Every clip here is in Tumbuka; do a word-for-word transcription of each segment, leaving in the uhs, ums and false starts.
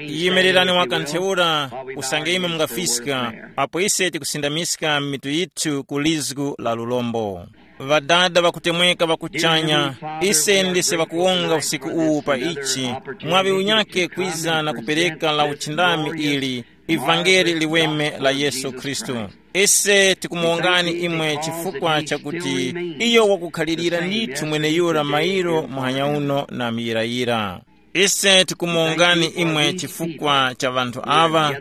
Yimirani wakantheura, usange imwe mungafiska, apo ise tikusindamiska mitu yithu ku lizgu la lulombo. Ŵadada ŵakutemweka ŵa kuchanya, ise ndise ŵakuwonga usiku uwu pa ichi, mwaŵi unyake kwiza na kupereka la uchindami ili, ivangeli liweme la Yesu Khristu. Ise tikumuwongani imwe chifukwa chakuti iyo wakukhalirira ndithu mweneyura mairo muhanya uno na muyirayira. Ise tikumuwongani imwe chifukwa cha ŵanthu aŵa,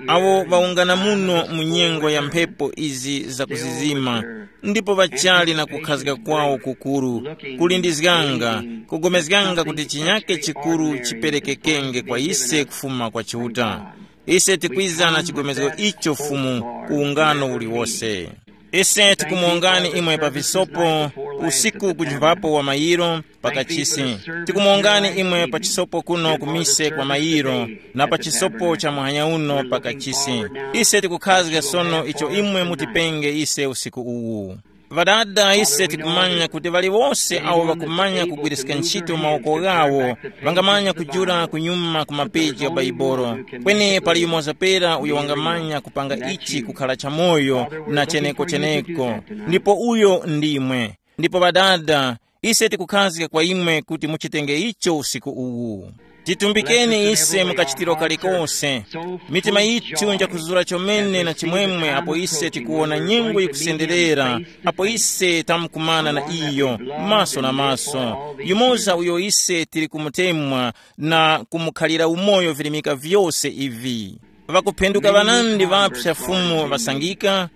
awo ŵawungana muno mu nyengo ya mphepo izi zakuzizima, ndipo ŵachali na kukhazika kwawo kukuru, kulindizganga, kugomezganga kuti chinyake chikuru chiperekekenge kwa ise kufuma kwa Chiuta. Ise tikwiza na chigomezgo icho Fumu ku ungano uliwose. Ise tikumuwongani imwe pa visopo, usiku kujimvapo wa mayiro, pakachisi. Tikumuwongani imwe pa chisopo kuno kumise kwa mayiro, na pa chisopo cha muhanya uno pakachisi. Ise tikukhazga sono icho imwe mutipenge ise usiku uwu. Ŵadada, ise tikumanya kuti ŵaliwose awo ŵakumanya kugwiriska ntchito mawoko ghawo, ŵangamanya kujula kunyuma ku mapeji gha Baibolo. Kweni pali yumoza pera uyo wangamanya kupanga ichi kukhala chamoyo na cheneko-cheneko, ndipo uyo ndimwe. Ndipo ŵadada, ise tikukhazga kwa imwe kuti muchitenge icho usiku uwu. Titumbikeni ise mu kachitiro kalikose. Mitima yithu njakuzura chomene na chimwemwe apo ise tikuwona nyengo yikusenderera, apo ise tamkumana na iyo maso na maso, yumoza uyo ise tili kumutemwa na kumukhalira umoyo virimika vyose ivi. Ŵakuphenduka ŵanandi ŵapsa Fumu ŵasangika,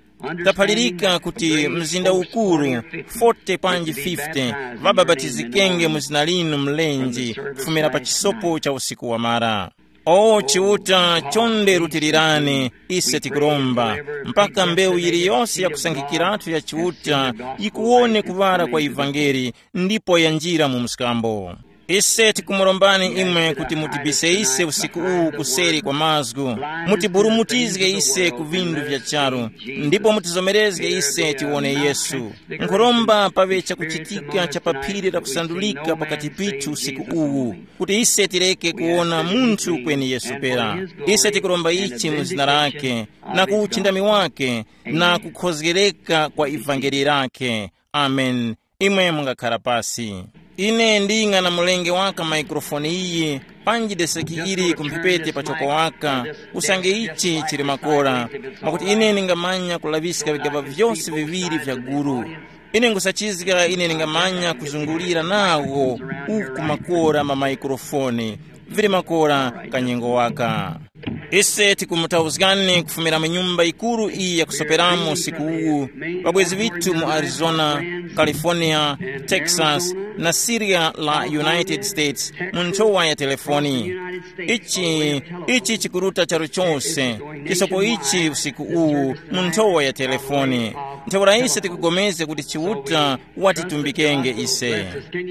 taphalirika kuti mzinda ukuru forty panji fifty ŵabapatizikenge mu zina linu mlenje kufumira pa chisopo cha usiku wamara. O Chiuta, chonde rutilirani, ise tikuromba, mpaka mbewu yiliyose yakusankhikiratu ya Chiuta yikuwone kuŵala kwa ivangeli ndipo yanjira mu mskambo. Ise tikumurombani imwe kuti mutibise ise usiku uwu kuseri kwa mazgu, mutiburumutizge ise ku vindu vya charu, ndipo mutizomerezge ise tiwone Yesu. Nkhuromba paŵe chakuchitika cha pa phiri lakusandulika pakati pithu usiku uwu, kuti ise tireke kuwona munthu kweni Yesu pera. Ise tikuromba ichi mu zina lake, na ku uchindami wake, na kukhozgereka kwa ivangeli lake. Amen. Imwe mungakhala pasi. Ine nding'ana mulenge waka maikrofoni iyi, panji deseki ili kumphepete pachoko waka, usange ichi chili makora, mwakuti ine ningamanya kulaŵiska vigaba vyose viŵiri vya guru. Ine nkhusachizga ine ningamanya kuzungulira nawo uku makora ma maikrofoni, vili makora kanyengo waka. Ise tikumutauzgani kufumira mu nyumba yikuru iyi yakusoperamo usiku uwu, ŵabwezi ŵithu mu Arizona, California, Texas, na Syria la United States mu nthowa ya telefoni. Ichi, ichi chikuruta charu chose, chisopo ichi usiku uwu mu nthowa ya telefoni. Ntheura ise tikugomezga kuti Chiuta watitumbikenge ise.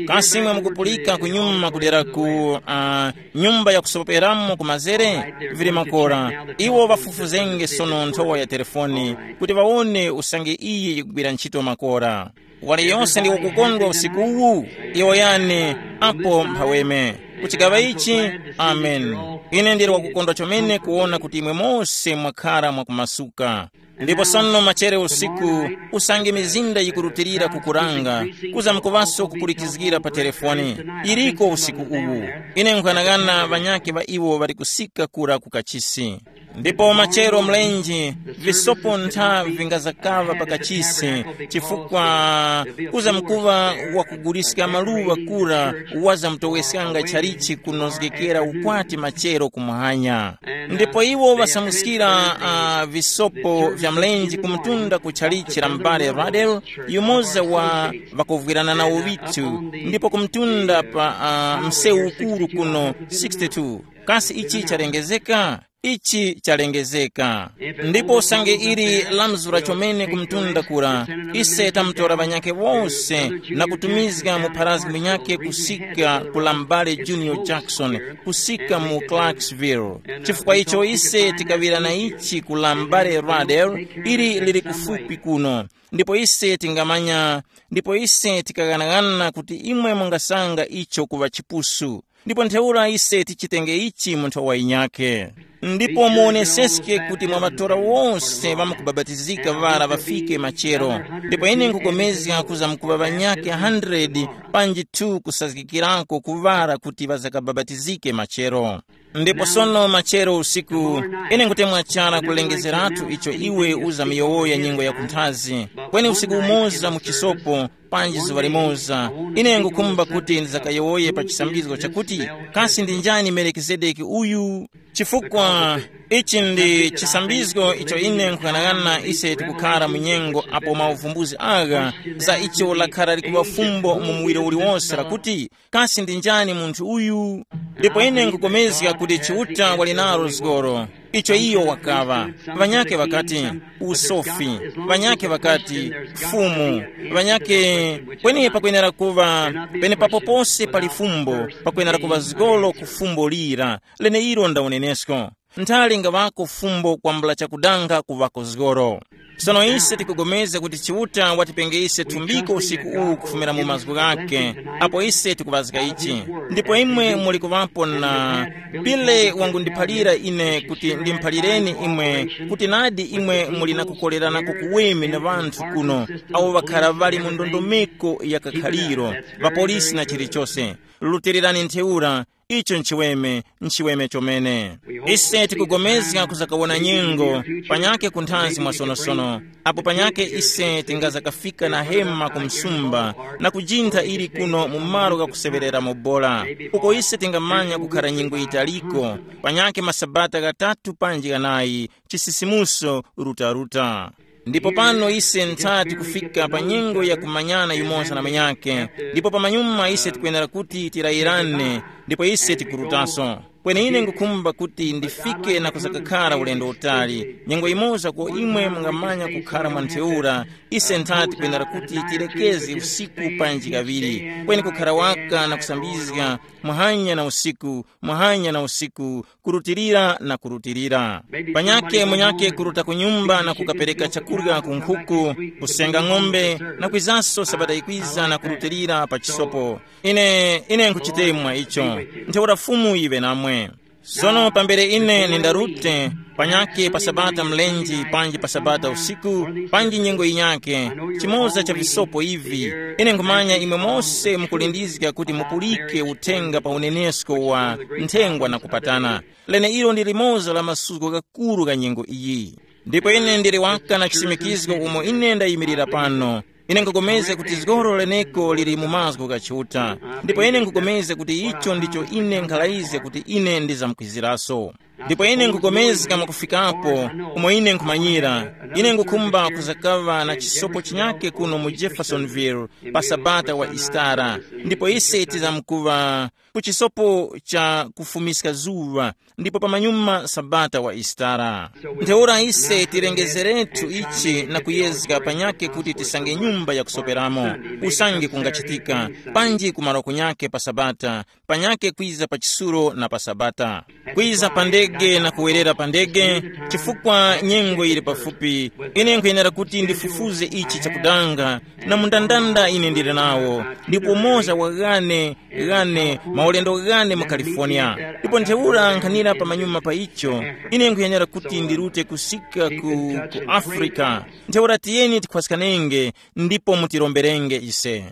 Kasi imwe mukupulika kunyuma kudera ku uh, nyumba yakusoperamo ku mazere? Vili makora, iwo ŵafufuzenge sono nthowa ya telefoni kuti ŵawone usange iyi yikugwira ntchito makora. Waliyonse ndi wakukondwa usiku uwu, iwo yani apo mphaweme kuchigaŵa ichi. Amen. Ine ndili wakukondwa chomene kuwona kuti imwe mose mwakhara mwakumasuka. Ndipo sono machere usiku, usange mizinda yikurutilira kukuranga, kuza mukuŵaso kupulikizgira pa telefoni, iriko usiku uwu. Ine nkhuyanaghana ŵanyakhe ŵa iwo ŵali kusika kura ku kachisi. Ndipo machero mlenje, visopo ntha vingazakaŵa pa kachisi, chifukwa kuza mukuŵa wakuguliska maluŵa kura, wazamutoweskanga chalichi kunozgekera ukwati machero kumuhanya. Ndipo iwo ŵasamuskira uh, visopo vya mlenje kumtunda ku chalichi la m'bale Radel, yumoza wa ŵakovwirana nawo vithu, ndipo kumtunda pa uh, msewu ukuru kuno sixty-two. Kasi ichi chalengezeka? Ichi chalengezeka. Ndipo usange ili lamzura chomene kumtunda kura, ise tamutora ŵanyakhe wose na kutumizga mu pharazgi munyakhe kusika ku la m'bale Junior Jackson, kusika mu Clarksville. Chifukwa icho ise tikaŵira na ichi ku la m'bale Radel, ili lili kufupi kuno. Ndipo ise tingamanya, ndipo ise tikaghanaghanana kuti imwe mungasanga icho kuŵa chipusu. Ndipo ntheura ise tichitenge ichi mu nthowa yinyakhe. Ndipo muoneseske kuti mwa matora wose ŵamkubabatizika ŵara ŵafike machero. Ndipo ine nkupulikana kuza mkuŵa ŵanyakhe hundred panji two kusazgikirako ku ŵara kuti ŵazakababatizike machero. Ndipo sono machero usiku, ine nkutemwa chara kulengezeratu icho iwe uzamiyowoya nyengo ya kunthazi, kweni usiku umoza mu chisopo, panji zuŵa limoza, ine ngukhumba kuti ndizakayowoye pa chisambizgo chakuti, kasi ndi njani Melikizedeki uyu? Chifukwa ichi ndi chisambizgo icho ine nkughanagana ise tikukhara mu nyengo apo mauvumbuzi agha za icho lakhara likuŵa fumbo mu muwiro uliwonse lakuti, kasi ndi njani munthu uyu? Ndipo ine nkupulikana kuti Chiuta wali nalo zgoro. Icho iyo wakaŵa. Ŵanyakhe ŵakati, usofi. Ŵanyakhe ŵakati, fumu. Ŵanyakhe, kweni pakwenera kuŵa, penepapo pose pali fumbo, pakwenera kuŵa zgoro ku fumbo lira. Leneilo nda unenesko. Nthali ngaŵako fumbo kwambula chakudanga kuŵako zgoro. Sono ise tikupulikana kuti Chiuta watipenge ise thumbiko usiku uwu kufumira mu mazgu ghakhe, apo ise tikuŵazga ichi. Ndipo imwe muli kuŵapo na Pile wangundiphalira ine kuti ndimuphalireni imwe, kuti nadi imwe muli na kukolerana kukuweme na ŵanthu kuno, awo ŵakhara ŵali mu ndondomeko ya kakhaliro, ŵapolisi na chilichose. Rutilirani ntheura, icho nchiweme, nchiweme chomene. Ise tikupulikana kuzakawona nyengo, panyake ku nthazi mwasonosono, apo panyake ise tingazakafika na hema ku msumba, na kujintha ili kuno mu malo ghakuseŵereramo bora, uko ise tingamanya kukhara nyengo yitaliko, panyake masabata ghatatu panji ghanayi, chisisimuso, rutaruta. Ndipo pano ise nthati kufika pa nyengo ya kumanyana yumoza na munyakhe, ndipo pamanyuma ise tikwenera kuti tilayirane, ndipo ise tikurutaso. Kweni ine ngukhumba kuti ndifike na kuzakakhara ulendo utali. Nyengo yimoza ko imwe mungamanya kukhara mwa ntheura, ise nthati tikwenera kuti tilekeze usiku panji kaŵiri, kweni kukhara waka na kusambizga, muhanya na usiku, muhanya na usiku, kurutilira na kurutilira. Panyakhe munyakhe kuruta ku nyumba na kukapereka chakurya ku nkhuku, kusenga ng'ombe, na kwizanso sabata yikwiza na kurutilira pa chisopo. Ine, ine nkhuchitemwa icho. Ntheura Fumu yiŵe namwe. Sono pambere ine nindarute, panyakhe pa sabata mlenje panji pa sabata usiku, panji nyengo yinyakhe, chimoza cha visopo ivi, ine nkhumanya imwe mose mukulindizga kuti mupulike uthenga pa unenesko wa nthengwa na kupatana. Leneilo ndi limoza la masuko ghakuru gha nyengo iyi. Ndipo ine ndili waka na chisimikizgo umo ine ndayimirira pano. Ine nkupulikana kuti zgoro leneko lili mu mazgu gha Chiuta. Ndipo ine nkupulikana kuti icho ndicho ine nkhalaize kuti ine ndizamkwiziraso. Ndipo ine nkupulikana mwakufikapo, umo ine nkhumanyira, ine ngukhumba kuzakaŵa na chisopo chinyake kuno mu Jeffersonville pa sabata wa Isitara. Ndipo ise tizamkuŵa ku chisopo cha kufumiska zuŵa, ndipo pamanyuma sabata wa Isitara. Ntheura ise tilengezerethu ichi na kuyezga panyakhe kuti tisange nyumba yakusoperamo, usange kungachitika, panji kumaro kunyakhe pa sabata, panyakhe kwiza pa chisulo na pa sabata, kwiza pa ndege na kuwerera pa ndege, chifukwa nyengo yili pafupi. Ine nkhuyenera kuti ndifufuze ichi chakudanga, na mundandanda ine ndili nawo, ndipo umoza wa ghane ghane maulendo ghane mu California. Ndipo ntheura nkhanira pamanyuma pa icho, ine nkhuyenera kuti ndirute kusika ku, ku Africa. Ntheura tiyeni tikhwaskanenge, ndipo mutiromberenge ise.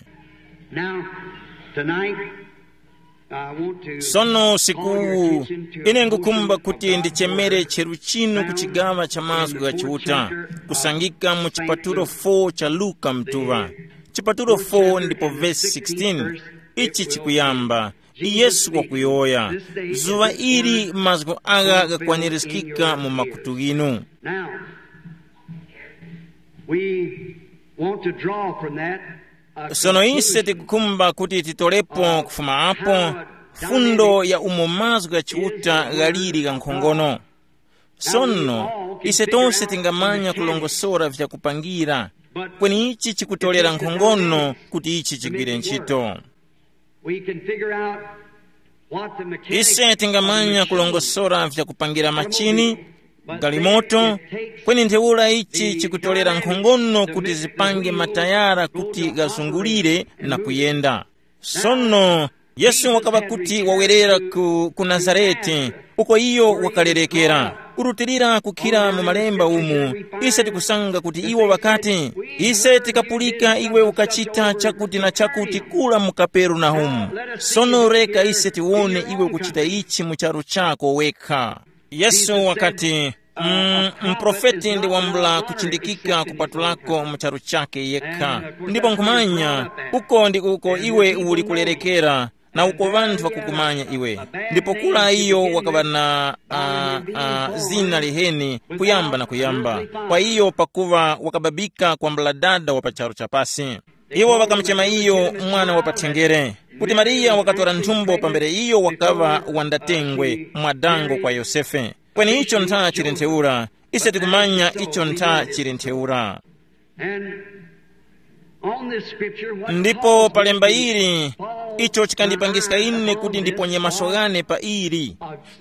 Now, tonight, I want to Sono usiku call your uwu, attention to ine ngukumba kuti ndichemere cheru chinu ku chigawa cha mazgu gha Chiuta, kusangika mu chipatulo four cha Luka mtuŵa. Chipatulo four ndipo vesi sixteen, ichi chikuyamba, Yesu wakuyowoya, zuŵa ili mazgu agha ghakwanirizgika mu makutu ghinu. Now, we want to draw from that, uh, Sono ise conclusion tikukhumba kuti titolepo kufuma apo fundo ya umo mazgu gha Chiuta ghaliri ghankhongono. Sono, ise tose tingamanya kulongosora vyakupangira, kweni ichi chikutolera nkhongono kuti ichi chigwire ntchito. We can figure out what the mechanics Ise tingamanya kulongosora vyakupangira machini, galimoto, kweni ntheura ichi chikutolera nkhongono kuti zipange matayara kuti ghazungulire na kuyenda. Sono, Yesu wakaŵa kuti wawerera ku, ku Nazarete, uko iyo wakalerekera. Kurutilira kukhira mu malemba umu, ise tikusanga kuti iwo ŵakati, ise tikapulika iwe ukachita chakuti na chakuti kula mu Kaperenahumu. Sono reka ise tiwone iwe ukuchita ichi mu charu chako wekha. Yesu wakati, mm, mprofeti ndi wambula kuchindikika kupatulako mu charu chake yekha. Ndipo nkhumanya, uko ndi uko iwe uli kulerekera, na uko ŵanthu ŵakukumanya iwe. Ndipo kula iyo wakaŵa na uh, uh, zina liheni kuyamba na kuyamba, kwa iyo pakuva wakababika kwambula dada wa pa charu chapasi. Iwo ŵakamuchema iyo mwana wa pathenjere, kuti Mariya wakatora nthumbo pambere iyo wakaŵa wandatengwe mwadango kwa Yosefe. Kweni icho ntha chili ntheura, ise tikumanya icho ntha chili ntheura. And on this scripture, what ndipo pa lemba ili, icho chikandipangiska ine kuti ndiponye maso ghane pa ili,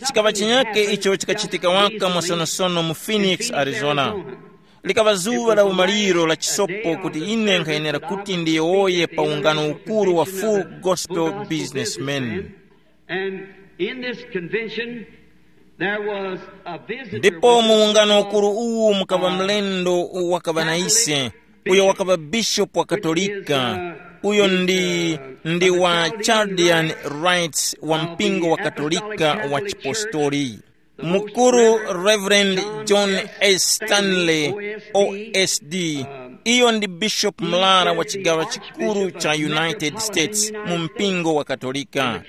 chikaŵa chinyake icho chikachitika waka mwasonosono mu Phoenix, Arizona. Likaŵa zuŵa la umaliro la chisopo kuti ine nkhayenera kuti ndiyowoye pa ungano ukuru wa Full Gospel Businessmen. And in this convention, there was a visitor. Ndipo mu ungano ukuru uwu mukaŵa mlendo wakaŵa na ise, uyo wakaŵa bishopu wa Katolika, uyo ndi, ndi wa Chaldean Rites wa mpingo wa Katolika wa Chipostoli. Mukuru Reverend John S. Stanley, O S D, iyo ndi bishopu mlara wa chigawa chikuru cha United States mu mpingo wa Katolika.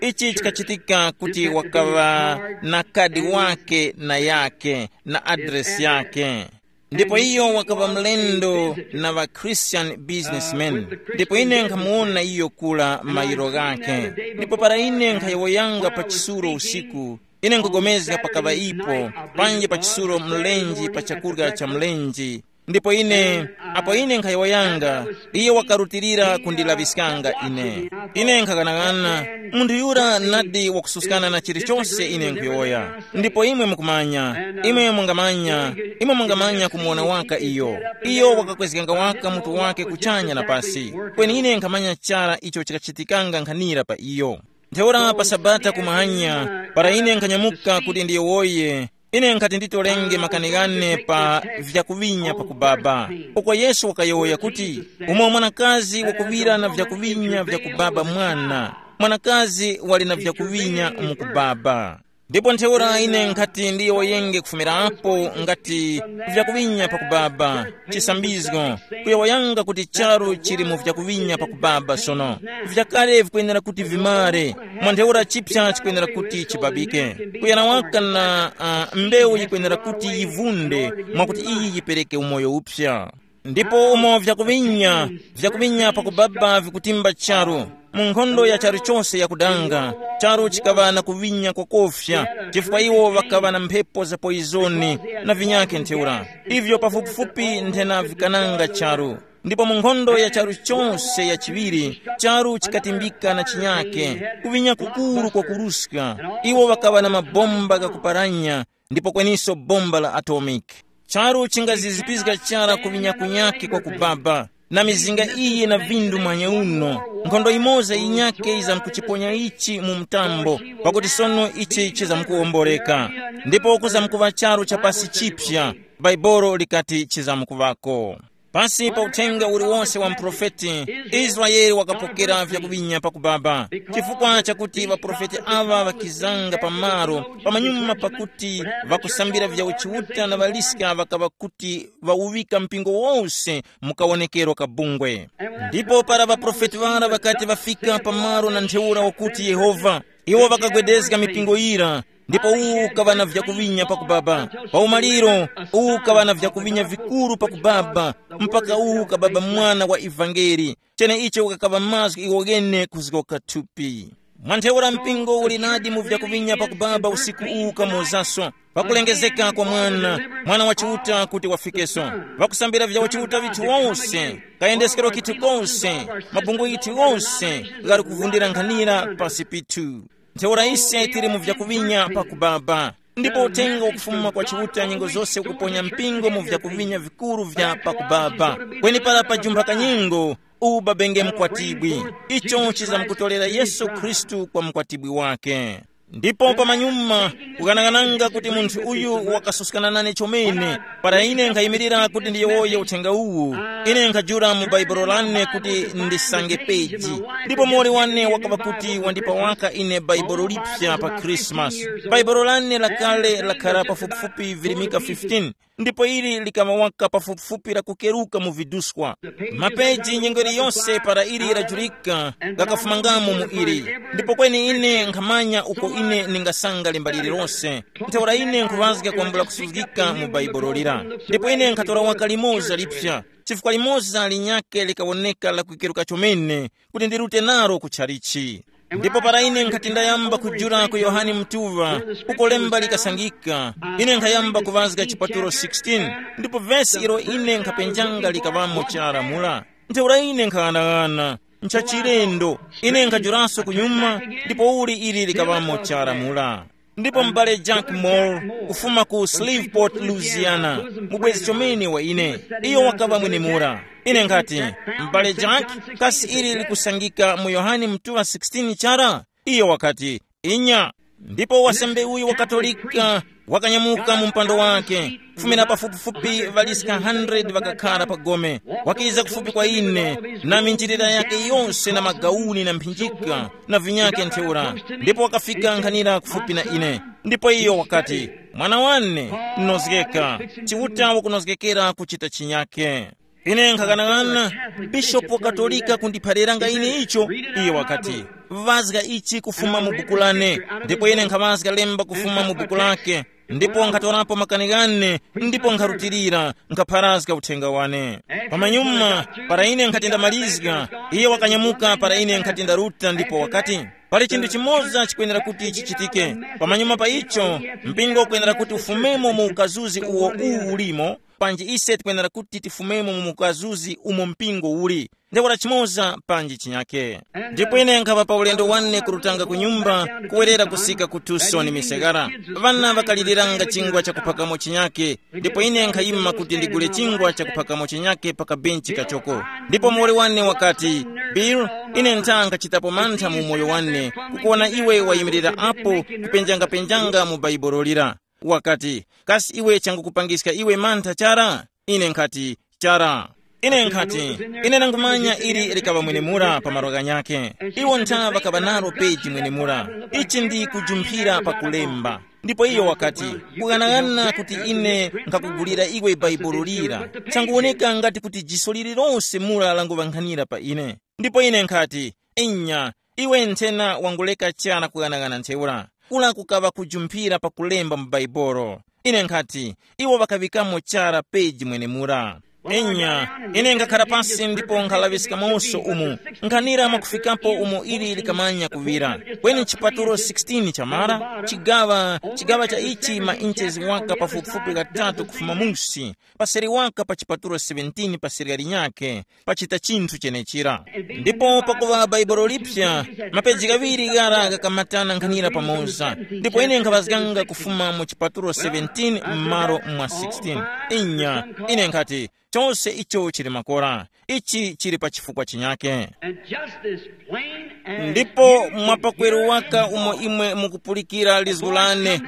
Ichi chikachitika kuti wakaŵa na kadi wake na yake na adresi yake. Ndipo iyo wakaŵa mlendo na ŵa Christian businessmen. Ndipo ine nkhamuwona iyo kula mayiro ghakhe. Ndipo para ine nkhayowoyanga pa chisulo usiku, ine nkugomezga pakaŵa ipo, panje pa chisulo mlenje pa chakurya cha mlenje. Ndipo ine, apo ine nkhayowoyanga, iye wakarutilira kundilaŵiskanga ine. Ine nkhaghanag'ana, munthu yura nadi wakususkana na chilichose ine nkhuyowoya. Ndipo imwe mukumanya, imwe mungamanya, imwe mungamanya kumuwona waka iyo. Iyo wakakwezganga waka mutu wake kuchanya na pasi. Kweni ine nkhamanya chara icho chikachitikanga nkhanira pa iyo. Ntheura pa Sabata kumahanya, para ine nkhanyamuka kuti ndiyowoye, ine nkhati nditolenge makani ghane pa vyakuŵinya pakubaba. Uko Yesu wakayowoya kuti, umo mwanakazi wakuŵira na vyakuŵinya vyakubaba mwana, mwanakazi wali na vyakuŵinya mukubaba. Ndipo ntheura ine nkhati ndiyowoyenge kufumirapo ngati vyakuŵinya pakubaba, chisambizgo, kuyowoyanga kuti charu chili mu vyakuŵinya pakubaba sono. Vyakale vikwenera kuti vimare, mwa ntheura chipsa chikwenera kuti chibabike. Kuyana waka na uh, mbewu yikwenera kuti yivunde, mwakuti iyi yipereke umoyo upsa. Ndipo umo vyakuŵinya, vyakuŵinya pakubaba vikutimba charu, mu nkhondo ya charu chose yakudanga, charu chikaŵa na kuŵinya kwakofya, chifukwa iwo ŵakaŵa na mphepo za poizoni na vinyakhe ntheura. Ivyo pafupifupi nthena vikananga charu. Ndipo mu nkhondo ya charu chose ya chiŵiri, charu chikatimbika na chinyake, kuŵinya kukuru kwakuruska. Iwo ŵakaŵa na mabomba ghakuparanya, ndipo kweniso bomba la atomic. Charu chingazizipizga chara kuŵinya kunyake kwakubaba, na mizinga iyi na vindu mwanya uno. Nkhondo imoza yinyake yizamkuchiponya ichi mu mtambo, pakuti sono ichi chizamkuwomboreka. Ndipo kuzamkuŵa charu cha pasi chipya, Baibolo likati chizamkuŵako. Pasi pa uthenga uliwose wa muprofeti, Israele wakapokera vyakuŵinya pakubaba, chifukwa chakuti ŵaprofeti aŵa ŵakizanga pamalo pamanyuma pakuti ŵakusambira vya uchiuta na ŵaliska ŵakaŵa kuti ŵawuŵika mpingo wose mu kawonekero ka bungwe. Ndipo para ŵaprofeti ŵara ŵakati ŵafika pamalo na ntheura wakuti Yehova, iwo ŵakagwedezga mipingo yira, ndipo uwu ukaŵa na vyakuŵinya pakubaba. Pa umaliro, uwu ukaŵa na vyakuŵinya vikuru pakubaba, mpaka uwu ukababa mwana wa ivangeli, cheneicho ukakaŵa mazgu iwo ghene kuzgoka thupi. Mwa ntheura mpingo uli nadi mu vyakuŵinya pakubaba usiku uwu kamozaso, pakulengezeka kwa mwana, mwana wa Chiuta kuti wafikeso. Ŵakusambira vya uchiuta vithu wose, kayendeskero kithu kose, mabungwe yithu wose ghali kuvundira nkhanira pasi pithu. Ntheura ise tili mu vyakuŵinya pakubaba. Ndipo uthenga wakufuma kwa Chiuta nyengo zose ukuponya mpingo mu vyakuŵinya vikuru vya pakubaba. Kweni para pajumpha kanyengo, ubabenge mkwatibwi. Icho chizamkutolera Yesu Khristu kwa mkwatibwi wake. Ndipo pamanyuma, kukanakananga kuti munthu uyu wakasuskana nane chomene, para ine nkhayimirira kuti ndiyowoye uthenga uwu, ine nkhajula mu baibulo lane kuti ndisange peji. Ndipo mori wane wakaba kuti wandipa waka ine baibulo lipsa pa Krismasi. Baibulo lane lakale lakhara pafupifupi virimika fifteen, ndipo ili likaŵa waka pafupifupi la kukeruka mu viduskwa. Mapeji nyengo iliyonse para ili lajulika, ghakafumangamo mu ili. Ndipo kweni ine nkhamanya uko ine ningasanga lemba lililonse. Ntheura ine nkhuŵazga kwambula kusuzgika mu baibulo lira. Ndipo ine nkhatora waka limoza lipsa, chifukwa limoza linyakhe likawoneka lakukeruka chomene, kuti ndirute nalo ku tchalichi. Ndipo para ine nkhati ndayamba kujula ku Yohane Mutuŵa, uko lemba likasangika, ine nkhayamba kuŵazga chipatulo sixteen, ndipo vesi ilo ine nkhapenjanga likaŵamo chara mura. Ntheura ine nkhaghanaghananga, nchachilendo, ine nkhajulanso kunyuma, ndipo uli ili likaŵamo chara mura. Ndipo m'bale Jack Moore, kufuma ku Shreveport, Louisiana, mubwezi chomene wa ine, iyo wakaŵa mwenemura. Ine nkhati, m'bale Jack, kasi ili likusangika mu Yohane Mutuŵa sixteen chara? Iyo wakati, inya. Ndipo wasembe uyu wa Katolika wakanyamuka mu mpando wake, kufumira pafupifupi ŵaliska hundred ŵakakhara pa gome, wakiza kufupi kwa ine, na minjilira yake yose na magauni na mphinjika na vinyake ntheura, ndipo wakafika nkhanira kufupi na ine. Ndipo iyo wakati, mwana wane, nozgeka, Chiuta wakunozgekera kuchita chinyake. Ine nkhaghanaghana, bishopu wa Katolika kundiphaliranga ine icho. Iye wakati, vazga ichi kufuma mu buku lane. Ndipo ine nkhavazga lemba kufuma mu buku lake, ndipo nkhatorapo makani ghane, ndipo nkharutilira, nkhapharazga uthenga wane. Pamanyuma, para ine nkhati ndamalizga, iye wakanyamuka para ine nkhati ndaruta ndipo wakati, pali chinthu chimoza chikwenera kuti chichitike. Pamanyuma pa icho, mpingo ukwenera kuti ufumemo mu ukazuzi uwo uwu ulimo, panji ise tikwenera kuti tifumemo mu ukazuzi umo mpingo uli. Ntheura chimoza panji chinyake. Ndipo ine nkhapa pa ulendo wane kurutanga ku nyumba, kuwerera kusika ku Tucson, Michigan. Ŵana ŵakaliliranga chingwa chakuphakamo chinyake, ndipo ine nkhayima kuti ndigule chingwa chakuphakamo chinyake pa kabenchi kachoko. Ndipo muwoli wane wakati, Bill, ine nthanga chitapo mantha mu umoyo wane, kukuwona iwe wayimirira apo kupenjangapenjanga mu Bhaibuli lira. Wakati, kasi iwe changukupangiska iwe mantha chara? Ine nkhati, chara. Ine nkhati, ine nangumanya ili likaŵa mwenemura pa malo ghanyakhe. Iwo ntha ŵakaŵa nalo peji mwenemura. Ichi ndi kujumphira pa kulemba. Ndipo iyo wakati, kughanaghana kuti ine nkhakugulira iwe Bhaibuli lira, changuwoneka ngati kuti jiso lililonse mura languŵankhanira pa ine. Ndipo ine nkhati, inya, iwe nthena wanguleka chara kughanaghana ntheura. Kura kukaŵa kujumphira pakulemba mu Bhaibuli. Ine nkhati, iwo ŵakaŵikamo chara peji mwenemura. Inya, ine ngakhara pasi ndipo nkhalaŵiskamonso umu, nkhanira mwakufikapo umo ili likamanya kuŵira. Kweni chipatulo sixteen chamara, chigaŵa, chigaŵa cha ichi ma inches waka pafupifupi ghatatu kufuma musi, paseri waka pa chipatulo seventeen paseri linyakhe, pachita chinthu chenechira. Ndipo pakuŵa Bhaibuli lipya, mapeji ghaŵiri ghara ghakamatana nkhanira pamoza, ndipo ine nkhaŵazganga kufuma mu chipatulo seventeen m'malo mwa sixteen. Inya, ine nkhati, chose icho chili makora, ichi chili pa chifukwa chinyake. And just as plain as ndipo you mwapakweru can waka hear umo imwe mukupulikira lizgu lane,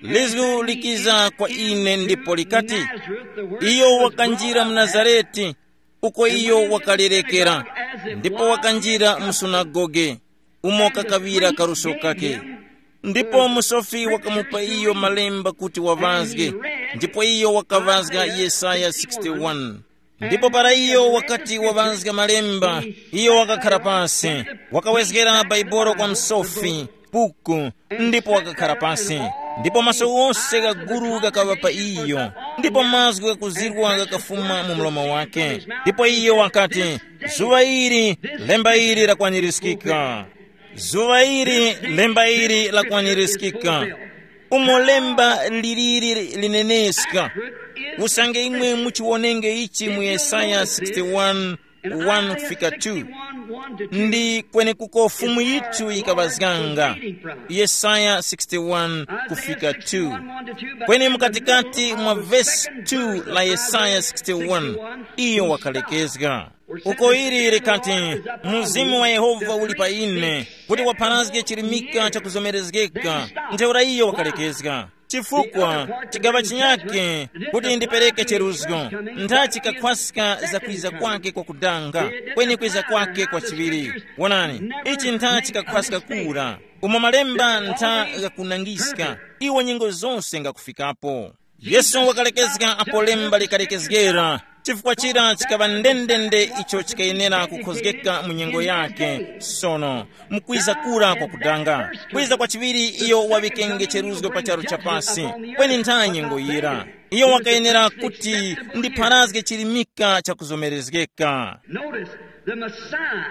lizgu likiza kwa ine ndipo likati, iyo wakanjira mu Nazareti, uko iyo wakalerekera, ndipo wakanjira mu sunagoge, umo kakaŵira kaluso kake. Ndipo musofi wakamupa iyo malemba kuti waŵazge, ndipo iyo wakaŵazga Yesaya sixty-one. Ndipo para iyo wakati waŵazga malemba, iyo wakakhara pasi, wakawezgera Bhaibuli kwa musofi, buku, ndipo wakakhara pasi. Ndipo maso ghose gha guru ghakaŵa pa iyo, ndipo mazgu ghakuzirwa ghakafuma mu mlomo wake. Ndipo iyo wakati, zuŵa ili, lemba ili lakwanirizgika. Zuŵa ili, lemba ili lakwanirizgika. Umo lemba liliri lineneska. Usange imwe muchiwonenge ichi mu Yesaya sixty-one, one kufika two. Ndi kwenekuko Fumu yithu yikaŵazganga. Yesaya sixty-one kufika two. Kweni mukatikati mwa vesi two la Yesaya sixty-one, iyo wakalekezga. Uko ili likati, Mzimu wa Yehova uli pa ine, kuti wapharazge chirimika chakuzomerezgeka. Ntheura iyo wakalekezga. Chifukwa chigaŵa chinyake kuti ndipereke cheruzgo, ntha chikakhwaska za kwiza kwake kwa kudanga, kweni kwiza kwake kwa chiŵiri. Wonani, ichi ntha chikakhwaska kura, umo malemba ntha ghakunangiska, iwo nyengo zose ngakufikapo. Yesu wakalekezga apo lemba likalekezgera, chifukwa chira chikaŵa ndendende icho chikayenera kukhozgeka mu nyengo yake. Sono mukwiza kura kwa kudanga, kwiza kwa chiŵiri iyo waŵikenge cheruzgo pa charu chapasi, kweni ntha nyengo yira iyo wakayenera kuti ndipharazge chirimika chakuzomerezgeka. Notice the Messiah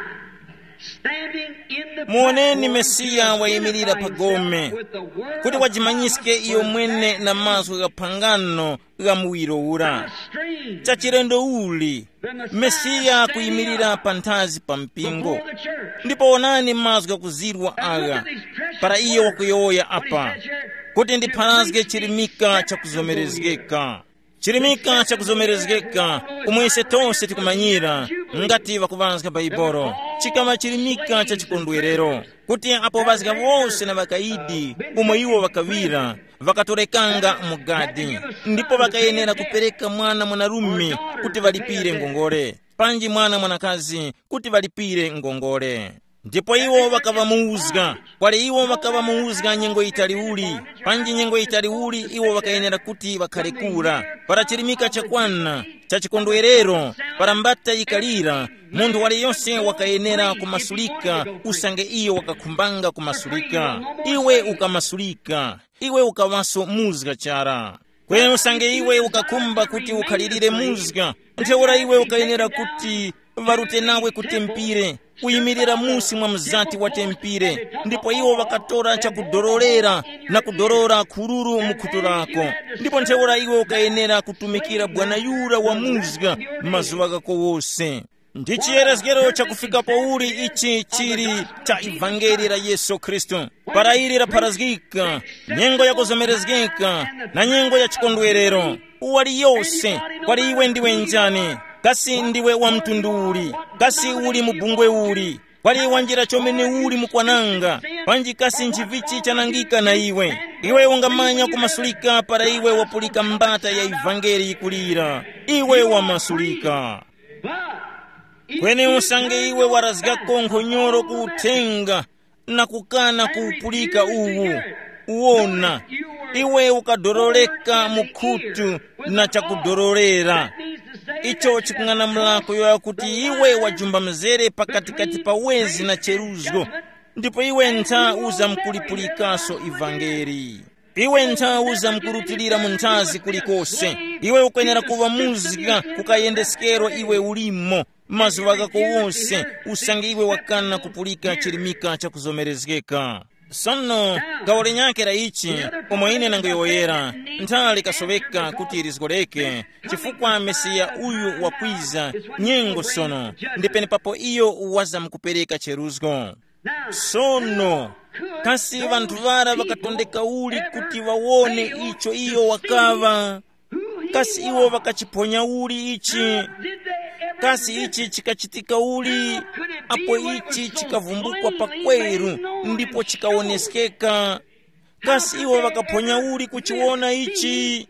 standing in the Muoneni platform Mesiya to wayimirira identify pa gome, himself with the word kuti of wajimanyiske God iyo for mwene that na mazgu gha phangano gha muwiro ura. Strange. Chachilendo uli, Mesiya kuyimirira panthazi pa mpingo. Before the church. Ndipo onani mazgu ghakuzirwa agha, para iyo wakuyowoya apa, kuti ndipharazge chirimika chakuzomerezgeka. Chirimika chakuzomerezgeka, umo ise tose tikumanyira, ngati ŵakuŵazga Baibolo, chikaŵa chirimika cha chikondwerero, kuti apo ŵazga wose na ŵakayidi, umo iwo ŵakaŵira, ŵakatorekanga mu gadi, ndipo ŵakayenera kupereka mwana mwanarume kuti ŵalipire ngongole, panji mwana mwanakazi kuti ŵalipire ngongole. Ndipo iwo ŵakaŵamuwuzga, kwali iwo ŵakaŵamuwuzga nyengo yitali uli, panji nyengo yitali uli iwo ŵakayenera kuti ŵakhare kura. Para chirimika chakwana cha chikondwerero, para mbata yikalira, munthu waliyose wakayenera kumasulika, usange iyo wakakhumbanga kumasulika. Iwe ukamasulika, iwe ukaŵaso muzga chara. Kweni usange iwe ukakhumba kuti ukhalirire muzga, ntheura iwe ukayenera kuti ŵarute nawe ku tempire, kuyimirira musi mwa mzati wa tempire, ndipo iwo ŵakatora chakudororera na kudorora khururu mu khutu lako. Ndipo ntheura iwe ukayenera kutumikira bwana yura wa muzga mazuŵa ghako wose. Ndi chiyerezgero chakufika pauli ichi chili cha ivangeli la Yesu Khristu. Para ili lapharazgika, nyengo yakuzomerezgeka na nyengo ya chikondwerero, waliyose, kwali iwe ndiwe njani? Kasi ndiwe wa mtundu uli? Kasi uli mu bungwe uli? Kwali wanjira chomene uli mukwananga? Panji kasi nchivichi chanangika na iwe? Iwe ungamanya kumasulika para iwe wapulika mbata ya ivangeli yikulira. Iwe wamasulika. Kweni usange iwe warazgako nkhonyoro ku uthenga na kukana kuwupulika uwu, wona, iwe ukadoroleka mu khutu na chakudorolera. Icho chikung'anamula kuyowoya kuti iwe wajumba mzere pakatikati pa wezi na cheruzgo, ndipo iwe ntha uzamkulipulikaso ivangeli. Iwe ntha uzamkurutilira mu nthazi kulikose. Iwe ukwenera kuŵa muzga kukayendeskero iwe ulimo mazuŵa ghako wose, usange iwe wakana kupulika chirimika chakuzomerezgeka. Sono, gawo linyakhe la ichi, umo ine nangoyowoyera, ntha likasoweka kuti lizgoreke, chifukwa Mesiya uyu wakwiza, nyengo sono, ndi penepapo iyo wazamkupereka cheruzgo. Sono, kasi ŵanthu ŵara ŵakatondeka uli kuti ŵawone icho iyo wakaŵa? Kasi iwo ŵakachiphonya uli ichi? Kasi ichi chikachitika uli? Apo ichi chikavumbukwa pakweru ndipo chikawoneskeka, kasi iwo ŵakaphonya uli kuchiwona ichi?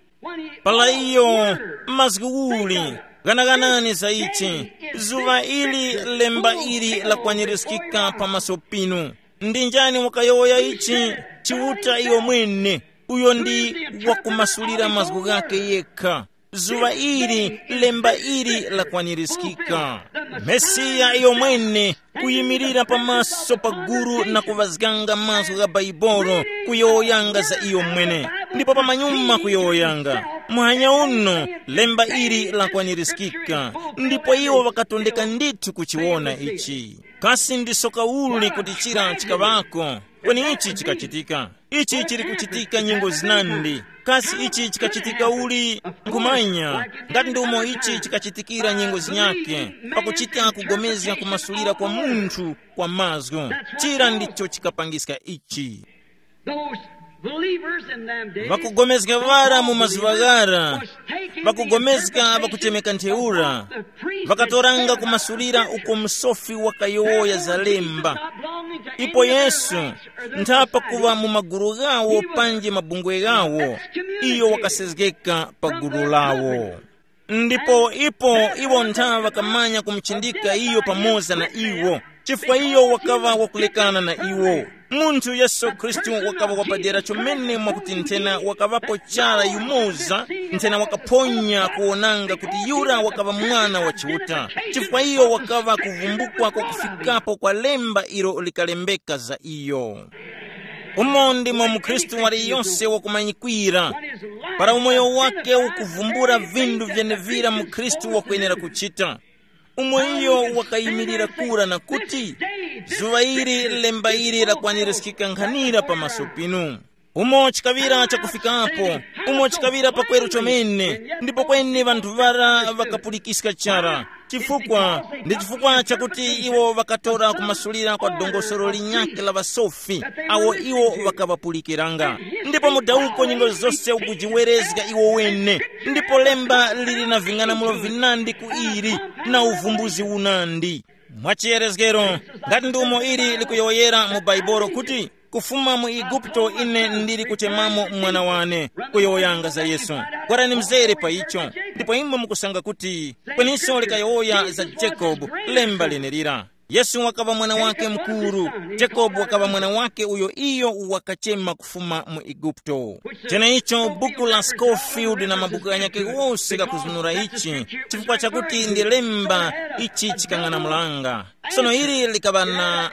Para iyo, mazgu uli, ghanaghanani za ichi, zuŵa ili lemba ili lakwanirizgika pamaso pinu. Ndi njani wakayowoya ichi? Chiuta iyo mwene, uyo ndi wakumasulira mazgu ghakhe yekha. Zuŵa ili lemba ili lakwanirizgika. Mesiya iyo mwene kuyimirira pamaso pa guru na kuŵazganga mazgu gha Baibolo, kuyowoyanga za iyo mwene, ndipo pamanyuma kuyowoyanga. Muhanya uno, lemba ili lakwanirizgika, ndipo iwo ŵakatondeka ndithu kuchiwona ichi. Kasi ndi soka uli kuti chira chikaŵako? Kweni ichi chikachitika. Ichi chili kuchitika nyengo zinandi. Kasi ichi chikachitika uli? Nkhumanya, ngati ndi umo ichi chikachitikira nyengo zinyake, pakuchita kugomezga kumasulira kwa munthu kwa mazgu. Chira ndicho chikapangiska ichi. Those believers in them days, vakugomezga vara mu mazuva ghara, vakugomezga vakuchemeka ntheura, vakatoranga kumasulira uko msofi wakayowoya za lemba. Ipo Yesu, ntha pakuva mu magulu ghawo panji mabungwe ghawo, iyo wakasezgeka pa gulu lawo. Ndipo ipo iwo ntha ŵakamanya kumuchindika iyo pamoza na iwo, chifukwa iyo wakaŵa wakulekana na iwo. Munthu Yesu Khristu wakaŵa wapadera chomene mwakuti nthena wakaŵapo chara yumoza, nthena wakaphonya kuwonanga kuti yura wakaŵa mwana wa Chiuta, chifukwa iyo wakaŵa kuvumbukwa kwa kufikapo kwa lemba ilo likalembeka za iyo. Umo ndimo mukhristu waliyonse wakumanyikwira, para umoyo wake ukuvumbula vindu vyenevira mukhristu wakwenera kuchita. Umo iyo wakayimirira kura na kuti, zuŵa ili lemba ili lakwanirizgika nkhanira pamaso pinu. Umo chikaŵira chakufikapo, umo chikaŵira pakweru chomene, ndipo kweni ŵanthu ŵara ŵakapulikiska chara. Chifukwa, ndi chifukwa chakuti iwo ŵakatora kumasulira kwa dongosolo linyakhe la ŵasofi, awo iwo ŵakaŵapulikiranga. Ndipo mudawuko nyengo zose ukujiwerezga iwo wene, ndipo lemba lili na ving'anamulo vinandi ku ili, na uvumbuzi unandi. Mwachiyerezgero, ngati ndi umo ili likuyowoyera mu Baibolo kuti, kufuma mu Igupto ine ndili kuchemamo mwana wane, kuyowoyanga za Yesu. Kwarani mzere pa icho, ndipo imwe mukusanga kuti kweninso likayowoya za Jacob, lemba lenelira. Yesu wakaŵa mwana wake mukuru, Jacob wakaŵa mwana wake uyo iyo wakachema kufuma mu Igupto. Cheneicho buku la Scofield na mabuku ghanyakhe ghose ghakuzunura ichi, chifukwa chakuti ndi lemba ichi chikang'anamulanga. Sono ili likaŵa na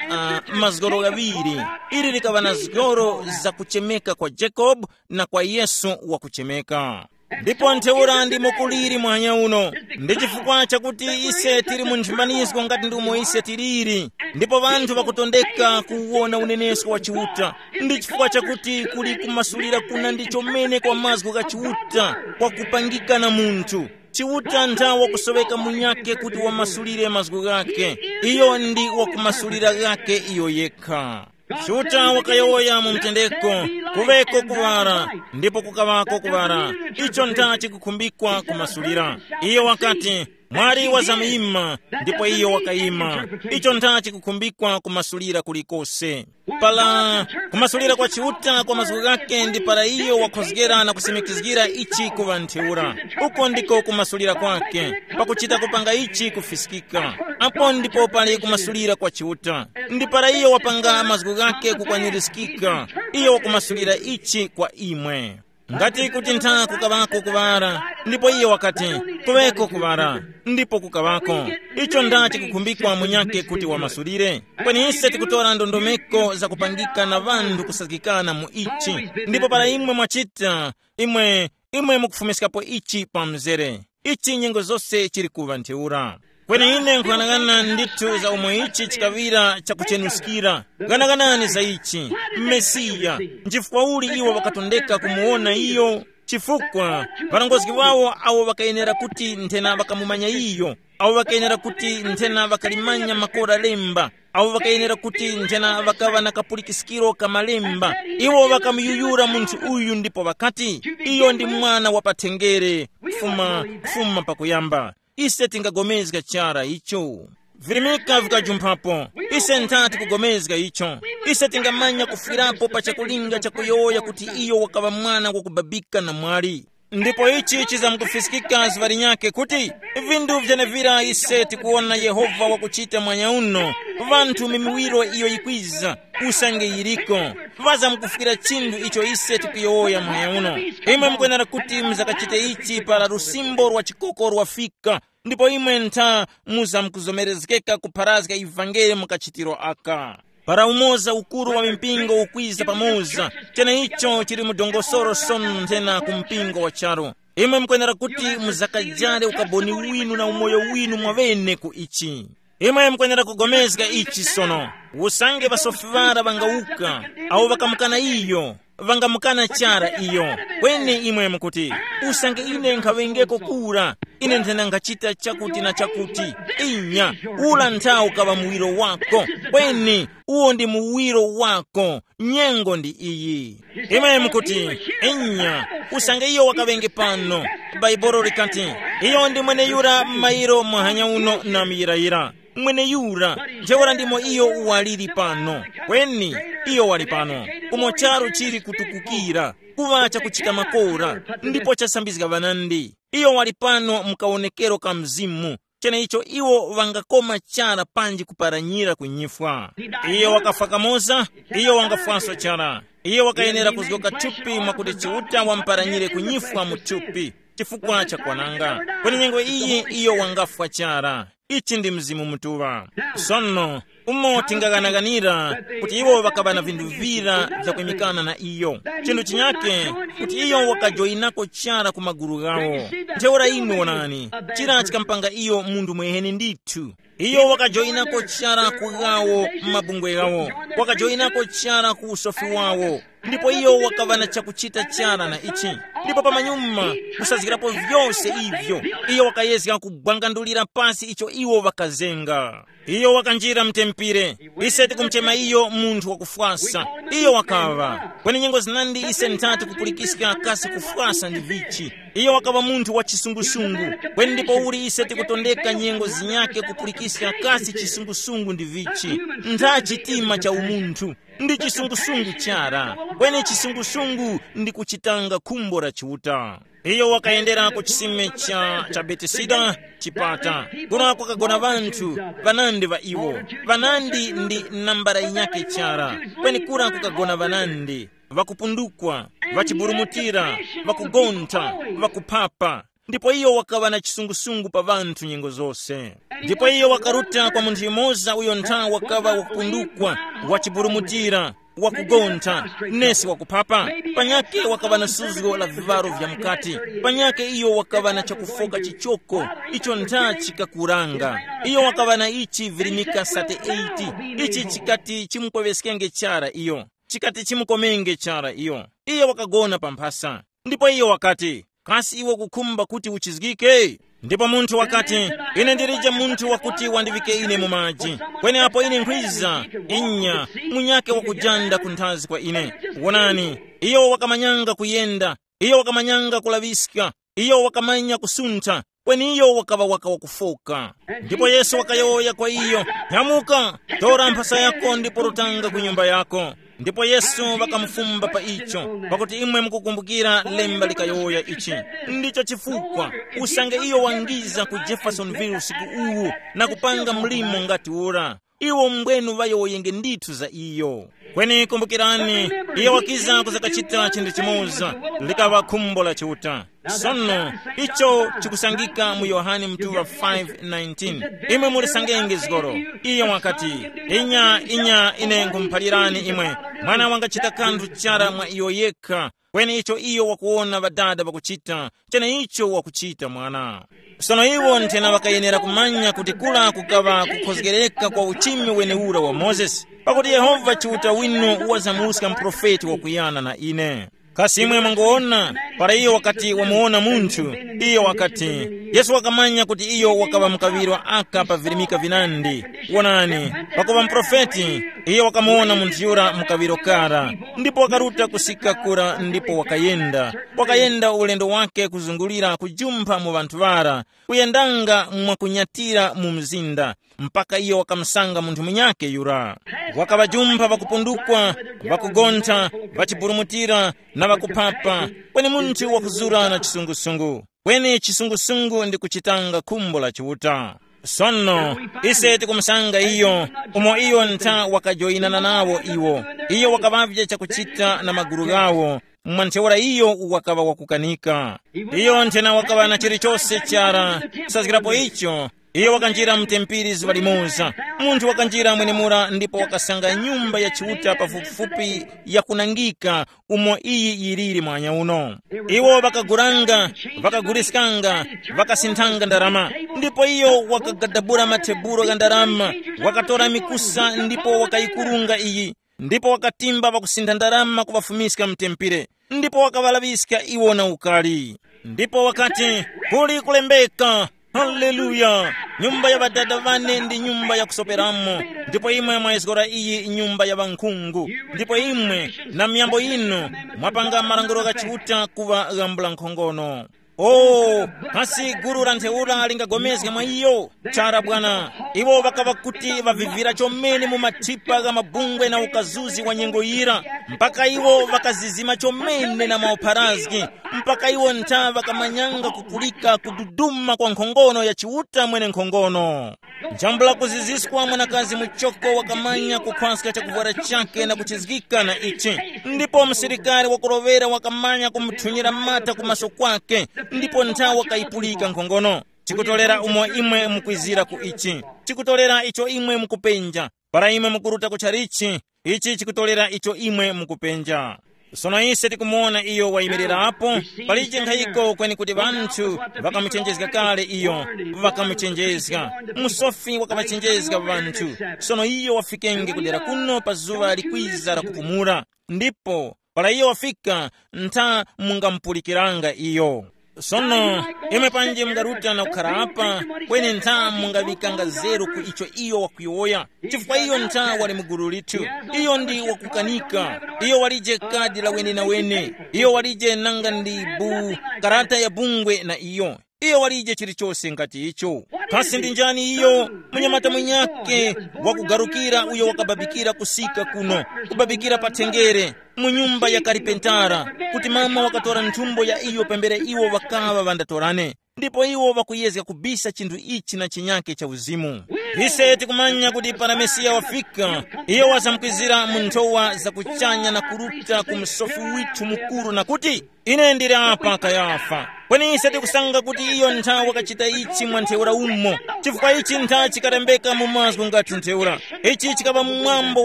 uh, mazgoro ghaŵiri. Ili likaŵa na zgoro za kuchemeka kwa Jacob na kwa Yesu wakuchemeka. Ndipo ntheura ndimo kuliri mwanya uno. Ndi chifukwa chakuti ise tili mu nthimbanizgo ngati ndi umo ise tiliri, ndipo ŵanthu ŵakutondeka kuwona unenesko wa Chiuta. Ndi chifukwa chakuti kuli kumasulira kuna ndi chomene kwa mazgu gha Chiuta kwakupangika na munthu. Chiuta ntha wakusoweka munyakhe kuti wamasulire mazgu ghakhe. Iyo ndi wakumasulira ghakhe iyo yekha. Chiuta wakayowoya mu mtendeko, kuŵeko kuŵala, ndipo kukaŵako kuŵala. Icho ntha chikukhumbikwa kumasulira. Iyo wakati, mwali wazamyima, ndipo iyo wakayima. Icho ntha chikukhumbikwa kumasulira kulikose. Pala kumasulira kwa Chiuta kwa mazgu ghake ndi para iyo wakhozgera na kusimikizgira ichi kuŵa ntheura. Uko ndiko kumasulira kwake, pakuchita kupanga ichi kufiskika. Apo ndipo pali kumasulira kwa Chiuta. Ndi para iyo wapanga mazgu ghake kukwanirizikika, iyo wakumasulira ichi kwa imwe. Ngati kuti ntha kukaŵako kuŵala, ndipo iyo wakati, kuŵeko kuŵala, ndipo kukaŵako. Icho nda chikukhumbikwa munyakhe kuti wamasulire. Kweni ise tikutora ndondomeko zakupangika na ŵanthu kusazgikana mu ichi. Ndipo para imwe mwachita, imwe, imwe mukufumiskapo ichi pa mzere. Ichi nyengo zose chili kuŵa ntheura. Kweni ine nkuyang'ana ndithu za umo ichi chikaŵira chakuchenuskira. Ghanaganani za ichi. Mesiya, nchifukwa uli iwo ŵakatondeka kumuwona iyo? Chifukwa ŵarongozgi wawo awo ŵakayenera kuti nthena ŵakamumanya iyo, awo ŵakayenera kuti nthena ŵakalimanya makora lemba, awo ŵakayenera kuti nthena ŵakaŵa na kapulikiskiro ka malemba. Iwo ŵakamuyuyura munthu uyu ndipo ŵakati, iyo ndi mwana wa pathenjere, kufuma, kufuma pakuyamba. Ise tingagomezga chara icho. Virimika vikajumphapo. Ise nthati kugomezga icho. Ise tingamanya kufwirapo pa chakulinga chakuyowoya kuti iyo wakaŵa mwana wakubabika na mwali. Ndipo ichi chizamkufiskika zuŵa linyakhe kuti vindu vyenevira ise tikuwona Yehova wakuchita mwanya uno, vanthu mimiwiro iyo yikwiza, usange yiriko, ŵazamkufwira chinthu icho ise tikuyowoya mwanya uno. Imwe mukwenera kuti muzakachite ichi para lusimbo lwa chikoko lwafika, ndipo imwe ntha muzamkuzomerezgeka kupharazga ivangeli mu kachitiro aka. Para umoza ukuru wa mipingo ukwiza pamoza, cheneicho chili mu dongosolo sono nthena ku mpingo wa charu. Imwe mukwenera kuti muzakajale ukaboni winu na umoyo winu mwaŵene ku ichi. Imwe mukwenera kugomezga ichi sono. Usange ŵasofi ŵara ŵangawuka, awo ŵakamukana iyo, ŵangamukana chara iyo. Kweni imwe mukuti, usange ine nkhaŵengeko kura, ine nthena nkhachita chakuti na chakuti. Inya, ula nthawi ukaŵa muwiro wako. Kweni uwo ndi muwiro wako. Nyengo ndi iyi. Imwe mukuti, inya, usange iyo wakaŵenge pano. Bhaibuli likati, iyo ndi mweneyura mairo muhanya uno na muyirayira. Mweneyura, ntheura ndimo iyo waliri pano. Kweni, iyo wali pano. Umo charu chili kutukukira, kuŵa chakuchita makora, ndipo chasambizga ŵanandi. Iyo wali pano mu kawonekero ka Mzimu. Cheneicho iwo ŵangakoma chara panji kuparanyira ku nyifwa. Iyo wakafwa kamoza, iyo wangafwanso chara. Iyo wakayenera kuzgoka thupi mwakuti Chiuta wamuparanyire ku nyifwa mu thupi chifukwa cha kwananga. Kweni nyengo iyi iyo wangafwa chara. Ichi ndi Mzimu Mutuŵa. Sono, umo tingaghanaghanira kuti iwo ŵakaŵa na vinthu vira vyakwimikana na iyo. Chinthu chinyake, kuti iyo wakajoyinako chara ku magulu ghawo. Ntheura imwe wonani, chira chikampanga iyo munthu mweheni ndithu. Iyo wakajoyinako chara ku ghawo, m'mabungwe ghawo. Wakajoyinako chara ku usofi wawo. Ndipo iyo wakaŵa na chakuchita chara na ichi. Ndipo pamanyuma, kusazgirapo vyose ivyo, iyo wakayezga kugwangandulira pasi icho iwo ŵakazenga. Iyo wakanjira mtempire. Ise tikumuchema iyo munthu wakufwasa. Iyo wakaŵa. Kweni nyengo zinandi ise nthati kupulikiska kasi kufwasa ndi vichi. Iyo wakaŵa munthu wa chisungusungu. Kweni ndipo uli ise tikutondeka nyengo zinyake kupulikiska kasi chisungusungu ndi vichi. Ntha chitima cha umunthu. Ndi chisungusungu chara. Kweni chisungusungu ndi kuchitanga khumbo la Chiuta. Iyo wakayendera ku chisime cha, cha Betesida, chipata. Kura kukagona ŵanthu, ŵanandi ŵa iwo. Ŵanandi ndi nambara yinyakhe chara. Kweni kura kukagona ŵanandi, ŵakupundukwa, ŵachiburumutira, ŵakugontha, ŵakuphapa. Ndipo iyo wakaŵa na chisungusungu pa ŵanthu nyengo zose. Ndipo iyo wakaruta kwa munthu yumoza uyo ntha wakaŵa wakupundukwa, wachiburumutira, wakugontha, nesi wakuphapa. Panyake wakaŵa na suzgo la vivaro vya mukati. Panyake iyo wakaŵa na chakufoka chichoko, icho ntha chikakuranga. Iyo wakaŵa na ichi virimika sate eighty. Ichi chikati chimukoweskenge chara iyo. Chikati chimukomenge chara iyo. Iyo wakagona pa mphasa. Ndipo iyo wakati, kasi iwe ukukhumba kuti uchizgike? Ndipo munthu wakati, ine ndilije munthu wakuti wandiŵike ine mu maji. Kweni apo ine nkhwiza, inya, munyake wakujanda kunthazi kwa ine. Wonani, iyo wakamanyanga kuyenda, iyo wakamanyanga kulaŵiska, iyo wakamanya kusuntha, kweni iyo wakaŵa waka wakufoka. Ndipo Yesu wakayowoya kwa iyo, nyamuka, tora mphasa yako ndipo rutanga ku nyumba yako. Ndipo Yesu wakamufumba pa icho, pakuti imwe mukukumbukira lemba likayowoya ichi. Ndicho chifukwa usange iyo wangiza ku Jeffersonville usiku uwu na kupanga mlimo ngati ura, iwo mbwenu ŵayowoyenge ndithu za iyo. Kweni kumbukirani, iyo wakiza kuzakachita chinthu chimoza, likaŵa khumbo la Chiuta. Sono, icho chikusangika mu Yohane mtuŵa five nineteen. Imwe mulisangenge zgoro. Iyo wakati, inya, inya, ine nkhumuphalirani imwe, mwana wangachita kanthu chara mwa iyo yekha, kweni icho iyo wakuwona ŵadada ŵakuchita, cheneicho wakuchita mwana. Sono iwo nthena ŵakayenera kumanya kuti kula kukaŵa kukhozgereka kwa uchimi wenewura wa Mozesi, pakuti Yehova Chiuta winu wazamuska muprofeti wakuyana na ine. Kasi imwe mwangowona, para iyo wakati wamuwona munthu, iyo wakati, Yesu wakamanya kuti iyo wakaŵa mukaŵiro aka pa virimika vinandi. Wonani, pakuŵa muprofeti, iyo wakamuwona munthu yura mukaŵiro kara, ndipo wakaruta kusika kura ndipo wakayenda. Wakayenda ulendo wake kuzungulira kujumpha mu ŵanthu ŵara, kuyendanga mwakunyatira mu mzinda, mpaka iyo wakamusanga munthu munyakhe yura. Wakaŵajumpha ŵakupundukwa, ŵakugontha, ŵachiburumutira, na ŵakuphapa, kweni munthu wakuzura na chisungusungu. Kweni chisungusungu ndi kuchitanga khumbo la Chiuta. Sono, ise tikumusanga iyo, umo iyo ntha wakajoyinana nawo iwo. Iyo wakaŵavye chakuchita na magulu ghawo, mwa ntheura iyo wakaŵa wakukanika. Iyo nthena wakaŵa na chilichose chara, kusazgirapo icho, iyo wakanjira mu tempere zuŵa limoza. Munthu wakanjira mwenemura ndipo wakasanga nyumba ya Chiuta pafupifupi yakunangika umo iyi yiliri mwanya uno. Iwo ŵakagulanga, ŵakaguliskanga, ŵakasinthanga ndarama. Ndipo iyo wakagadabula mathebulo gha ndarama, wakatora mikusa ndipo wakayikurunga iyi. Ndipo wakatimba pakusintha ndarama kuŵafumiska mtempere, ndipo wakaŵalaŵiska iwo na ukali. Ndipo wakati, kuli kulembeka, haleluya, nyumba ya ŵadada ŵane ndi nyumba yakusoperamo, ndipo imwe mwayizgora iyi nyumba ya ŵankhungu, ndipo imwe na miyambo yinu mwapanga malangulo gha Chiuta kuŵa ghambula nkhongono. O, kasi gulu la ntheura lingagomezga mwa iyo? Chara bwana, iwo ŵakaŵa kuti ŵavivira chomene mu mathipa gha mabungwe na ukazuzi wa nyengo yira, mpaka iwo ŵakazizima chomene na maupharazgi, mpaka iwo ntha ŵakamanyanga kupulika kududuma kwa nkhongono ya Chiuta mwene nkhongono. Njambula kuziziswa mwanakazi muchoko wakamanya kukhwaska chakuvwara chake na kuchizgika na ichi, ndipo msilikari wakurovera wakamanya kumuthunyira mata ku maso kwake, ndipo nthawi wakayipulika nkhongono. Chikutolera umo imwe mukwizira ku ichi, chikutolera icho imwe mukupenja. Para imwe mukuruta ku chalichi, ichi chikutolera icho imwe mukupenja. Sono ise tikumuwona iyo wayimirirapo, palije nkhayiko kweni kuti ŵanthu ŵakamuchenjezga kale iyo, ŵakamuchenjezga. Musofi wakaŵachenjezga ŵanthu. Sono iyo wafikenge kudera kuno pa zuŵa likwiza la kupumula, ndipo para iyo wafika, ntha mungamupulikiranga iyo. Sono, imwe panji mungaruta na kukhara apa, kweni ntha mungaŵikanga zeru ku icho iyo wakuyowoya, chifukwa iyo ntha wali mu gulu lithu. Iyo ndi wakukanika. Iyo walije kadi la wenenawene. Iyo walije nanga ndi bu karata ya bungwe na iyo. Iyo walije chilichose ngati icho. Kasi ndi njani iyo? Munyamata mwinyake wakugarukira uyo wakababikira kusika kuno, kubabikira pa thengere, mu nyumba ya karipentara, kuti mama wakatora nthumbo ya iyo pambere iwo ŵakaŵa ŵandatorane. Ndipo iwo ŵakuyezga kubisa chinthu ichi na chinyake cha uzimu. Ise tikumanya kuti para Mesiya wafika, iyo wazamkwizira mu nthowa za kuchanya na kuruta ku msofi withu mukuru na kuti, ine ndili apa Kayafa. Kweni ise tikusanga kuti iyo nthawe wakachita ichi mwa ntheura umo, chifukwa ichi ntha chikalembeka mu mazgu ngati ntheura. Ichi chikaŵa mwambo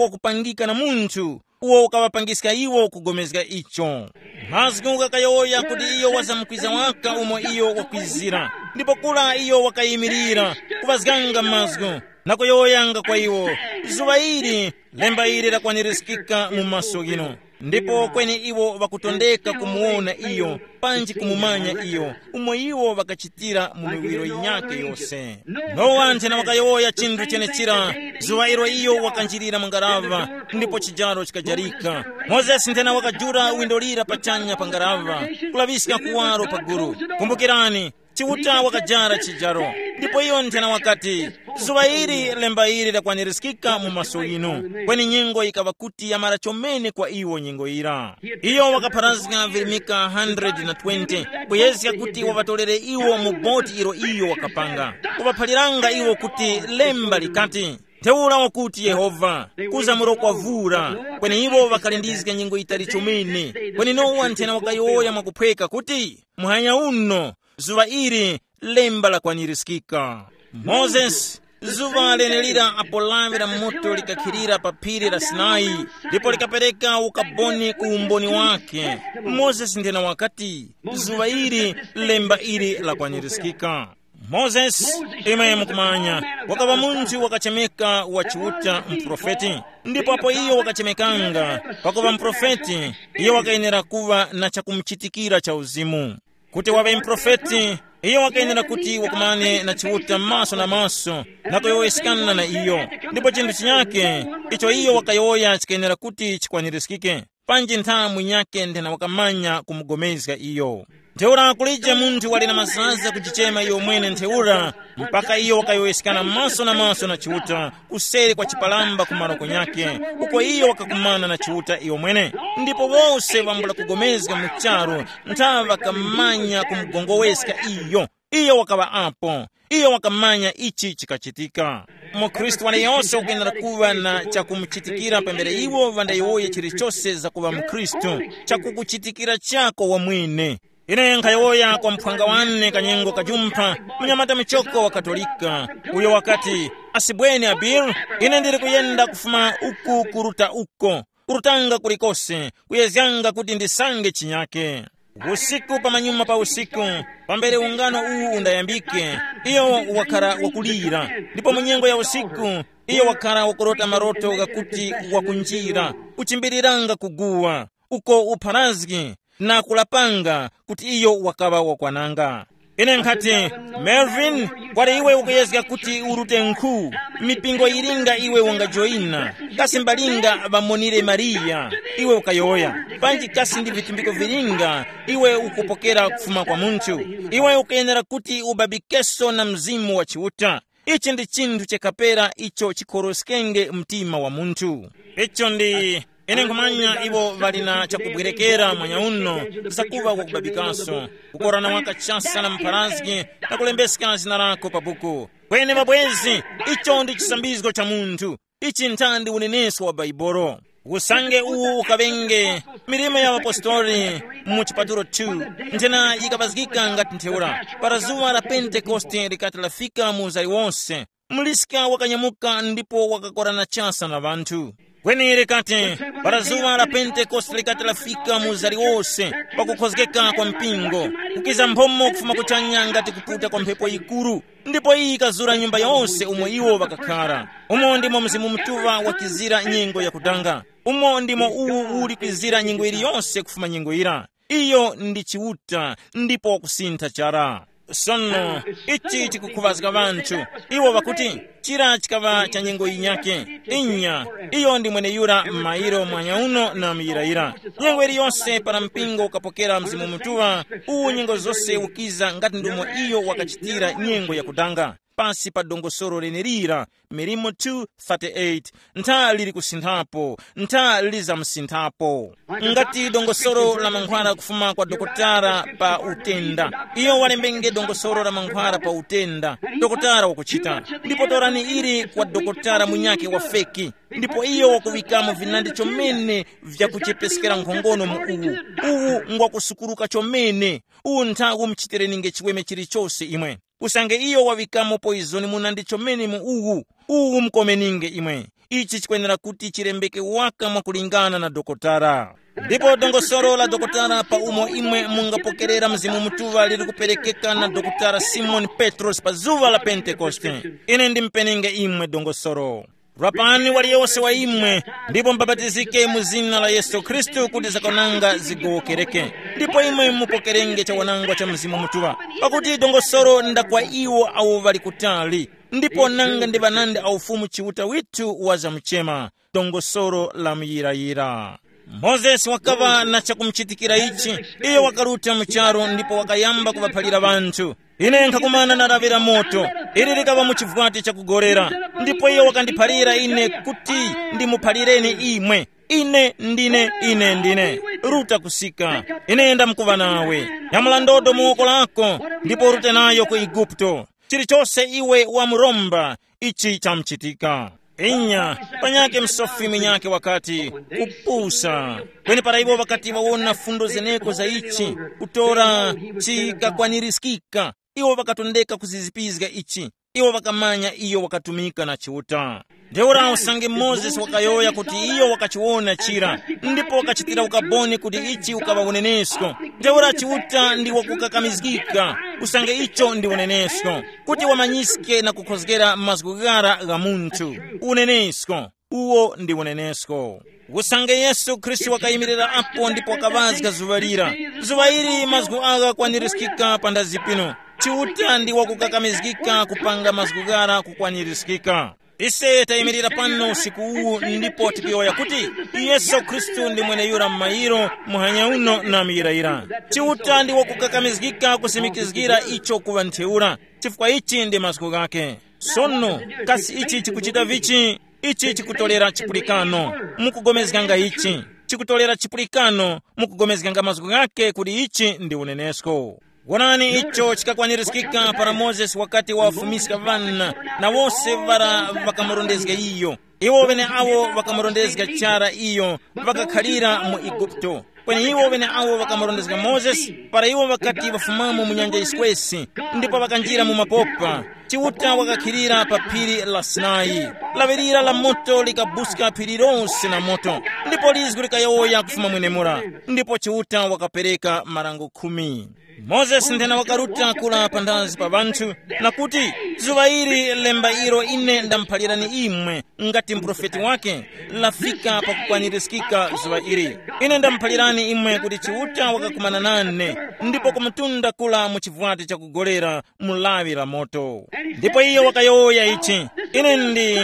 wakupangika na munthu uwo ukaŵapangiska iwo kugomezga icho. Mazgu ghakayowoya kuti iyo wazamkwiza waka umo iyo wakwizira, ndipo kura iyo wakayimirira kuŵazganga mazgu na kuyowoyanga kwa iwo, zuŵa ili lemba ili lakwanirizikika mu maso ghinu. Ndipo kweni iwo ŵakutondeka kumuwona iyo, panji kumumanya iyo, umo iwo ŵakachitira mu miwiro yinyakhe yose. Nowa nthena wakayowoya chinthu chenechira, zuŵa ilo iyo wakanjirira mu ngaraŵa, ndipo chijaro chikajarika. Mozesi nthena wakajula windo lira pachanya pa ngaraŵa, kulaŵiska kuwaro pa gulu. Kumbukirani, Chiuta wakajara chijaro, ndipo iyo nthena wakati, zuŵa ili lemba ili lakwanirizikika mu maso ghinu. Kweni nyengo yikaŵa kuti yamara chomene kwa iwo nyengo yira. Iyo wakapharazga virimika hundred na twenty, kuyezga kuti waŵatolere iwo mu boti ilo iyo wakapanga, kuŵaphaliranga iwo kuti lemba likati, ntheura wakuti Yehova, kuza muroko wa vura. Kweni iwo ŵakalindizga nyengo yitali chomene. Kweni Nowa nthena wakayowoya mwakuphweka kuti, muhanya uno, zuŵa ili lemba lakwanirizgika. Mozesi, zuŵa lenelira apo lawi la moto likakhilira pa phiri la Sinai, ndipo likapereka ukaboni ku umboni wake. Mozesi nthena wakati, zuŵa ili lemba ili lakwanirizgika. Mozesi, imwe mukumanya, wakaŵa munthu wakachemeka wa Chiuta, muprofeti. Ndipo apo iyo wakachemekanga pakuŵa muprofeti, iyo wakayenera kuŵa na chakumuchitikira cha uzimu. Kuti waŵe muprofeti, iyo wakayenera kuti wakumane na Chiuta maso na maso, na kuyowoyeskana na iyo. Ndipo chinthu chinyake icho iyo wakayowoya chikayenera kuti chikwanirizgike, panji nthamu yinyakhe nthena wakamanya kumugomezga iyo. Ntheura kulije munthu wali na mazaza kujichema iyo mwene ntheura, mpaka iyo wakayowoyeskana maso na maso na Chiuta, kuseri kwa chipalamba ku maroko nyakhe, uko iyo wakakumana na Chiuta iyo mwene. Ndipo wose ŵambula kugomezga mu charu, ntha ŵakamanya kumugongoweska iyo. Iyo wakaŵa apo. Iyo wakamanya ichi chikachitika. MuKhristu waliyose ukuyenera kuŵa na chakumuchitikira pambere iwo ŵandayowoye chilichose zakuŵa muKhristu, chakukuchitikira chako wamwene. Ine nkhayowoya kwa mphwanga wane kanyengo kajumpha, mnyamata muchoko wa Katolika, uyo wakati, asibweni Abil, ine ndili kuyenda kufuma uku kuruta uko, kurutanga kulikose, kuyezganga kuti ndisange chinyake. Usiku pamanyuma pa usiku, pambere ungano uwu undayambike, iyo wakhala wakulira, ndipo mu nyengo ya usiku, Iyo wakhala wakurota maroto ghakuti wakunjira, kuchimbiriranga kuguwa, uko upharazgi, na kulapanga kuti iyo wakaŵa wakwananga. Ine nkhati, Melvin, kwali iwe ukuyezga kuti urute nkhu, mipingo yilinga iwe ungajoyina, kasi mbalinga ŵamonire Mariya, iwe ukayowoya, panji kasi ndi vitumbiko vilinga iwe ukupokera kufuma kwa munthu, iwe ukuyenera kuti ubabikeso na Mzimu wa Chiuta. Ichi ndi chinthu chakapera icho chikhoroskenge mtima wa munthu. Icho ndi, ine nkhumanya iwo ŵali na chakubwerekera mwanyauno, zakuŵa kwakubabikaso, kukorana waka chasa na mpharazgi, na kulembeska zina lako pa buku. Kweni mabwezi, icho ndi chisambizgo cha munthu. Ichi nthandi unenesko wa Baibolo. Usange uwu ukaŵenge milimo ya ŵapostoli mu chipatulo two, nthena yikapazgika ngati ntheura. Para zuŵa la Pentekoste likati lafika mu uzari wose, muliska wakanyamuka ndipo wakakorana chasa na ŵanthu. Kweni likati, para zuŵa la Pentekoste likati lafika mu uzari wose, pakukhozgeka kwa mpingo, kukiza mphomo kufuma kuchanya ngati kuputa kwa mphepo yikuru, ndipo iyi yikazura nyumba yose umo iwo ŵakakhara. Umo ndimo Mzimu Mutuŵa wakizira nyengo yakudanga. Umo ndimo uwu uli kwizira nyengo yiliyonse kufuma nyengo yira. Iyo ndi Chiuta, ndipo wakusintha chara. Sono, ichi chikukhuŵazga ŵanthu. Iwo ŵakuti, chira chikaŵa cha nyengo yinyake. Inya, iyo ndi mweneyura m'mayiro mwanyauno na muyirayira. Nyengo iliyonse para mpingo ukapokera Mzimu Mutuŵa, uwu nyengo zose ukiza ngati ndumo iyo wakachitira nyengo yakudanga. Pasi pa dongosolo lenelira, Milimo two thirty-eight, ntha lili kusinthapo, ntha lizamusinthapo. Ngati dongosolo la mankhwala kufuma kwa dokotala pa utenda, iyo walembenge dongosolo la mankhwala pa utenda, dokotala wakuchita. Ndipo torani ili kwa dokotala munyake wa feki, ndipo iyo wakuŵikamo vinandi chomene vyakuchepeskera nkhongono mu uwu. Uwu ngwakusukuruka chomene. Uwu ntha umuchitireninge chiweme chilichose imwe. Usange iyo waŵikamo poizoni muna ndi chomene mu uwu, uwu mukomeninge imwe. Ichi chikwenera kuti chilembeke waka mwakulingana na dokotala. Ndipo dongosolo la dokotala pa umo imwe mungapokerera Mzimu Mutuŵa lili kuperekeka na dokotala Simoni Petrosi pa zuŵa la Pentekoste. Ine ndimpenenge imwe dongosolo. Rapani waliyose wa imwe, ndipo mubapatizike mu zina la Yesu Khristu kuti zakwananga zigowokereke. Ndipo imwe mupokerenge chawanangwa cha Mzimu Mutuŵa. Pakuti dongosolo nda kwa iwo awo ŵali kutali, ndipo nanga ndi ŵanandi a Ufumu Chiuta withu wa zamuchema, dongosolo la muyirayira. Mozesi wakaŵa na chakumuchitikira ichi. Iyo wakaruta mu charu ndipo wakayamba kuŵaphalira ŵanthu. Ine nkhakumana na lawi la moto, ili likaŵa mu chivwati chakugorera, ndipo iyo wakandiphalira ine kuti ndimuphalireni imwe. Ine ndine, ine ndine. Ruta kusika. Ine ndamkuŵa nawe. Nyamula ndodo mu woko lako, ndipo urute nayo ku Eguputo. Chilichose iwe wamuromba, ichi chamuchitika. Inya, panyakhe msofi mwenyakhe wakati, kupusa. Kweni para iwo ŵakati ŵawona fundo zeneko za ichi, kutora chikakwanirizgika, iwo ŵakatondeka kuzizipizga ichi. Iwo ŵakamanya iyo wakatumika na Chiuta. Ntheura usange Mozesi wakayowoya kuti iyo wakachiwona chira, ndipo wakachitira ukaboni kuti ichi ukaŵa unenesko. Ntheura Chiuta ndi wakukakamizgika, usange icho ndi unenesko, kuti wamanyiske na kukhozgera mazgu ghara gha munthu. Unenesko, uwo ndi unenesko. Usange Yesu Khristu wakayimirira apo ndipo wakaŵazga zuŵa lira, zuŵa ili mazgu agha kwanirizgika panthazi pino. Chiuta ndi wakukakamizgika kupanga mazgu ghara kukwanirizgika. Ise tayimirira pano usiku uwu ndipo tikuyowoya kuti Yesu Khristu ndi mweneyura m'mayiro, muhanya uno na muyirayira. Chiuta ndi wakukakamizgika kusimikizgira icho kuŵa ntheura, chifukwa ichi ndi mazgu ghakhe. Sono, kasi ichi chikuchita vichi? Ichi chikutolera chipulikano. Mukugomezganga ichi. Chikutolera chipulikano, mukugomezganga mazgu ghakhe kuti ichi ndi unenesko. Wonani icho chikakwanirizgika para Mozesi wakati wawafumiska ŵana, na wose ŵara ŵakamurondezga iyo. Iwo ŵeneawo ŵakamurondezga chara iyo, ŵakakhalira mu Eguputo. Kweni iwo ŵeneawo ŵakamurondezga Mozesi, para iwo ŵakati ŵafumamo mu nyanja yiswesi, ndipo ŵakanjira mu mapopa, Chiuta wakakhilira pa phiri la Sinai. Laŵirira la moto likabuska phiri lose na moto, ndipo lizgu likayowoya kufuma mwenemura, ndipo Chiuta wakapereka marango khumi. Mozesi nthena wakaruta kula panthazi pa ŵanthu, na kuti, zuŵa ili lemba ilo ine ndamuphalirani imwe, ngati muprofeti wake, lafika pakukwanirizgika zuŵa ili. Ine ndamuphalirani imwe kuti Chiuta wakakumana nane, ndipo kumutunda kula mu chivwati chakugolera mu lawi la moto. Ndipo iyo wakayowoya ichi, ine ndi,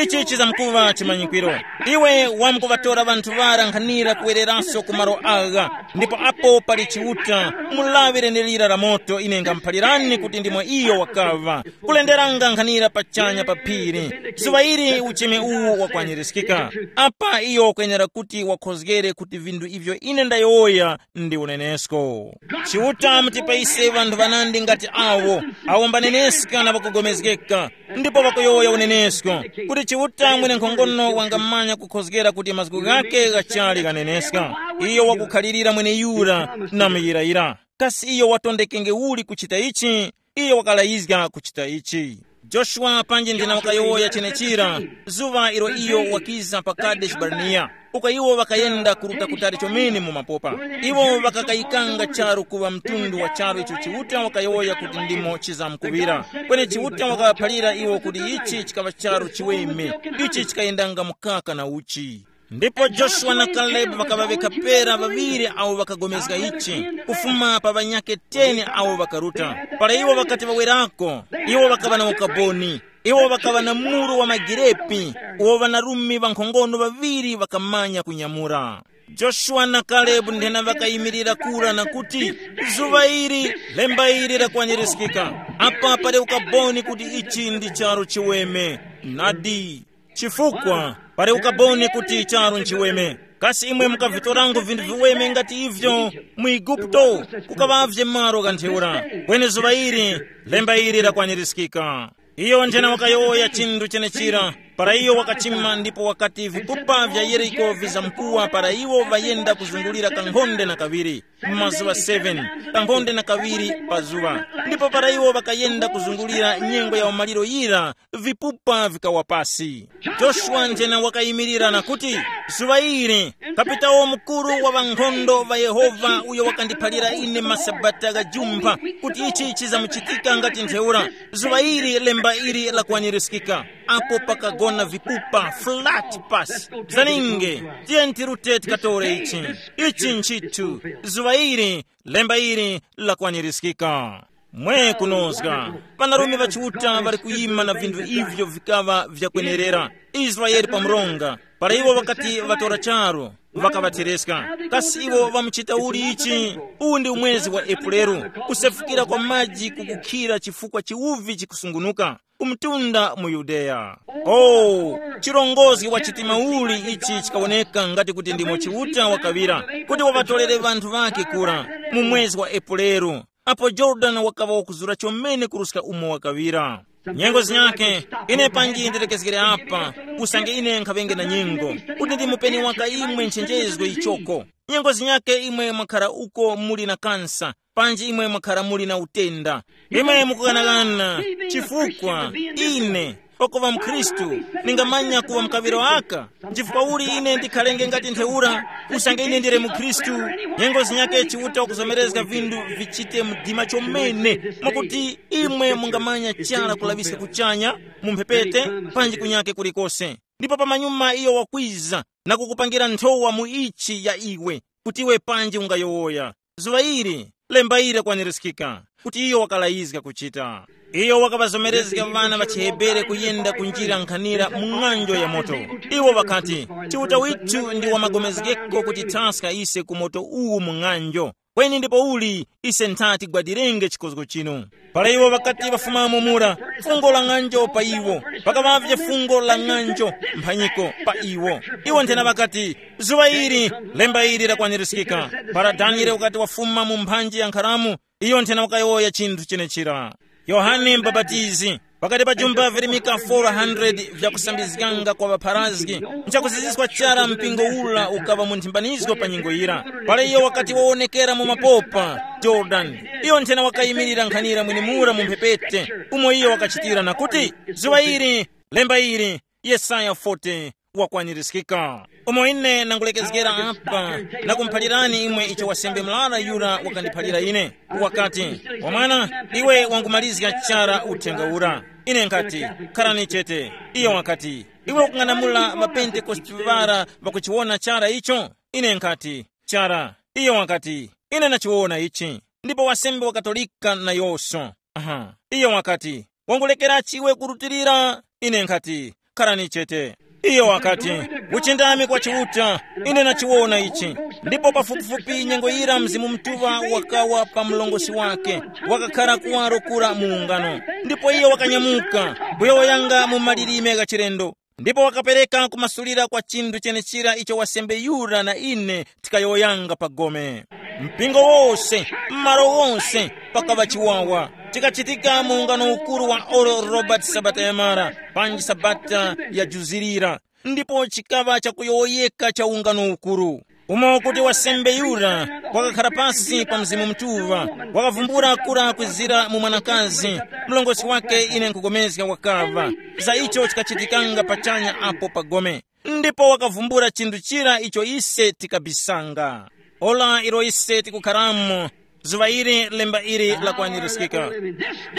ichi chizamkuŵa chimanyikwiro. Iwe wamkuŵatora ŵanthu ŵara nkhanira kuwereranso ku malo agha, ndipo apo pali Chiuta, mu lawi lenelira la moto ine ngamuphalirani kuti ndimo iyo wakaŵa, kulenderanga nkhanira pachanya pa phiri. Zuŵa ili ucheme uwu wakwanirizgika. Apa iyo wakwenera kuti wakhozgere kuti vinthu ivyo ine ndayowoya ndi unenesko. Chiuta mutipaise ŵanthu ŵanandi ngati awo, awo mbaneneska na ŵakugomezgeka, ndipo ŵakuyowoya unenesko, kuti Chiuta mwenenkhongono wangamanya kukhozgera kuti mazgu ghake ghachali ghaneneska. Iyo wakukhalirira mweneyura na muyirayira. Kasi iyo watondekenge uli kuchita ichi? Iyo wakalayizga kuchita ichi. Joshua panji nthena wakayowoya chenechira, zuŵa ilo iyo wakiza pa Kadeshi Barnea, uko iwo ŵakayenda kuruta kutali chomene mu mapopa. Iwo ŵakakayikanga charu kuŵa mtundu wa charu icho Chiuta wakayowoya kuti ndimo chizamkuŵira. Kweni Chiuta wakaŵaphalira iwo kuti ichi chikaŵa charu chiweme, ichi chikayendanga mukaka na uchi. Ndipo Joshua na Kalebu ŵakaŵaveka pera ŵaŵiri awo ŵakagomezga ichi, kufuma pa ŵanyakhe teni awo ŵakaruta. Para iwo ŵakati ŵawerako, iwo ŵakaŵa na ukaboni. Iwo ŵakaŵa na muru wa magirepi, uwo ŵanarume ŵankhongono ŵaŵiri ŵakamanya kunyamura. Joshua na Kalebu nthena ŵakayimirira kura na kuti, zuŵa ili, lemba ili lakwanirizgika. Apa pali ukaboni kuti ichi ndi charu chiweme. Nadi. Chifukwa pali ukaboni kuti charu nchiweme. Kasi imwe mukavitorango vinthu viweme ngati ivyo mu Igupto, kukaŵavye malo gha ntheura? Kweni zuŵa ili, lemba ili lakwanirizgika. Iyo nthena wakayowoya chinthu chenechira. Para iyo wakachima ndipo wakati vipupa vya Yeriko vizamkuwa para iwo ŵayenda kuzungulira kankhonde na kaŵiri, mazuŵa seven, kankhonde na kaŵiri pa zuŵa. Ndipo para iwo ŵakayenda kuzungulira nyengo ya umaliro yira, vipupa vikawa pasi. Joshua nthena wakayimirira na kuti, zuŵa ili, kapitawo mukuru wa ŵankhondo ŵa Yehova uyo wakandiphalira ine masabata ghajumpha kuti ichi chizamuchitika ngati ntheura, zuŵa ili lemba ili lakwanirizgika. Apo pakagona vipupa flat pasi. Zaninge, tiyeni tirute tikatore ichi. Ichi nchithu, zuŵa ili, lemba ili lakwanirizgika. Mwe kunozga, ŵanarume ŵa Chiuta ŵali kuyima na vinthu ivyo vikaŵa vyakwenerera. Israele pa mronga, para iwo ŵakati ŵatora charu, ŵakaŵathereska. Kasi iwo ŵamuchita uli ichi? Uwu ndi umwezi wa Epuleru, kusefukira kwa maji kukukhira chifukwa chiwuvi chikusungunuka, kumtunda mu Yudeya. Oh, chirongozgi wa chitima uli ichi chikawoneka ngati kuti ndimo Chiuta wakaŵira kuti waŵatolere ŵanthu ŵakhe kura mu mwezi wa Epuleru, apo Yorodani wakaŵa wakuzura chomene kuruska umo wakaŵira. Nyengo zinyakhe, ine panji ndilekezgere apa, usange ine nkhaŵenge na nyengo kuti ndimupeni waka imwe nchenjezgo ichoko. Nyengo zinyakhe imwe mwakhara uko muli na kansa, panji imwe mwakhara muli na utenda. Imwe mukughanaghana, chifukwa ine, pakuŵa mkhristu, ningamanya kuŵa mukaŵiro aka? Nchifukwa uli ine ndikhalenge ngati ntheura, usange ine ndili mukhristu? Nyengo zinyakhe Chiuta wakuzomerezga vinthu vichite mdima chomene, mwakuti imwe mungamanya chara kulaŵiska kuchanya, mu mphepete, panji kunyake kulikose. Ndipo pamanyuma iyo wakwiza na kukupangira nthowa mu ichi ya iwe, kuti iwe panji ungayowoya. Zuŵa ili, lemba ili lakwanirizgika, kuti iyo wakalayizga kuchita. Iyo wakaŵazomerezga ŵana ŵa chiHebere kuyenda ku njira nkhanira mu ng'anjo ya moto. Iwo ŵakati, Chiuta withu ndi wamagomezgeko kutithaska ise ku moto uwu mu ng'anjo. Kweni ndipouli ise ntha tigwadirenge chikozgo chinu. Para iwo ŵakati ŵafumamo mura, fungo la ng'anjo pa iwo, pakaŵavye fungo la ng'anjo mphanyiko pa iwo. Iwo nthena ŵakati, zuŵa ili, lemba ili lakwanirizgika. Para Daniele wakati wafuma mu mphanji ya nkharamu, iyo nthena wakayowoya chinthu chenechira. Yohane Mubapatizi, Pakati pa jumba virimika four hundred vyakusambizganga kwa ŵapharazgi, nchakuziziskwa chara mpingo ula ukaŵa mu nthimbanizgo pa nyengo yira. Pala iyo wakati wawonekera mu mapopa Jordan, iyo nthena wakayimirira nkhanira mwenimura mu mphepete, umo iyo wakachitira na kuti, zuŵa ili, lemba ili, Yesaya forty wakwanirizgika. Umo ine nangulekezgera apa na kumuphalirani imwe icho wasembe murara yura wakandiphalira ine. Wakati, wamwana, iwe wangumalizga chara uthenga ura. Ine nkati, kharani chete. Iyo wakati, iwe ukung'anamula ŵapentekoste ŵara ŵakuchiwona chara icho? Ine nkati, chara. Iyo wakati, ine nachiwona ichi. Ndipo wasembe wa Katolika nayose. Aha. Iyo wakati, wangulekerachi iwe kurutilira? Ine nkhati, kharani chete. Iyo wakati, kuchindami kwa Chiuta, ine nachiwona ichi. Ndipo pafupifupi nyengo yira Mzimu Mutuŵa wakawa pa mlongosi wake, wakakhara kuwaro kura mu ungano. Ndipo iyo wakanyamuka, kuyowoyanga mu malilime gha chilendo. Ndipo wakapereka kumasulira kwa chinthu chenechira icho wasembe yura na ine tikayowoyanga pa gome. Mpingo wose, m'malo wose, pakaŵa chiwawa. Chikachitika mu ungano ukuru wa Oral Roberts sabata yamara, panji sabata yajuzirira, ndipo chikaŵa chakuyowoyeka cha ungano ukuru. Umo kuti wasembe yura wakakhara pasi pa Mzimu Mutuŵa, wakavumbula kura kwizira mu mwanakazi, mlongosi wake, ine nkupulikana, wakaŵa. Za icho chikachitikanga pachanya apo pa gome. Ndipo wakavumbula chinthu chira icho ise tikabisanga. Ora ilo ise tikukharamo, zuŵa ili lemba ili lakwanirizgika.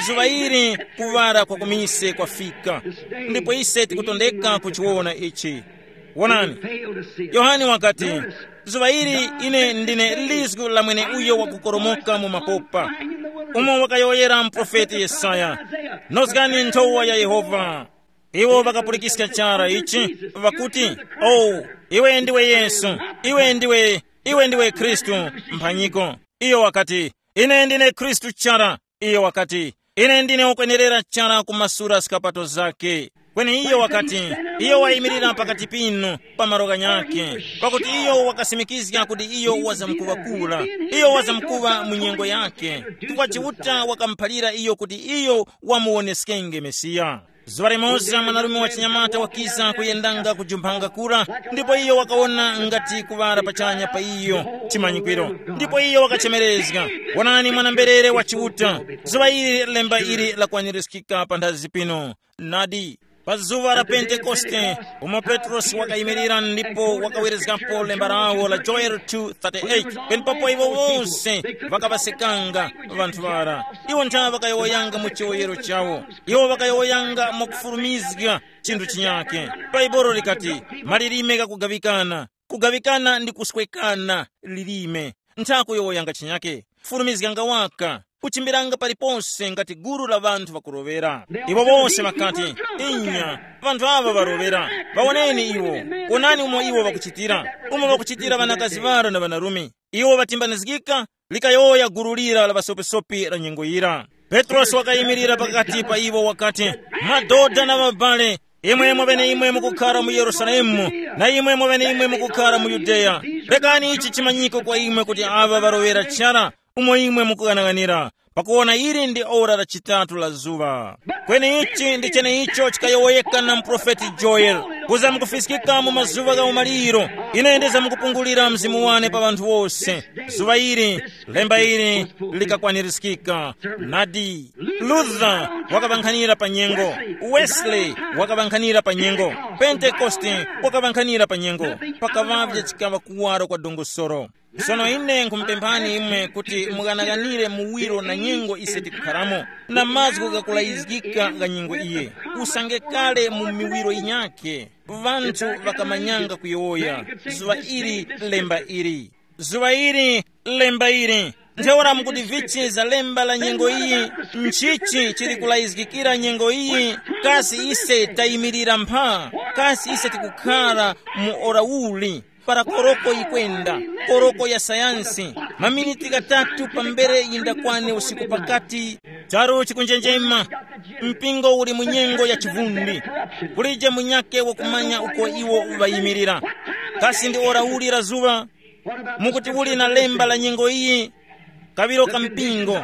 Zuŵa ili kuŵala kwa kumise kwafika. Ndipo ise tikutondeka kuchiwona ichi. Wonani, Yohane wakati, zuŵa ili ine ndine lizgu la mweneuyo wakukoromoka mu mapopa, umo wakayowoyera muprofeti Yesaya, nozgani nthowa ya Yehova. Iwo ŵakapulikiska chara ichi, ŵakuti, o, iwe ndiwe Yesu, iwe ndiwe, iwe ndiwe Khristu. Mphanyiko. Iyo wakati, ine ndine Khristu chara. Iyo wakati, ine ndine ukwenerera chara kumasura skapato zake. Kweni iyo wakati, iyo wayimirira pakati pinu pa malo ghanyakhe, pakuti iyo wakasimikizga kuti iyo wazamkuŵa kura, iyo wazamkuŵa mu nyengo yakhe, chifukwa Chiuta wakamuphalira iyo kuti iyo wamuwoneskenge Mesiya. Zuŵa limoza mwanarume wa chinyamata wakiza kuyendanga kujumphanga kura, ndipo iyo wakawona ngati kuŵala pachanya pa iyo chimanyikwiro, ndipo iyo wakachemerezga, wonani, mwana-mberere wa Chiuta. Zuŵa ili lemba ili lakwanirizgika panthazi pino. Nadi, pa zuŵa la Pentekoste, umo Petrosi wakayimirira ndipo wakawerezgapo lemba lawo la Joel two thirty-eight, penepapo iwo wose ŵakaŵasekanga ŵanthu ŵara. Iwo ntha ŵakayowoyanga mu chiwoyero chawo. Iwo ŵakayowoyanga mwakufulumizga chinthu chinyakhe. Bhaibuli likati, malilime ghakugaŵikana. Kugaŵikana ndi kuswekana lilime. Ntha kuyowoyanga chinyakhe. Fulumizganga waka, kuchimbiranga palipose ngati gulu la ŵanthu ŵakuroŵera. Iwo wose ŵakati, inya, ŵanthu aŵa ŵaroŵera. Ŵawoneni iwo. Wonani umo iwo ŵakuchitira. Umo ŵakuchitira ŵanakazi ŵara na ŵanarume. Iwo ŵatimbanizgika, likayowoya gulu lira la ŵasopisopi la nyengo yira. Petrosi wakayimirira pakati pa iwo wakati, madodha na ŵabale, imwe mweneimwe mukukhara mu Yerusalemu, na imwe mweneimwe mukukhara mu Yudeya, rekani ichi chimanyiko kwa imwe kuti aŵa ŵaroŵera chara umo imwe mukughanaghanira, pakuwona ili ndi ora la chitatu la zuŵa. Kweni ichi ndi cheneicho chikayowoyeka na muprofeti Joeli, kuza mukufiskika mu mazuŵa gha umaliro, ine ndizamkupungulira Mzimu wane pa ŵanthu wose. Zuŵa ili, lemba ili likakwanirizgika. Nadi, Luther wakaŵankhanira pa nyengo, Wesley wakaŵankhanira pa nyengo, Pentekoste wakaŵankhanira pa nyengo, pakaŵavye chikaŵa kuwaro kwa dongosolo. Sono ine nkhumupemphani imwe kuti mughanaghanire muwiro na nyengo ise tikukharamo, na mazgu ghakulayizgika gha nyengo iye. Usange kale mu miwiro yinyakhe, ŵanthu ŵakamanyanga kuyowoya, zuŵa ili, lemba ili. Zuŵa ili, lemba ili. Ntheura mukuti vichi za lemba la nyengo iyi? Nchichi chili kulayizgikira nyengo iyi? Kasi ise tayimirira mpha? Kasi ise tikukhara mu ora uli? Para koroko yikwenda, koroko ya sayansi, maminiti ghatatu pambere yindakwane usiku pakati, charu chikunjenjema, mpingo uli mu nyengo ya chivundi. Kulije munyakhe wakumanya uko iwo ŵayimirira. Kasi ndi ora uli la zuŵa? Mukuti uli na lemba la nyengo iyi? kaŵiro ka mpingo,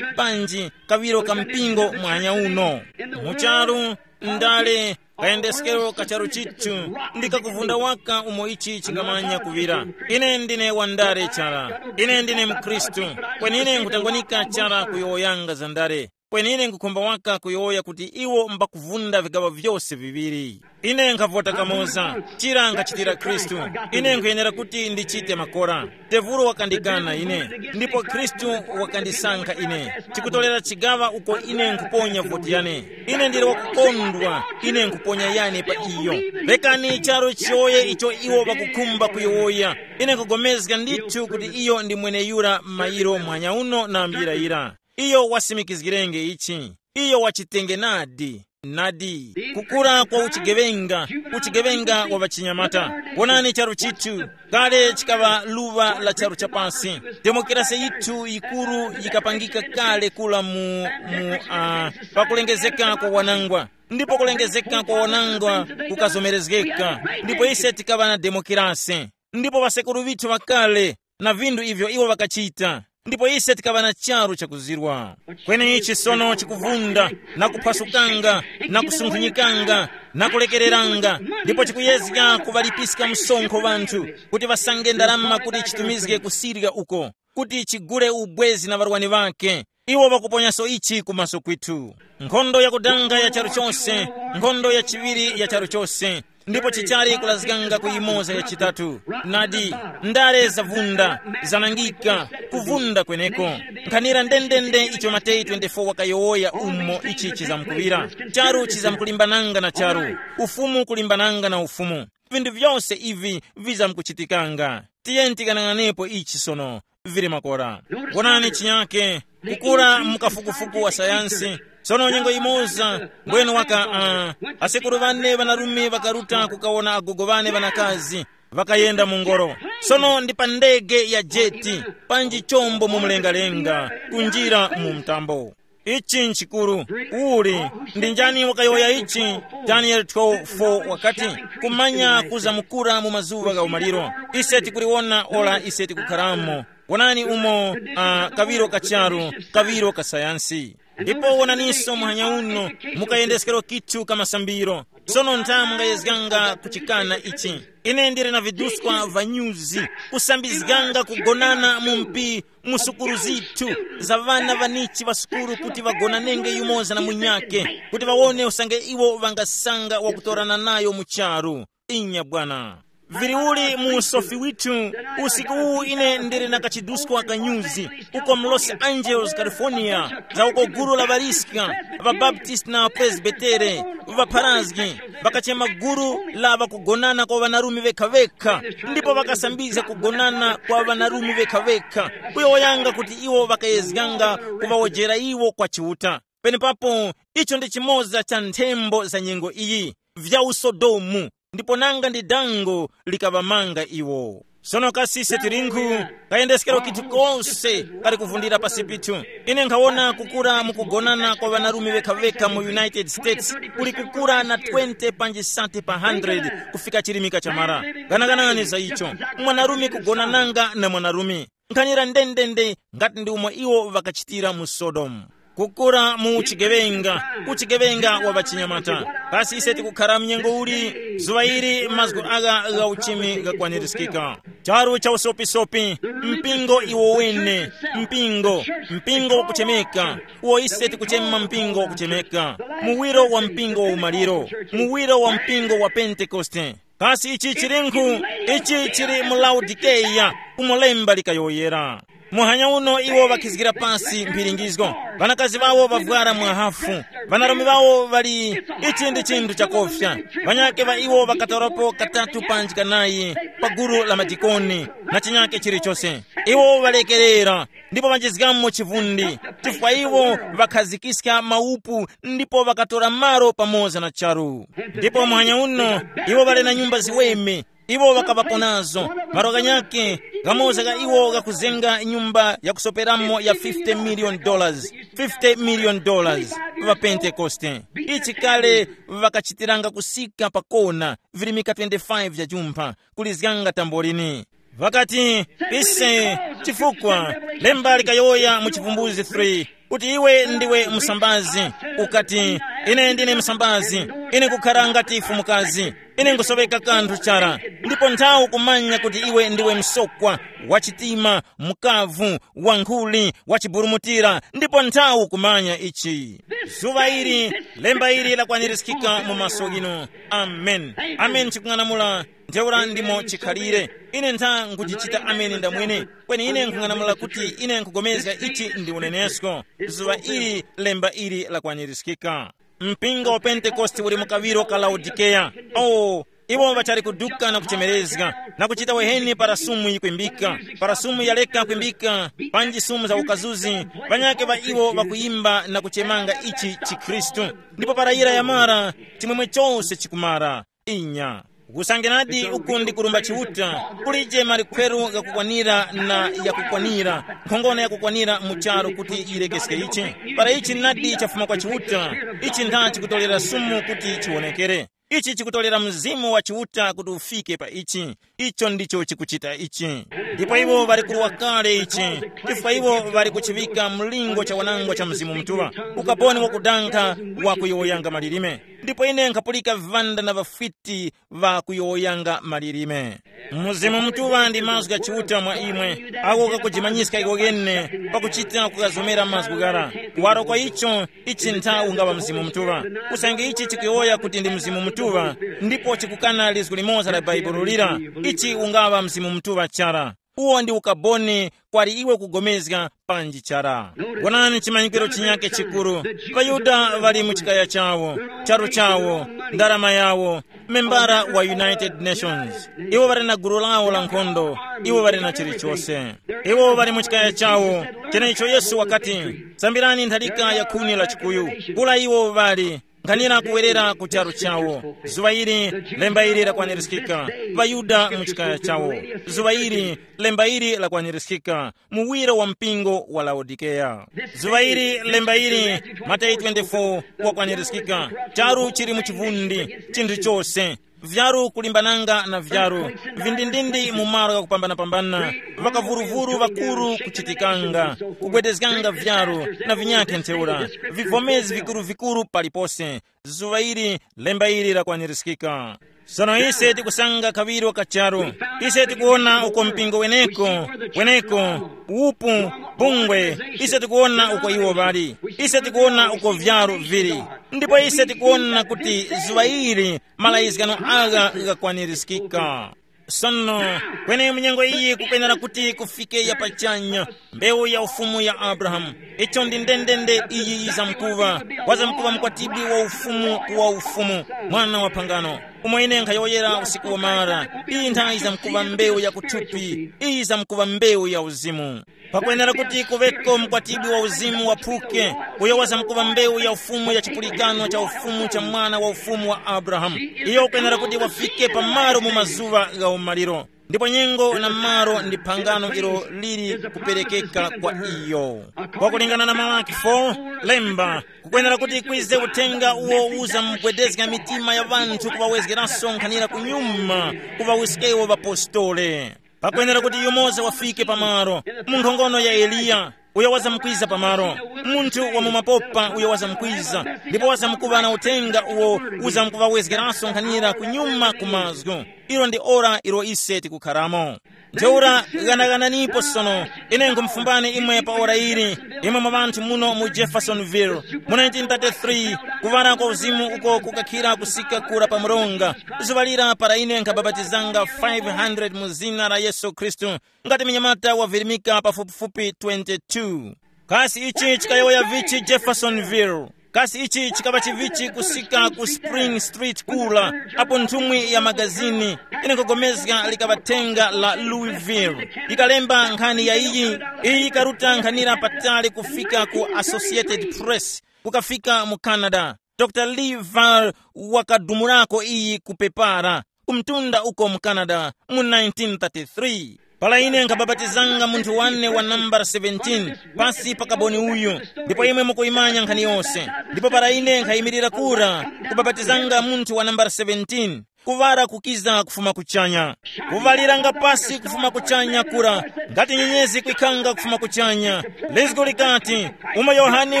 panji kaŵiro ka mpingo mwanya uno. Mucharu, ndale, kayendeskero ka charu chithu, ndi kakuvunda waka umo ichi chingamanya kuŵira. Ine ndine wandale chara. Ine ndine mkhristu. Kwenine nkutangwanika chara kuyowoyanga za ndale. Kwenine nkukhumba waka kuyowoya kuti iwo mbakuvunda vigaŵa vyose viŵiri. Ine nkhavota kamoza, chira nkhachitira Khristu. Ine nkhuyenera kuti ndichite makora. Tevulo wakandikana ine, ndipo Khristu wakandisankha ine. Chikutolera chigaŵa uko ine nkhuponya voti yane. Ine ndili wakukondwa, ine nkhuponya yane pa iyo. Rekani charu chiyowoye icho iwo ŵakukhumba kuyowoya. Ine nkugomezga ndithu kuti iyo ndi mweneyura m'mayiro mwanya uno na mbira yira. Iyo wasimikizgirenge ichi. Iyo wachitenge nadi. Nadi. Kukura kwa uchigeŵenga, uchigeŵenga wa ŵachinyamata. Wonani charu chithu, kale chikaŵa luŵa la charu chapasi. Demokrasi yithu yikuru yikapangika kale kula mu, mu uh, pakulengezeka kwa wanangwa. Ndipo kulengezeka kwa wanangwa kukazomerezgeka, ndipo ise tikaŵa na demokrasi. Ndipo ŵasekuru ŵithu ŵakale na vindu ivyo iwo ŵakachita, ndipo ise tikaŵa na charu chakuzirwa. Kweni ichi sono chikuvunda na kuphwasukanga na kusunkhunyikanga na kulekereranga, ndipo chikuyezga kuŵalipiska msonkho ŵanthu kuti ŵasange ndarama kuti chitumizge kusirya uko, kuti chigule ubwezi na ŵarwani ŵake. Iwo ŵakuponyaso ichi kumaso kwithu. Nkhondo yakudanga ya charu chose, nkhondo ya chiŵiri ya charu chose, ndipo chichali kulazganga ku yimoza ya chitatu. Nadi, ndale zavunda, zanangika, kuvunda kweneko. Nkhanira ndendende icho Mateyu twenty-four wakayowoya umo ichi chizamkuŵira. Charu chizamkulimbananga na charu, ufumu kulimbananga na ufumu. Vindu vyose ivi vizamkuchitikanga. Tiyeni tikanang'anepo ichi sono. Vili makora. Wonani chinyake, kukura mu kafukufuku wa sayansi. Sono nyengo imoza, mbwenu waka uh, asekuru ŵane ŵanarume ŵakaruta kukawona agogo ŵane ŵanakazi, ŵakayenda mu ngoro. Sono ndi pa ndege ya jeti, panji chombo mu mlengalenga, kunjira mu mtambo. Ichi nchikuru. Uli ndi njani wakayowoya ichi? Danieli twelve four wakati, kumanya kuzamkura mu mazuŵa gha umaliro. Ise tikuliwona ora ise tikukharamo. Wonani umo uh, kaŵiro ka charu, kaŵiro ka sayansi. Ndipo wonaninso muhanya uno, mukayendeskero kithu ka masambiro. Sono ntha mungayezganga kuchikana ichi? Ine ndili na viduskwa va nyuzi, kusambizganga kugonana mu mpi mu sukuru zithu, za ŵana ŵanichi ŵa sukuru kuti ŵagonanenge yumoza na munyake, kuti ŵawone usange iwo ŵangasanga wakutorana nayo mu charu. Inya bwana. Vili uli mu usofi withu, usiku uwu ine ndili na kachiduskwa ka nyuzi, uko mu Los Angeles, California, za uko gulu la ŵaliska, ŵabaptist na ŵapresbitere, ŵapharazgi, ŵakachema gulu la ŵakugonana kwa ŵanarume ŵekha-ŵekha, ndipo ŵakasambizga kugonana kwa ŵanarume ŵekha-ŵekha, kuyowoyanga kuti iwo ŵakayezganga kuŵawojera iwo kwa Chiuta. Penepapo, icho ndi chimoza cha nthembo za nyengo iyi, vya usodomu, ndipo nanga ndi dango likaŵamanga iwo. Sono kasi ise tilinkhu, kayendeskero kithu kose kali kuvundira pasi pithu. Ine nkhawona kukura mukugonana kwa ŵanarume ŵekha-ŵekha mu United States, kuli kukura na twenty panji sati pa hundred kufika chilimika chamara. Ganaganani za icho. Mwanarume kugonananga na mwanarume, nkhanira ndendende ngati ndi umo iwo ŵakachitira mu Sodomu. Kukura mu chigeŵenga, uchigeŵenga wa ŵachinyamata. Kasi ise tikukhala mnyengo uli? Zuŵa ili mazgu agha gha uchimi ghakwanirizgika. Charu cha usopisopi, mpingo iwo wene, mpingo, mpingo wakuchemeka, uwo ise tikuchema mpingo wakuchemeka, muwiro wa mpingo wa umaliro, muwiro wa mpingo wa Pentekoste. Kasi ichi chilinkhu? Ichi chili mu Laodikeya, umo lemba likayowoyera. Muhanya uno iwo ŵakhizgira pasi mphiringizgo. Ŵanakazi ŵawo ŵavwara mwahafu. Ŵanarume ŵawo ŵali, ichi ndi chinthu chakofya. Ŵanyake ŵa iwo ŵakatorapo katatu panji kanayi pa gulu la madikoni na chinyake chilichose. Iwo ŵalekerera, ndipo ŵanjizgamo chivundi, chifukwa iwo ŵakhazikiska maupu ndipo ŵakatora malo pamoza na charu. Ndipo muhanya uno, iwo ŵali na nyumba ziweme. Iwo ŵakaŵapo nazo. Malo ghanyakhe, ghamoza gha iwo ghakuzenga nyumba yakusoperamo ya fifty million dollars. Fifty million dollars. Pa Pentekoste, ichi kale ŵakachitiranga kusika pa kona, virimika twenty-five vya jumpha, kulizganga tambolini. Ŵakati, ise, chifukwa lemba likayowoya mu Chivumbuzi three, kuti iwe ndiwe msambazi. Ukati, ine ndine msambazi, ine nkukhala ngati fumukazi, ine nkusoweka kanthu chara. Ndipo nthawi ukumanya kuti iwe ndiwe msokwa, wachitima, mkavu, wankhuli, wachiburumutira, ndipo nthawi ukumanya ichi. Zuŵa ili, lemba ili lakwanirizikika mu maso ghinu. Amen. Amen chikung'anamula. Ntheura ndimo chikhalire. Ine ntha nkuchichita amene ndamwene. Kweni ine nkhung'anamula kuti ine nkhugomezga ichi ndi unenesko. Zuŵa ili lemba ili lakwanirizikika. Mpingo wa Pentekoste uli mu kaŵiro ka Laodikeya. Oh, iwo ŵachali kuduka na kuchemerezga, na kuchita weheni para sumu yikwimbika. Para sumu yaleka kwimbika, panji sumu za ukazuzi, ŵanyakhe ŵa iwo ŵakuyimba na kuchemanga ichi chikhristu. Ndipo para yira yamara, chimwemwe chose chikumara. Inya. Kusangenadi uku ndi kurumba Chiuta, kulije malikhweru ghakukwanira na yakukwanira, nkhongono yakukwanira mu charu kuti yirekeske ichi. Para ichi nadi chafuma kwa Chiuta, ichi ntha chikutolera sumu kuti chiwonekere. Ichi chikutolera Mzimu wa Chiuta kuti ufike pa ichi. Icho ndicho chikuchita ichi. Ndipo iwo ŵali kuruwa kale ichi, chifukwa iwo ŵali kuchiŵika mlingo cha wanangwa cha Mzimu Mutuŵa, ukaponi wakudankha, wakuyowoyanga malilime. Ndipo ine nkhapulika vivanda na vafwiti ŵakuyowoyanga malilime. Mzimu Mutuŵa ndi mazgu gha Chiuta mwa imwe, ako kakujimanyiska iko kene, pakuchita kukazomera mazgu ghara. Kuwaro kwa icho, ichi ntha ungaŵa Mzimu Mutuŵa. Usange ichi chikuyowoya kuti ndi Mzimu Mutuŵa, ndipo chikukana lizgu limoza la Bhaibuli lira, ichi ungaŵa Mzimu Mutuŵa chara. Uwo ndi ukaboni kwali iwe kugomezga panji chara. Wonani chimanyikiro chinyake chikuru. ޣaYuda ŵali mu chikaya chawo, charu chawo, ndarama yawo, membara wa United Nations. Iwo ŵali na gulu lawo la nkhondo, iwo ŵali na chilichose. Iwo ŵali mu chikaya chawo, cheneicho Yesu wakati, sambirani ntharika ya khuni la chikuyu. Kula iwo ŵali, nkhanira kuwerera ku charu chawo. Zuŵa ili, lemba ili lakwanirizgika. ޣaYuda mu chikaya chawo. Zuŵa ili, lemba ili lakwanirizgika. Muwiro wa mpingo wa Laodikeya. Zuŵa ili, lemba ili, Mateyu twenty-four, wakwanirizgika. Charu chili mu chivundi, chinthu chose. Vyaru kulimbananga na vyaru, vindindindi mu malo ghakupambanapambana, ŵakavuruvuru ŵakuru kuchitikanga, kugwedezganga vyaru, na vinyakhe ntheura, vivomezi vikuru-vikuru palipose. Zuŵa ili, lemba ili lakwanirizgika. Sono ise tikusanga kaŵiro ka charu. Ise tikuwona uko mpingo weneko, weneko, upu, bungwe, ise tikuwona uko iwo ŵali. Ise tikuwona uko vyaru vili. Ndipo ise tikuwona kuti zuŵa ili malayizgano agha ghakwanirizgika. Sono, kweni mu nyengo iyi kukwenera kuti kufike ya pachanya, mbewu ya ufumu ya Abrahamu. Icho ndi ndendende iyi yizamkuŵa, wazamkuŵa mkwatibwi wa ufumu wa ufumu, mwana wa phangano. Umo ine nkhayowoyera usiku wamara, iyi nthayi yizamkuŵa mbewu ya kuthupi, iyi yizamkuŵa mbewu ya uzimu. Pakwenera kuti kuŵeko mkwatibwi wa uzimu waphuke, uyo wazamkuŵa mbewu ya ufumu ya chipulikano cha ufumu cha mwana wa ufumu wa Abrahamu. Iyo ukwenera kuti wafike pamalo mu mazuŵa gha umaliro, ndipo nyengo na malo ndi phangano ilo lili kuperekeka kwa iyo. Kwakulingana na Malaki four, lemba, kukwenera kuti kwize uthenga uwo uzamgwedezga mitima ya ŵanthu kuŵawezgeranso nkhanira kunyuma, kuŵawiskewo ŵapostole. Pakwenera kuti yumoza wafike pamalo, mu nkhongono ya Eliya, uyo wazamkwiza pamalo, munthu wa mu mapopa uyo wazamkwiza, ndipo wazamkuŵa na uthenga uwo uzamkuŵawezgeranso nkhanira kunyuma ku mazgu. Ilo ndi ora ilo ise tikukharamo. Ntheura ghanaghananipo sono, ine nkhumufumbani imwe pa ora ili, imwe mwa ŵanthu muno mu Jeffersonville, mu nineteen thirty-three, kuŵala kwa uzimu uko kukakhira kusika kura pa mronga, zuŵa lira para ine nkhabapatizanga five hundred mu zina la Yesu Khristu, ngati mnyamata wavirimika pafupifupi twenty-two. Kasi ichi chikayowoya vichi Jeffersonville? Kasi ichi chikaŵa chivichi kusika ku Spring Street kula, apo nthumwi ya magazini, ine nkugomezga likaŵa thenga la Louisville, yikalemba nkhani ya iyi? Iyi yikaruta nkhanira patali kufika ku Associated Press, kukafika mu Canada. Dr Lee Val wakadumulako iyi ku pepara, ku mtunda uko mu Canada, mu nineteen thirty-three. Para ine nkhabapatizanga munthu wane wa nambala seventeen, pasi pa kaboni uyu, ndipo imwe mukuyimanya nkhani yose. Ndipo para ine nkhayimirira kura, kubapatizanga munthu wa nambala seventeen, kuŵala kukiza kufuma kuchanya. Kuŵaliranga pasi kufuma kuchanya kura, ngati nyenyezi kwikanga kufuma kuchanya. Lizgo likati, umo Yohane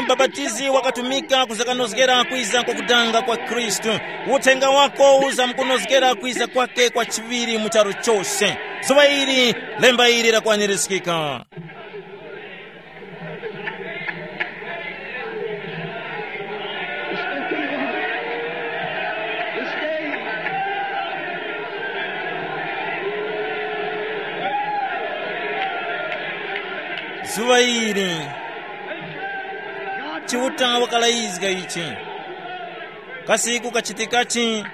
Mubapatizi wakatumika kuzakanozgera kwiza kwa kudanga kwa Khristu, uthenga wako uzamkunozgera kwiza kwake kwa chiŵiri mu charu chose. Zuŵa ili, lemba ili lakwanirizgika. Zuŵa ili, Chiuta wakalayizga ichi. Kasi kukachitikachi?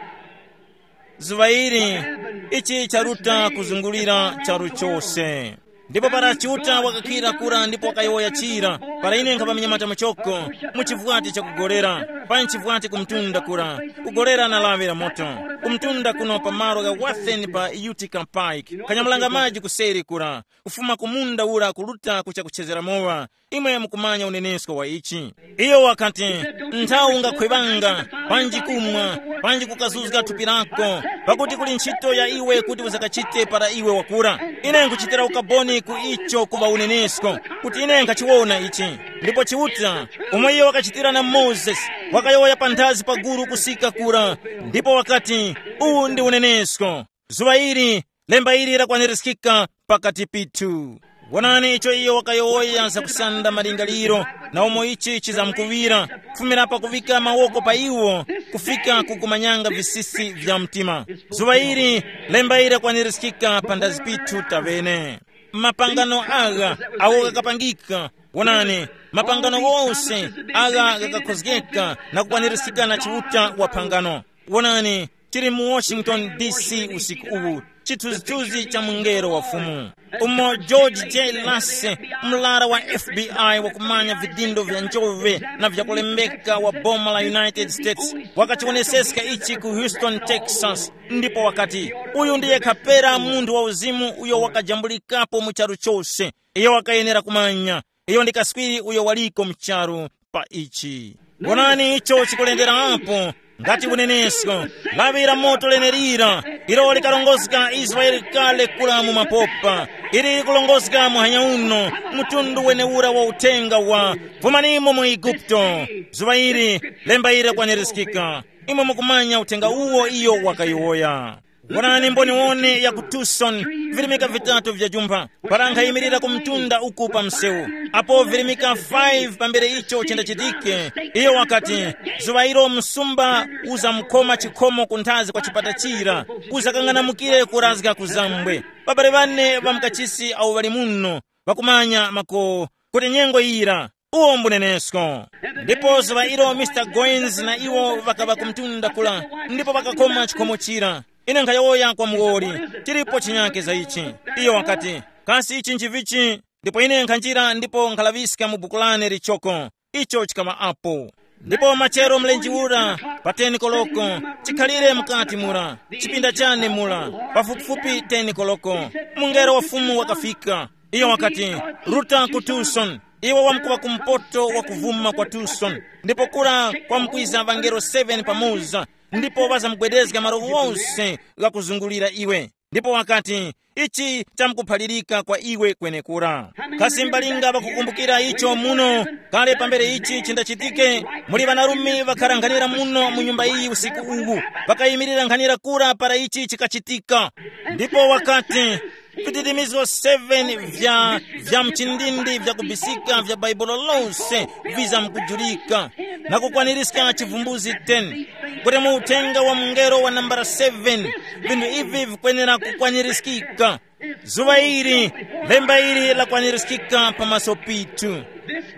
Zuŵa ili, ichi charuta kuzungulira charu chose. Ndipo para Chiuta wakakhira kura ndipo wakayowoya chira, para ine nkhapa minyamata muchoko, mu chivwati chakugolera, pa nchivwati kumtunda kura, kugolera na lawi la moto, kumtunda kuno pa malo gha Wathen pa Utica Pike, kanyamulanga maji kuseri kura, kufuma ku munda ura kuruta kucha kuchezera mowa. Imwe mukumanya unenesko wa ichi. Iyo wakati, nthawi ungakhwevanga, panji kumwa, panji kukazuzga thupi lako, pakuti kuli ntchito ya iwe kuti uzakachite para iwe wakura. Ine nkuchitira ukaboni ku icho kuŵa unenesko, kuti ine nkhachiwona ichi. Ndipo Chiuta, umo iyo wakachitira na Mozesi, wakayowoya panthazi pa guru kusika kura, ndipo wakati, uwu ndi unenesko. Zuŵa ili, lemba ili lakwanirizgika pakati pithu. Wonani icho iyo wakayowoya zakusanda malingaliro, na umo ichi chizamkuŵira, kufumira pakuŵika mawoko pa iwo, kufika kukumanyanga visisi vya mtima. Zuŵa ili, lemba ili lakwanirizgika panthazi pithu taŵene. Mapangano agha awo ghakapangika, wonani, mapangano ghose agha ghakakhozgeka na kukwanirizgika na Chiuta wa phangano. Wonani, tili mu Washington D C usiku uwu, chithunzithunzi cha mungelo wa Fumu. Umo George J. Lacy, mlara wa F B I wakumanya vidindo vya njove na vyakulembeka wa boma la United States, wakachiwoneseska ichi ku Houston, Texas, ndipo wakati, uyu ndiye kapera munthu wa uzimu uyo wakajambulikapo mu charu chose. Iyo wakayenera kumanya. Iyo ndi kaswiri uyo waliko mu charu pa ichi. Wonani icho chikulenderapo, ngati unenesko, lawi la moto lenelira, ilo likarongozga Israele kale kura mu mapopa, ili likurongozga muhanya uno, mtundu wenewura wa uthenga wa, fumanimo mu Igupto. Zuŵa ili, lemba ili lakwanirizgika. Imwe mukumanya uthenga uwo iyo wakayowoya. Wonani mboniwone ya ku Tucson, virimika vitatu vya jumpha, para nkhayimirira ku mtunda uku pa msewu, apo virimika five pambere icho chindachitike, iyo wakati, zuŵa ilo msumba uzamkhoma chikhomo kunthazi kwa chipata chira, uzakang'anamukire kurazga ku zambwe. Babale ŵane ŵa mukachisi awo ŵali muno, ŵakumanya mako kuti nyengo yira, uwo mbunenesko. Ndipo zuŵa ilo Mr Goins na iwo ŵakaŵa ku mtunda kula, ndipo ŵakakoma chikhomo chira. Ine nkhayowoya kwa muwoli, chilipo chinyake za ichi. Iyo wakati, kasi ichi nchivichi? Ndipo ine nkhanjira ndipo nkhalaŵiska mu buku lane lichoko. Icho chikaŵa apo. Ndipo machero mlenje ura, pa ten koloko, chikhalire mukati mura, chipinda chane mura, pafupifupi ten koloko, mungelo wa Fumu wakafika. Iyo wakati, ruta ku Tucson. Iwe wamkuŵa kumpoto wa kuvuma kwa Tucson, ndipo kura kwamkwiza ŵangelo seven pamoza, ndipo ŵazamgwedezga malo wonse ghakuzungulira iwe. Ndipo wakati, ichi chamkuphalirika kwa iwe kwenekura. Kasi mbalinga ŵakukumbukira icho muno? Kale pambere ichi chindachitike, muli ŵanarume ŵakharanghanira muno mu nyumba iyi usiku uwu, ŵakayimirira nkhanira kura para ichi chikachitika. Ndipo wakati, vidirimizgo seven vya vya mchindindi vya kubisika vya Baibulo lose vizamkujulika, na kukwanirizga chivumbuzi ten, kuti mu uthenga wa mungelo wa nambala seven, vinthu ivi vikwenera kukwanirizgika. Zuŵa ili, lemba ili lakwanirizgika pamaso pithu.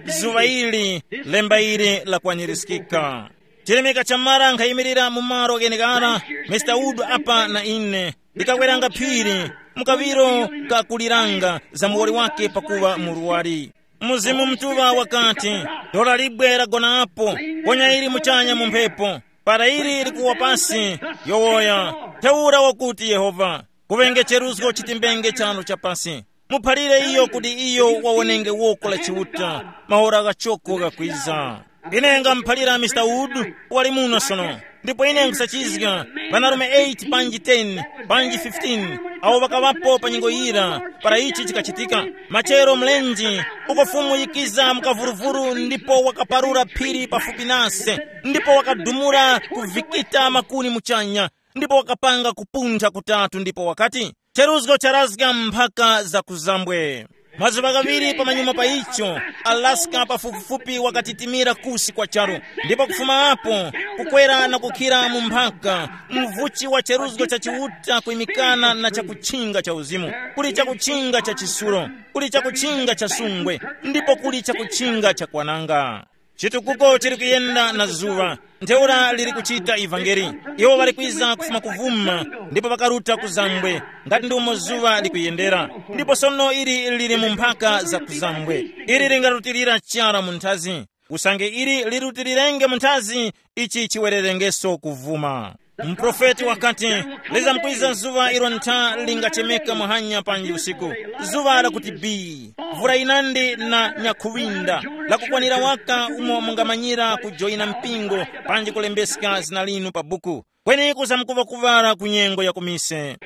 Zuŵa ili, lemba ili lakwanirizgika. Chilemeka chamara nkhayimirira mu malo gheneghara, Mr Wood apa na ine, ndikaweranga phiri, mukaŵiro kakuliranga za muwoli wake pakuŵa muruwari. Mzimu Mutuŵa wakati, dora libwe lagonapo, ponya ili muchanya mu mphepo. Para ili likuwa pasi, yowoya, ntheura wakuti Yehova, kuŵenge cheruzgo chitimbenge chanu cha pasi. Muphalire iyo kuti iyo wawonenge woko la Chiuta, maora ghachoko ghakwiza. Ine ngamuphalira Mr Wood, wali muno sono. Ndipo ine nkhusachizga, ŵanarume eight panji ten panji fifteen awo ŵakaŵapo pa nyengo yira para ichi chikachitika. Machero mlenje uko Fumu yikiza mukavuruvuru ndipo wakaparura phiri pafupi nase, ndipo wakadumula kuvikita makuni muchanya, ndipo wakapanga kupuntha kutatu ndipo wakati, cheruzgo charazga mphaka za kuzambwe. Mazuŵa ghaŵiri pamanyuma pa icho, Alaska pafupifupi wakatitimira kusi kwa charu, ndipo kufuma apo kukwera na kukhira mu mphaka, mvuchi wa cheruzgo cha Chiuta kwimikana na chakutchinga cha uzimu, kuli chakutchinga cha chisulo, kuli chakutchinga cha sungwe, ndipo kuli chakutchinga cha kwananga. Chitukuko chili kuyenda na zuŵa, ntheura liri kuchita ivangeli. Iwo ŵali kwiza kufuma kuvuma, ndipo ŵakaruta ku zambwe, ngati ndi umo zuŵa likuyendera. Ndipo sono ili lili mu mphaka za ku zambwe. Ili lingarutilira chara mu nthazi. Usange ili lirutilirenge mu nthazi, ichi chiwererengeso kuvuma. Muprofeti wakati, lizamkwiza zuŵa ilo ntha lingachemeka muhanya panji usiku, zuŵa lakuti bii, vura yinandi na nyakhuŵinda, lakukwanira waka umo mungamanyira kujoyina mpingo panji kulembeska zina linu pa buku. Kweni kuzamkuŵa kuŵala ku nyengo ya kumise.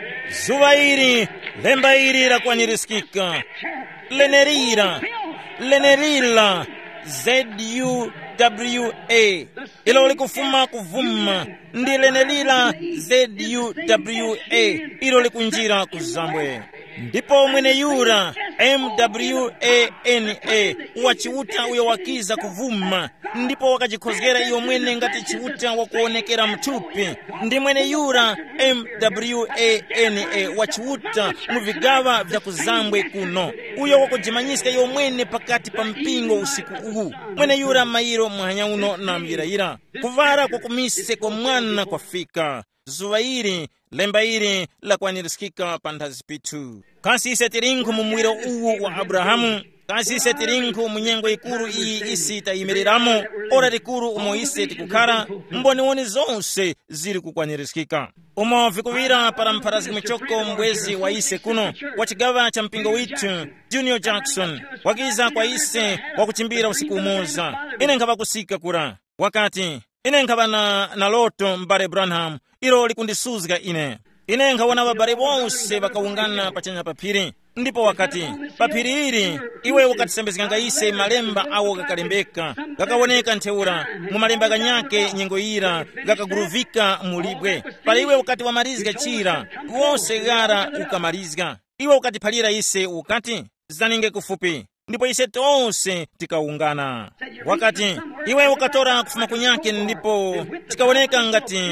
Zuŵa ili, lemba ili lakwanirizgika. Lenerira, lenerira, Z U W A, ilo likufuma kuvuma, ndi lenerira Z U W A, ilo likunjira ku zambwe. Ndipo mweneyura M W A N A wa Chiuta uyo wakiza kuvuma, ndipo wakajikhozgera iyo mwene ngati Chiuta wakuwonekera muthupi, ndi mweneyura M W A N A wa Chiuta mu vigaŵa vya ku zambwe kuno, uyo wakujimanyiska iyo mwene pakati pa mpingo usiku uwu. Mweneyura mayiro muhanya uno namuyirayira. Kuŵala kwa kumise kwa mwana kwafika. Zuŵa ili, lemba ili lakwanirizgika panthazi pithu. Kasi ise tilinkhu mu muwiro uwu wa Abrahamu? Kasi ise tilinkhu mu nyengo yikuru iyi isi tayimiriramo, ora likuru umo ise tikukhara? Mboniwoni zose zili kukwanirizgika. Umo vikuŵira para mpharazgi muchoko mbwezi wa ise kuno, wa chigaŵa cha mpingo withu, Junior Jackson, wakiza kwa ise wakuchimbira usiku umoza. Ine nkhaŵa kusika kura. Wakati, ine nkhaŵa na, na loto, m'bale Branham, ilo likundisuzga ine. Ine nkhawona ŵabale wose ŵakawungana pachanya pa phiri. Ndipo wakati, pa phiri ili, iwe ukatisembezganga ise malemba awo ghakalembeka, ghakawoneka ntheura, mu malemba ghanyakhe nyengo yira ghakaguruvika mu libwe. Para iwe ukati wamarizga chira, wose ghara ukamarizga. Iwe ukatiphalira ise ukati, zaninge kufupi. Ndipo ise tose tikawungana. Wakati, iwe ukatora kufuma kunyakhe ndipo chikawoneka ngati,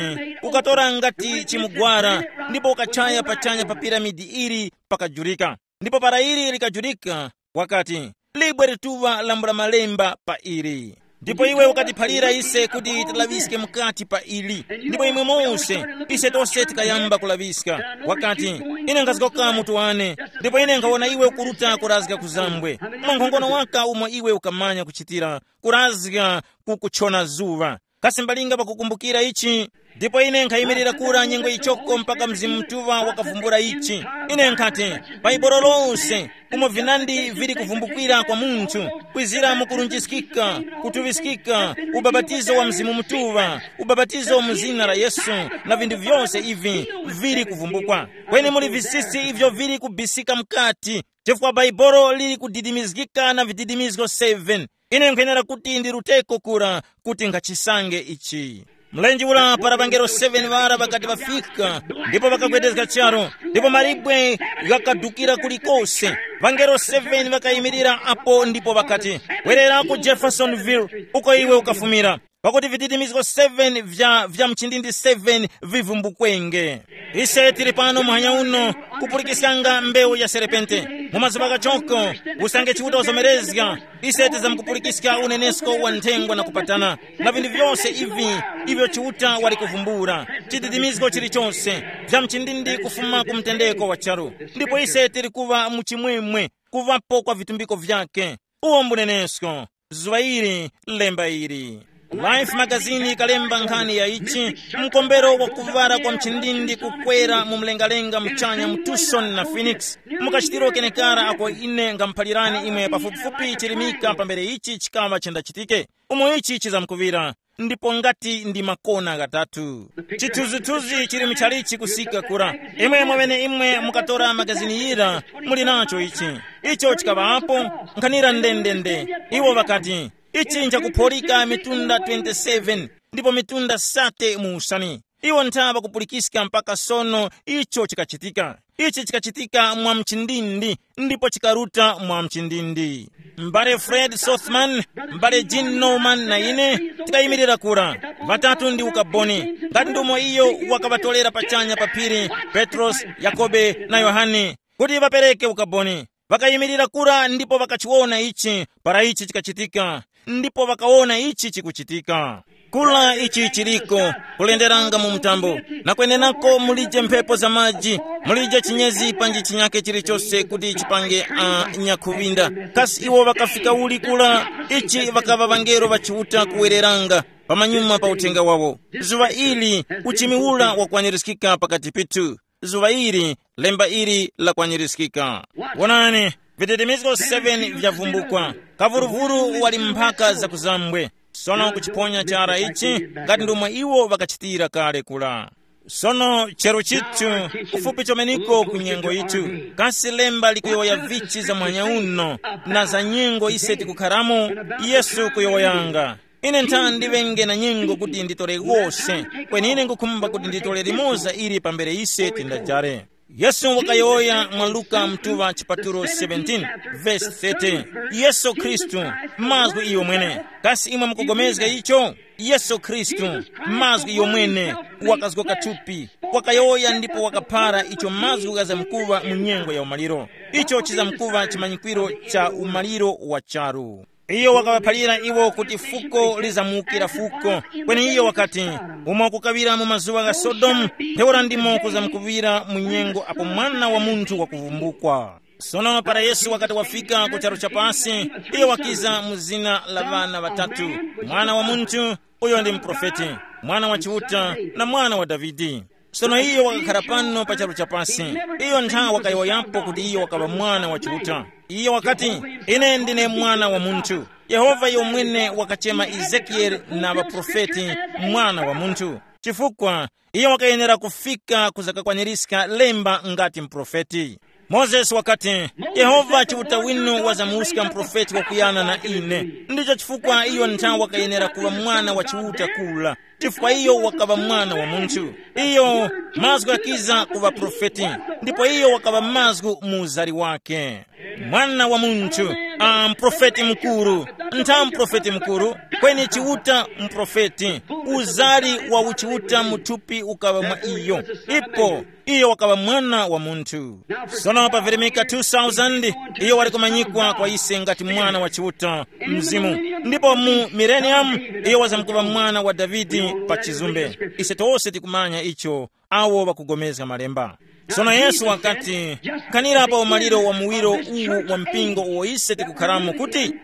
ukatora ngati chimugwara, ndipo ukachaya pachanya pa piramidi ili pakajurika. Ndipo para ili likajurika, wakati, libwe lituŵa lambula malemba pa ili. Ndipo iwe ukatiphalira ise kuti tilaŵiske mukati pa ili. Ndipo imwe mose, ise tose tikayamba kulaŵiska. Wakati, ine nkhazgoka mutu wane, ndipo ine nkhawona iwe ukuruta kurazga ku zambwe. Mwankhongono waka umo iwe ukamanya kuchitira, kurazga ku kuchona zuŵa. Kasi mbalinga pakukumbukira ichi? Ndipo ine nkhayimirira kura nyengo ichoko mpaka Mzimu Mutuŵa wakavumbula ichi. Ine nkhati, Bhaibuli lose, umo vinandi vili kuvumbukira kwa munthu, kwizira mu kurunjiskika, kutuŵiskika, ubapatizo wa Mzimu Mutuŵa, ubapatizo mu zina la Yesu, na vinthu vyose ivi vili kuvumbukwa. Kweni muli visisi ivyo vili kubisika mukati, chifukwa Bhaibuli lili kudidimizgika na vididimizgo seven. Ine nkwenera kuti ndiruteko kura kuti nkhachisange ichi. Mlenje ura para ŵangelo seven ŵara ŵakati ŵafika, ndipo ŵakagwedezga charu, ndipo malibwe ghakadukira kulikose. Ŵangelo seven ŵakayimirira apo ndipo ŵakati, "Werera ku Jeffersonville, uko iwe ukafumira, pakuti vididimizgo seven vya, vya mchindindi seven vivumbukwenge." Ise tili pano muhanya uno kupulikiskanga mbewu ya serepente. Mu mazuŵa ghachoko, usange Chiuta wazomerezga, ise tizamkupulikiska unenesko wa nthengwa na kupatana na vinthu vyose ivi ivyo Chiuta wali kuvumbula, chididimizgo chilichose, vya mchindindi kufuma ku mtendeko wa charu. Ndipo ise tili kuŵa mu chimwemwe, kuŵapo kwa vitumbiko vyake. Uwo mbunenesko, zuŵa ili, lemba ili. Life magazini ikalemba nkhani ya ichi, mkombero wa kuŵala kwa mchindindi kukwera mu mlengalenga muchanya mu Tucson na Phoenix. Mukachitiro kenekara ako ine ngamuphalirani imwe pafupifupi chirimika pambere ichi chikaŵa chendachitike. Umo ichi chizamkuŵira, ndipo ngati ndi makona ghatatu. Chithunzithunzi chili muchalichi kusika kura. Imwe mwaŵene imwe mukatora magazini yira, muli nacho ichi. Icho chikaŵapo, nkhanira ndendende. Iwo ŵakati, ichi nchakuphorika mitunda twenty-seven, ndipo mitunda sate mu usani. Iwo ntha ŵakupulikiska mpaka sono icho chikachitika. Ichi chikachitika mwa mchindindi, ndipo chikaruta mwa mchindindi. M'bale Fred Sothman, m'bale Jean Norman na ine tikayimirira kura, ŵatatu ndi ukaboni, ngati ndumo iyo wakaŵatolera pachanya pa phiri, Petrosi, Yakobe na Yohane, kuti ŵapereke ukaboni. Ŵakayimirira kura ndipo ŵakachiwona ichi, para ichi chikachitika, ndipo ŵakawona ichi chikuchitika. Kula ichi chiriko, kulenderanga mu mtambo, na kwenenako mulije mphepo za maji, mulije chinyezi panji chinyake chilichose kuti chipange a nyakhuŵinda. Kasi iwo ŵakafika uli kula? Ichi ŵakaŵa ŵangelo ŵa Chiuta kuwereranga pamanyuma pa uthenga wawo. Zuŵa ili, uchimi ura wakwanirizgika pakati pithu. Zuŵa ili, lemba ili lakwanirizgika. Wonani, vitetemezgo seven vyavumbukwa. Kavuruvuru wali mphaka zakuzambwe. Sono kuchiphonya chara ichi, ngati ndomwe iwo ŵakachitira kale kula. Sono chero chithu, kufupi chomeniko ku nyengo yithu. Kasi lemba likuyowoya vichi za mwanya uno, na za nyengo ise tikukharamo? Yesu kuyowoyanga. Ine ntha ndiŵenge na nyengo kuti nditore wose, kweni ine ngukhumba kuti nditore limoza ili pambere ise tindajare. Yesu wakayowoya mwa Luka mtuŵa chipatulo seventeen, vesi thirty. Yesu Khristu, mazgu iyo mwene. Kasi imwe mukugomezga icho? Yesu Khristu, mazgu iyo mwene, wakazgoka thupi, wakayowoya ndipo wakaphara icho mazgu ghazamkuŵa mu nyengo ya umaliro. Icho chizamkuŵa chimanyikwiro cha umaliro wa charu. Iyo wakaŵaphalira iwo kuti fuko lizamuwukira fuko. Kweni iyo wakati, umo kukaŵira mu mazuŵa gha Sodomu, ntheura ndimo kuzamkuŵira mu nyengo apo Mwana wa Munthu wakuvumbukwa. Sono para Yesu wakati wafika ku charu cha pasi, iyo wakiza mu zina la ŵana ŵatatu, Mwana wa Munthu, uyo ndi muprofeti, Mwana wa Chiuta, na Mwana wa Davide. Sono iyo wakakhara pano pa charu cha pasi. Iyo ntha wakayowoyapo kuti iyo wakaŵa Mwana wa Chiuta. Iyo wakati, ine ndine Mwana wa Munthu. Yehova iyo mwene wakachema Ezekiyele na ŵaprofeti Mwana wa Munthu, chifukwa iyo wakayenera kufika kuzakakwanirizga lemba ngati muprofeti. Mozesi wakati, Yehova Chiuta winu wazamuwuska muprofeti wakuyana na ine. Ndicho chifukwa iyo ntha wakayenera kuŵa Mwana wa Chiuta kula, chifukwa iyo wakaŵa Mwana wa Munthu. Iyo mazgu ghakiza kuŵa profeti, ndipo iyo wakaŵa mazgu mu uzari wake. Mwana wa Munthu, a mprofeti mukuru, ntha mprofeti mukuru, kweni Chiuta mprofeti, uzari wa uchiuta muthupi ukaŵa mwa iyo. Ipo iyo wakaŵa Mwana wa Munthu. Sono pa virimika two thousand, iyo wali kumanyikwa kwa ise ngati Mwana wa Chiuta, Mzimu. Ndipo mu millennium, iyo wazamkuŵa Mwana wa Davide pa chizumbe. Ise tose tikumanya icho, awo ŵakugomezga Malemba. Sono Yesu wakati, khanira pa umaliro wa muwiro uwu wa mpingo uwo ise tikukharamo kuti,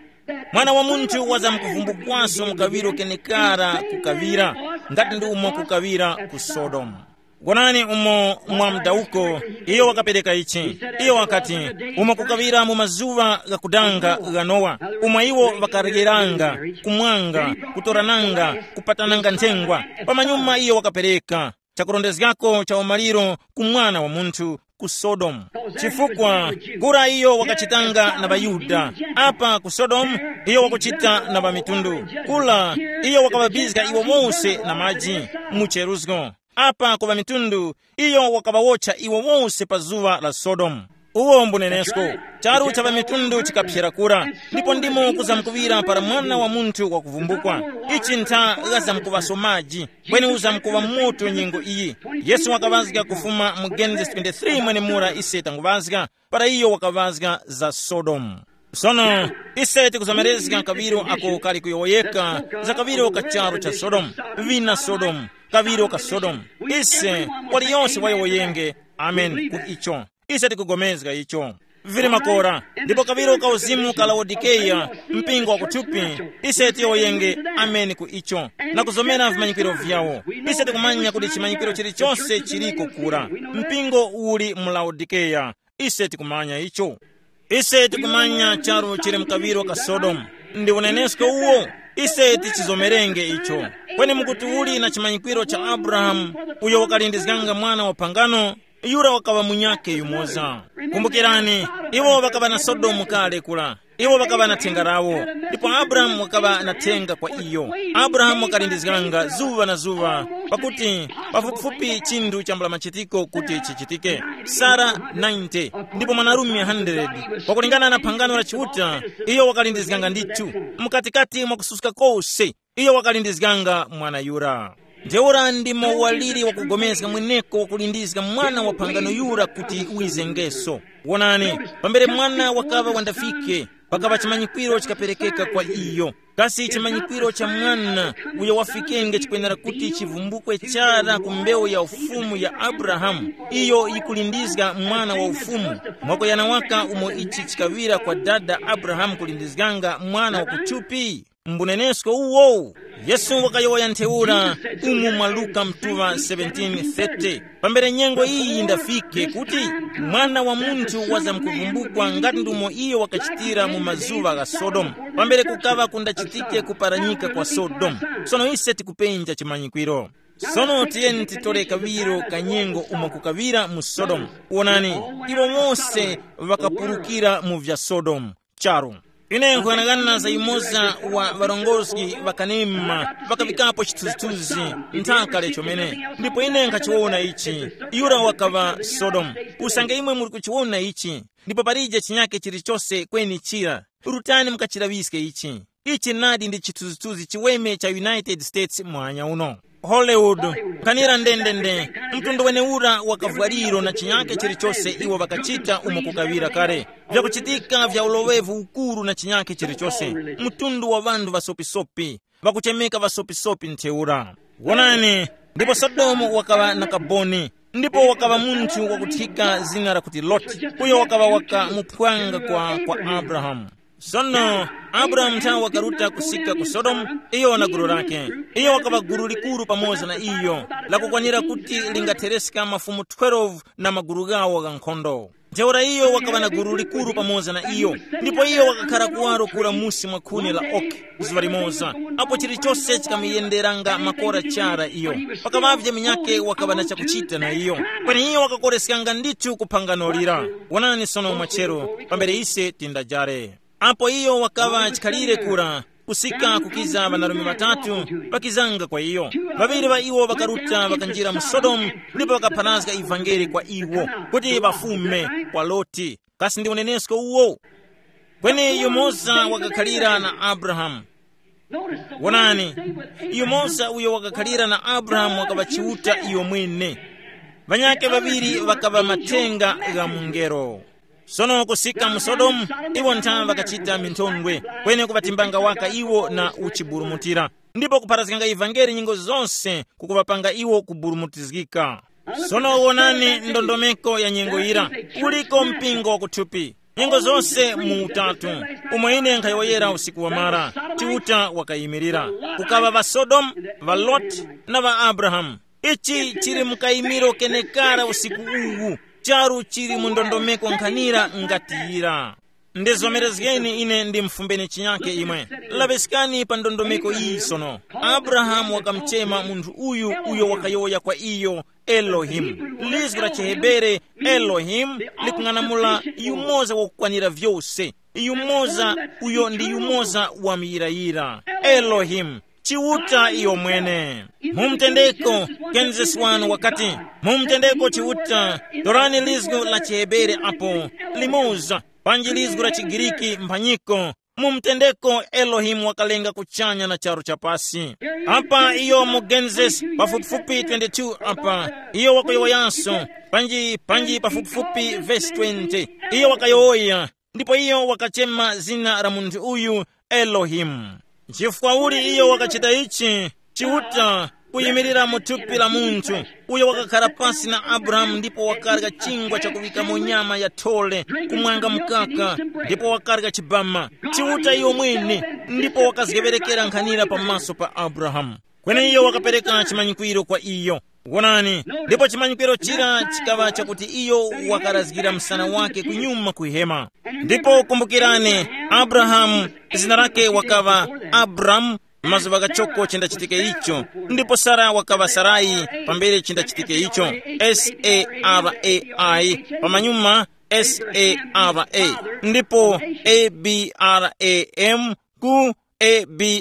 Mwana wa Munthu wazamkuvumbukwaso mu kaŵiro kenekara kukaŵira, ngati ndi umo kukaŵira ku Sodomu. Gonani umo mwa mdawuko, iyo wakapereka ichi. Iyo wakati, umo kukaŵira mu mazuŵa ghakudanga gha Nowa, umo iwo ŵakaryeranga, kumwanga, kutorananga, kupatananga nthengwa. Pamanyuma iyo wakapereka chakurondezgako cha umaliro ku Mwana wa Munthu ku Sodomu. Chifukwa kura iyo wakachitanga na ŵaYuda, apa ku Sodomu iyo wakuchita na ŵamitundu. Kura iyo wakaŵabizga iwo wose na maji mu cheruzgo. Apa ku ŵamitundu iyo wakaŵawotcha iwo wose pa zuŵa la Sodomu. Uwo mbunenesko, charu cha ŵamitundu chikaphyera kura, ndipo ndimo kuzamkuŵira para Mwana wa Munthu wakuvumbukwa. Ichi ntha ghazamkuŵaso maji, kweni uzamkuŵa moto nyengo iyi. Yesu wakaŵazga kufuma mu Genesis twenty-three mwenemura ise tanguŵazga, para iyo wakaŵazga za Sodomu. Sono, ise tikuzomerezga kaŵiro ako kali kuyowoyeka za kaŵiro ka charu cha Sodomu, vina Sodomu, kaŵiro ka Sodomu. Ise, waliyonse wayowoyenge, amen ku icho. Ise tikugomezga icho. Vili makora, ndipo kaŵiro ka uzimu ka Laodikeya, mpingo wa kuthupi, ise tiyowoyenge, amen ku icho, na kuzomera vimanyikiro vyawo. Ise tikumanya kuti chimanyikiro chilichonse chiliko kura. Mpingo uli mu Laodikeya, ise tikumanya icho. Ise tikumanya charu chili mkaŵiro ka Sodomu. Ndi unenesko uwo, Ise tichizomerenge icho. Kweni mukuti uli na chimanyikwiro cha Abrahamu, uyo wakalindizganga mwana wa phangano, yura wakaŵa munyakhe yumoza. Kumbukirani, iwo ŵakaŵa na Sodomu kale kula. Iwo ŵakaŵa na thenga lawo, ndipo Abrahamu wakaŵa na thenga kwa iyo. Abrahamu wakalindizganga zuŵa na zuŵa, pakuti pafupifupi chinthu chambula machitiko kuti chichitike. Sara ninety, ndipo mwanarume hundred. Pakulingana na phangano la Chiuta, iyo wakalindizganga ndithu, mukatikati mwa kususka kose, iyo wakalindizganga mwana yura. Ntheura ndimo waliri wakugomezga mweneko wakulindizga mwana wa phangano yura kuti wizengeso. Wonani, pambere mwana wakaŵa wandafike, pakaŵa chimanyikwiro chikaperekeka kwa iyo. Kasi chimanyikwiro cha mwana uyo wafikenge chikwenera kuti chivumbukwe chara ku mbewu ya ufumu ya Abrahamu, iyo yikulindizga mwana wa ufumu, mwakuyana waka umo ichi chikaŵira kwa dada Abrahamu kulindizganga mwana wa kuthupi? Mbunenesko uwo, Yesu wakayowoya ntheura umu mwa Luka mtuŵa seventeen thirty, pambere nyengo iyi yindafike kuti Mwana wa Munthu wazamkuvumbukwa ngati ndumo iyo wakachitira mu mazuŵa gha Sodomu, pambere kukaŵa kundachitike kuparanyika kwa Sodomu. Sono ise tikupenja chimanyikwiro. Sono tiyeni titore kaŵiro ka nyengo umo kukaŵira mu Sodomu. Wonani, iwo wose ŵakapulukira mu vya Sodomu. Charu. Ine nkuyang'ana za yumoza wa ŵarongozgi ŵakanema ŵakaŵikapo chithunzithunzi nthaka lechomene, ndipo ine nkhachiwona ichi. Yura wakaŵa Sodomu. Usange imwe muli kuchiwona ichi, ndipo palije chinyake chilichose kweni chira, rutani mukachilaŵiske ichi. Ichi nadi ndi chithunzithunzi chiweme cha United States mwanya uno. Hollywood, nkhanira ndendende, mtundu wenewura wa kavwaliro na chinyake chilichose iwo ŵakachita umo kukaŵira kale. Vyakuchitika vya uloŵevu ukuru na chinyake chilichose, mtundu wa ŵanthu ŵasopisopi, ŵakuchemeka ŵasopisopi ntheura. Wonani, ndipo Sodomu wakaŵa na kaboni, ndipo wakaŵa munthu wakuthika zina lakuti Loti, uyo wakaŵa waka muphwanga kwa, kwa Abrahamu. Sono Abrahamu nthawe wakaruta kusika ku Sodomu, iyo na gulu lake. Iyo wakaŵa gulu likuru pamoza na iyo, lakukwanira kuti lingathereska mafumu twelve na magulu ghawo gha nkhondo. Ntheura iyo wakaŵa na gulu likuru pamoza na iyo, ndipo iyo wakakhara kuwaro kura musi mwa khuni la oki. Zuŵa limoza, apo chilichose chikamuyenderanga makora chara iyo, pakaŵavye munyakhe wakaŵa na chakuchita na iyo, kweni iyo wakakoreskanga ndithu ku phangano lira. Wonani sono mwachero, pambere ise tindajare. Apo iyo wakaŵa chikhalire kura, kusika kukiza ŵanarume ŵatatu ŵakizanga kwa iyo. Ŵaŵiri ŵa iwo ŵakaruta ŵakanjira mu Sodomu, ndipo ŵakapharazga ivangeli kwa iwo, kuti ŵafume kwa Loti. Kasi ndi unenesko uwo? Kweni yumoza wakakhalira na Abrahamu. Wonani, yumoza uyo wakakhalira na Abrahamu wakaŵa Chiuta iyo mwene. Ŵanyakhe ŵaŵiri ŵakaŵa mathenga gha mungelo. Sono kusika mu Sodomu, iwo nthawe ŵakachita minthondwe, kweni kuŵatimbanga waka iwo na uchiburumutira, ndipo kupharazganga ivangeli nyengo zonse kukuŵapanga iwo kuburumutizgika. Sono wonani ndondomeko ya nyengo yira, kuliko mpingo wakuthupi, nyengo zonse mu utatu, umo ine nkhayowoyera usiku wamara, Chiuta wakayimirira. Kukaŵa ŵa Sodomu, ŵa Loti, na ŵa Abrahamu. Ichi chili mu kayimiro kenekara usiku uwu, charu chili mu ndondomeko nkhanira ngati yira. Ndizomerezgeni ine ndimfumbeni chinyake imwe. Laŵiskani pa ndondomeko iyi sono. Abrahamu wakamuchema munthu uyu uyo wakayowoya kwa iyo, Elohimu. Lizgu la chiHebere, Elohimu, likung'anamula yumoza wakukwanira vyose. Yumoza uyo ndi yumoza wamuyirayira. Elohimu, Chiuta iyo mwene. Mu mtendeko, Genesis wanu wakati, mu mtendeko Chiuta, torani lizgu la chiHebere apo, limoza, panji lizgu la chiGiriki mphanyiko. Mu mtendeko Elohimu wakalenga kuchanya na charu cha pasi. Apa iyo mu Genesis pafupifupi twenty-two apa, iyo wakuyowoyanso, panji, panji pafupifupi vesi twenty. Iyo wakayowoya, ndipo iyo wakachema zina la munthu uyu Elohimu. Nchifukwa uli iyo wakachita ichi? Chiuta kuyimirira mu thupi la munthu, uyo wakakhara pasi na Abrahamu ndipo wakarya chingwa chakuŵikamo nyama ya thole, kumwanga mkaka, ndipo wakarya chibama. Chiuta iyo mwene, ndipo wakazgeŵerekera nkhanira pamaso pa Abrahamu. Kweni iyo wakapereka chimanyikwiro kwa iyo. Wonani, ndipo chimanyikwiro chira chikaŵa chakuti iyo wakarazgira msana wake kunyuma ku hema. Ndipo kumbukirani, Abrahamu, zina lake wakaŵa Abramu, Mazuŵa ghachoko chindachitike icho. Ndipo Sara wakaŵa Sarai pambere chindachitike icho. Sarai, pamanyuma Sara. Ndipo Abram ku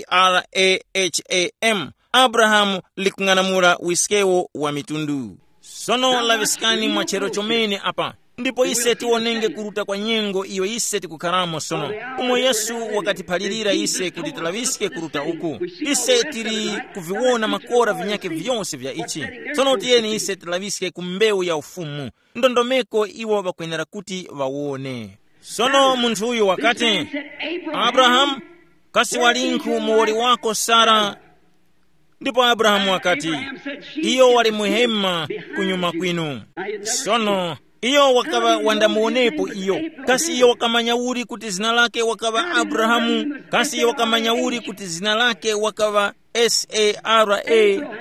Abraham. Abrahamu likung'anamula wiskewo wa mitundu. Sono laŵiskani mwa chero chomene apa. Ndipo ise tiwonenge kuruta kwa nyengo iyo ise tikukharamo sono. Umo Yesu wakatiphalirira ise kuti tilaŵiske kuruta uku. Ise tili kuviwona makora vinyakhe vyose vya ichi. Sono tiyeni ise tilaŵiske ku mbewu ya ufumu, ndondomeko iwo ŵakwenera kuti ŵawone. Sono munthu uyu wakati, Abrahamu, kasi walinkhu muwoli wako Sara? Ndipo Abrahamu wakati, iyo wali muhema kunyuma kwinu. Sono iyo wakaŵa wandamuwonepo iyo. Kasi iyo wakamanya uli kuti zina lake wakaŵa Abrahamu? Kasi iyo wakamanya uli kuti zina lake wakaŵa Sara,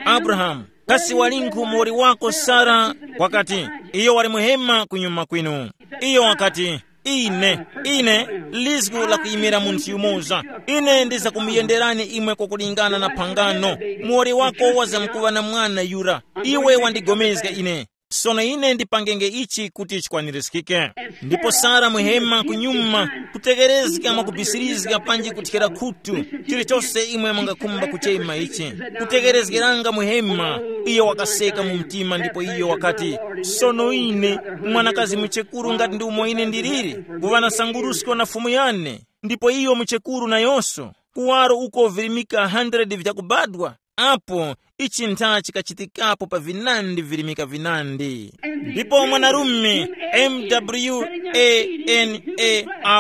Abrahamu? Kasi walinkhu muwoli wako Sara? Wakati, iyo wali muhema kunyuma kwinu. Iyo wakati, ine, ine, lizgu la kuyimira munthu yumoza. Ine ndizakumuyenderani imwe kwakulingana na phangano. Muwoli wako wazamkuŵa na mwana yura. Iwe wandigomezga ine. Sono ine ndipangenge ichi kuti chikwanirizgike. Ndipo Sara muhema kunyuma, kutekerezga mwakubisirizga panji kuthyera khutu, chilichose imwe mungakhumba kuchema ichi. Kutekerezgeranga muhema, iyo wakaseka mu mtima ndipo iyo wakati, sono ine, mwanakazi muchekuru ngati ndi umo ine ndiliri, kuŵa na sangurusko na fumu yane, ndipo iyo muchekuru nayonso, kuwaro uko virimika hundred vyakubadwa, apo ichi ntha chikachitikapo pa vinandi virimika vinandi. Ndipo mwanarume,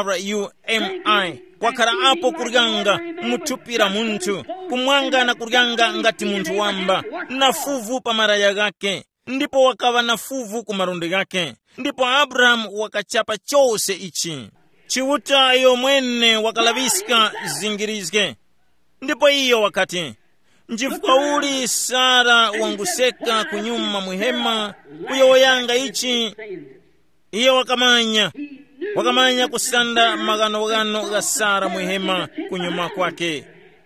mwanarumi, wakhara apo kuryanga mu thupi la munthu, kumwanga na kuryanga ngati munthu wamba, na fuvu pa maraya ghake, ndipo wakaŵa na fuvu ku malundi ghake. Ndipo Abrahamu wakachapa chose ichi. Chiuta iyo mwene wakalaŵiska zingirizge. Ndipo iyo wakati, nchifukwa uli Sara wanguseka kunyuma muhema kuyowoyanga ichi? Iyo wakamanya, wakamanya kusanda maghanoghano gha Sara muhema kunyuma kwake.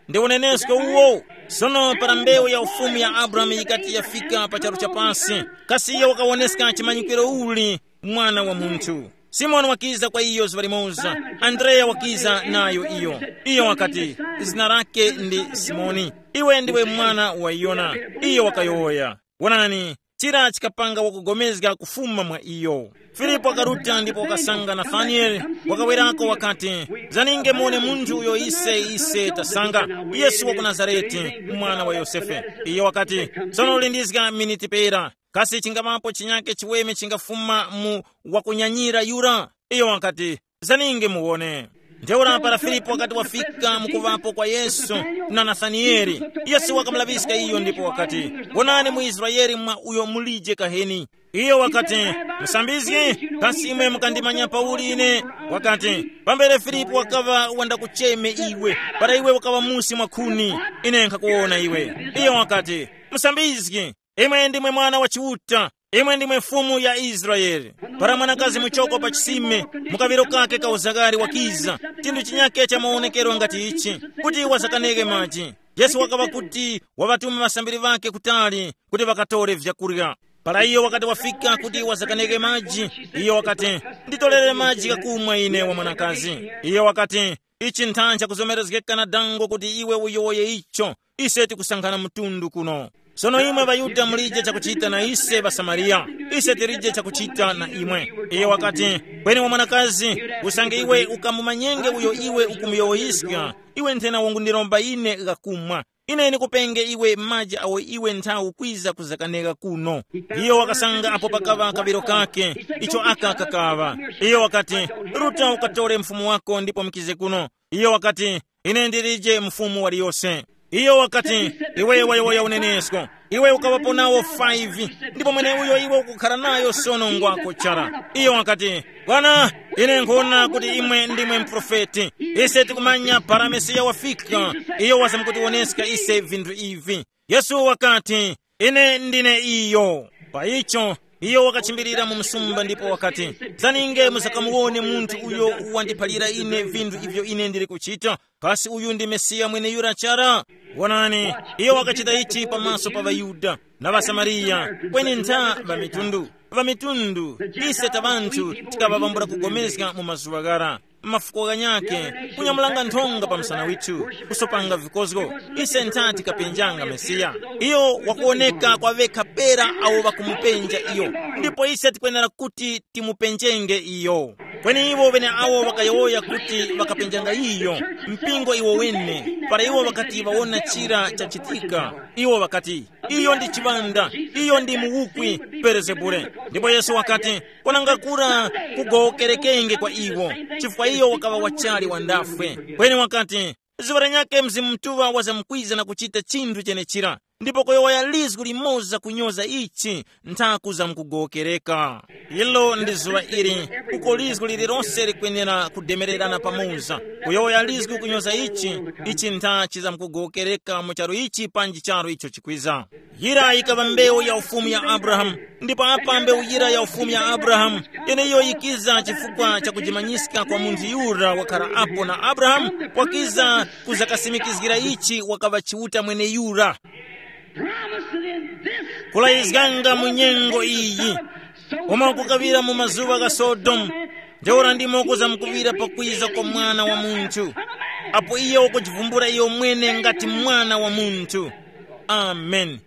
Ndi unenesko uwo. Sono para mbewu ya ufumu ya Abrahamu yikati yafika pa charu cha pasi, kasi iyo wakawoneska chimanyikiro uli? Mwana wa munthu. Simoni wakiza kwa iyo zuŵa limoza. Andreya wakiza nayo iyo. Iyo wakati, zina lake ndi Simoni. Iwe ndiwe mwana wa Yona. Iyo wakayowoya. Wonani, chira chikapanga wakugomezga kufuma mwa iyo. Filipo wakaruta ndipo wakasanga Nathanieli, wakawerako wakati, zaninge muone munthu uyo ise ise tasanga, Yesu wa ku Nazareti, mwana wa Yosefe. Iyo wakati, sono ulindizga miniti pera, kasi chingamapo chinyake chiweme chingafuma mu wakunyanyira yura? Iyo wakati, zaninge muwone. Ntheura para Filipo wakati wafika mukuvapo kwa Yesu na Nathanieli, Yesu wakamulaŵiska iyo ndipo wakati, wonani mu Israele mwa uyo mulije kaheni. Iyo wakati, musambizgi, kasi imwe mukandimanya pauli ine? Wakati, pambere Filipo wakaŵa wandakucheme iwe, para iwe wakaŵa musi mwa khuni, ine nkhakuwona iwe. Iyo wakati, musambizgi, imwe ndimwe Mwana wa Chiuta, imwe ndimwe Fumu ya Israele. Para mwanakazi muchoko pa chisime, mu kaŵiro kake ka uzakari wakiza, chinthu chinyake cha mawonekero ngati ichi, kuti wazakanenge maji. Yesu wakaŵa kuti waŵatume ŵasambiri ŵakhe kutali kuti ŵakatore vyakurya. Para iyo wakati wafika kuti wazakanenge maji, iyo wakati, nditorere maji ghakumwa ine wa mwanakazi. Iyo wakati, ichi nthanji chakuzomerezgeka na dango kuti iwe uyowoye icho. Ise tikusankhana mtundu kuno. Sono imwe ŵaYuda mulije chakuchita na ise ŵaSamariya, ise tilije chakuchita na imwe. Iye wakati, kweni wa mwanakazi, usange iwe ukamumanyenge uyo iwe ukumuyowoyiska, iwe nthena wangundiromba ine ghakumwa. Ine ndikupenge iwe maji awo iwe nthawi ukwiza kuzakaneka kuno. Iyo wakasanga apo pakaŵa kaŵiro kake, icho aka kakaŵa. Iyo wakati, ruta ukatore mfumu wako ndipo mukize kuno. Iyo wakati, ine ndilije mfumu waliyose. Iyo wakati, iwe wayowoya unenesko. Iwe ukaŵapo nawo five, ndipo mweneuyo iwe ukukhara nayo sono ngwako chara. Iyo wakati, bwana, ine nkhona kuti imwe ndimwe mprofeti. Ise tikumanya para Mesiya wafika, iyo wazamkutiwoneska ise vinthu ivi. Yesu wakati, ine ndine iyo. Pa icho, Iyo wakachimbirira mu msumba ndipo wakati, "Zaninge musakamuwone munthu uyo wandiphalira ine vinthu ivyo ine ndili kuchita? Kasi uyu ndi Mesiya mweneyura chara? Wonani, iyo wakachita ichi pamaso pa ŵaYuda na ŵaSamariya, kweni ntha ŵamitundu. Ŵamitundu, ise ta ŵanthu tikaŵapambula kugomezga mu mazuŵa ghara, mafuko ghanyakhe, kunyamulanga nthonga pa msana withu, kusopanga vikozgo. Ise ntha tikapenjanga Mesiya. Iyo wakuwoneka kwa ŵekha pera awo ŵakumupenja iyo, ndipo ise tikwenera kuti timupenjenge iyo." Kweni iwo ŵeneawo ŵakayowoya kuti ŵakapenjanga iyo, mpingo iwo wene, para iwo ŵakati ŵawona chira chachitika, iwo ŵakati, "Iyo ndi chiŵanda, iyo ndi muwukwi, Belezebule." Ndipo Yesu wakati, "Kwananga kura kugowokerekenge kwa iwo, chifukwa iyo wakaŵa wachali wandafwe." Kweni wakati, "Zuŵa lanyakhe Mzimu Mutuŵa wazamkwiza na kuchita chinthu chenechira, ndipo kuyowoya lizgu limoza kunyoza ichi, nthaku zamkugowokereka." Ilo ndi zuŵa ili, uko lizgu lililonse likwenera kudemererana pamoza. Kuyowoya lizgu kunyoza ichi, ichi ntha chizamkugowokereka mu charu ichi panji charu icho chikwiza. Yira yikaŵa mbewu ya ufumu ya Abrahamu, ndipo apa mbewu yira ya ufumu ya Abrahamu, yeneiyo yikiza chifukwa cha kujimanyiska kwa munthu yura wakhara apo na Abrahamu, wakiza kuzakasimikizgira ichi wakaŵa Chiuta mweneyura. Promised in this kulayizganga mu nyengo iyi, koma kukaŵira mu mazuŵa gha Sodomu, ntheura ndimo kuzamkuŵira pakwiza kwa Mwana wa Munthu, apo iye wakujivumbula iyo mwene ngati Mwana wa Munthu. Amen.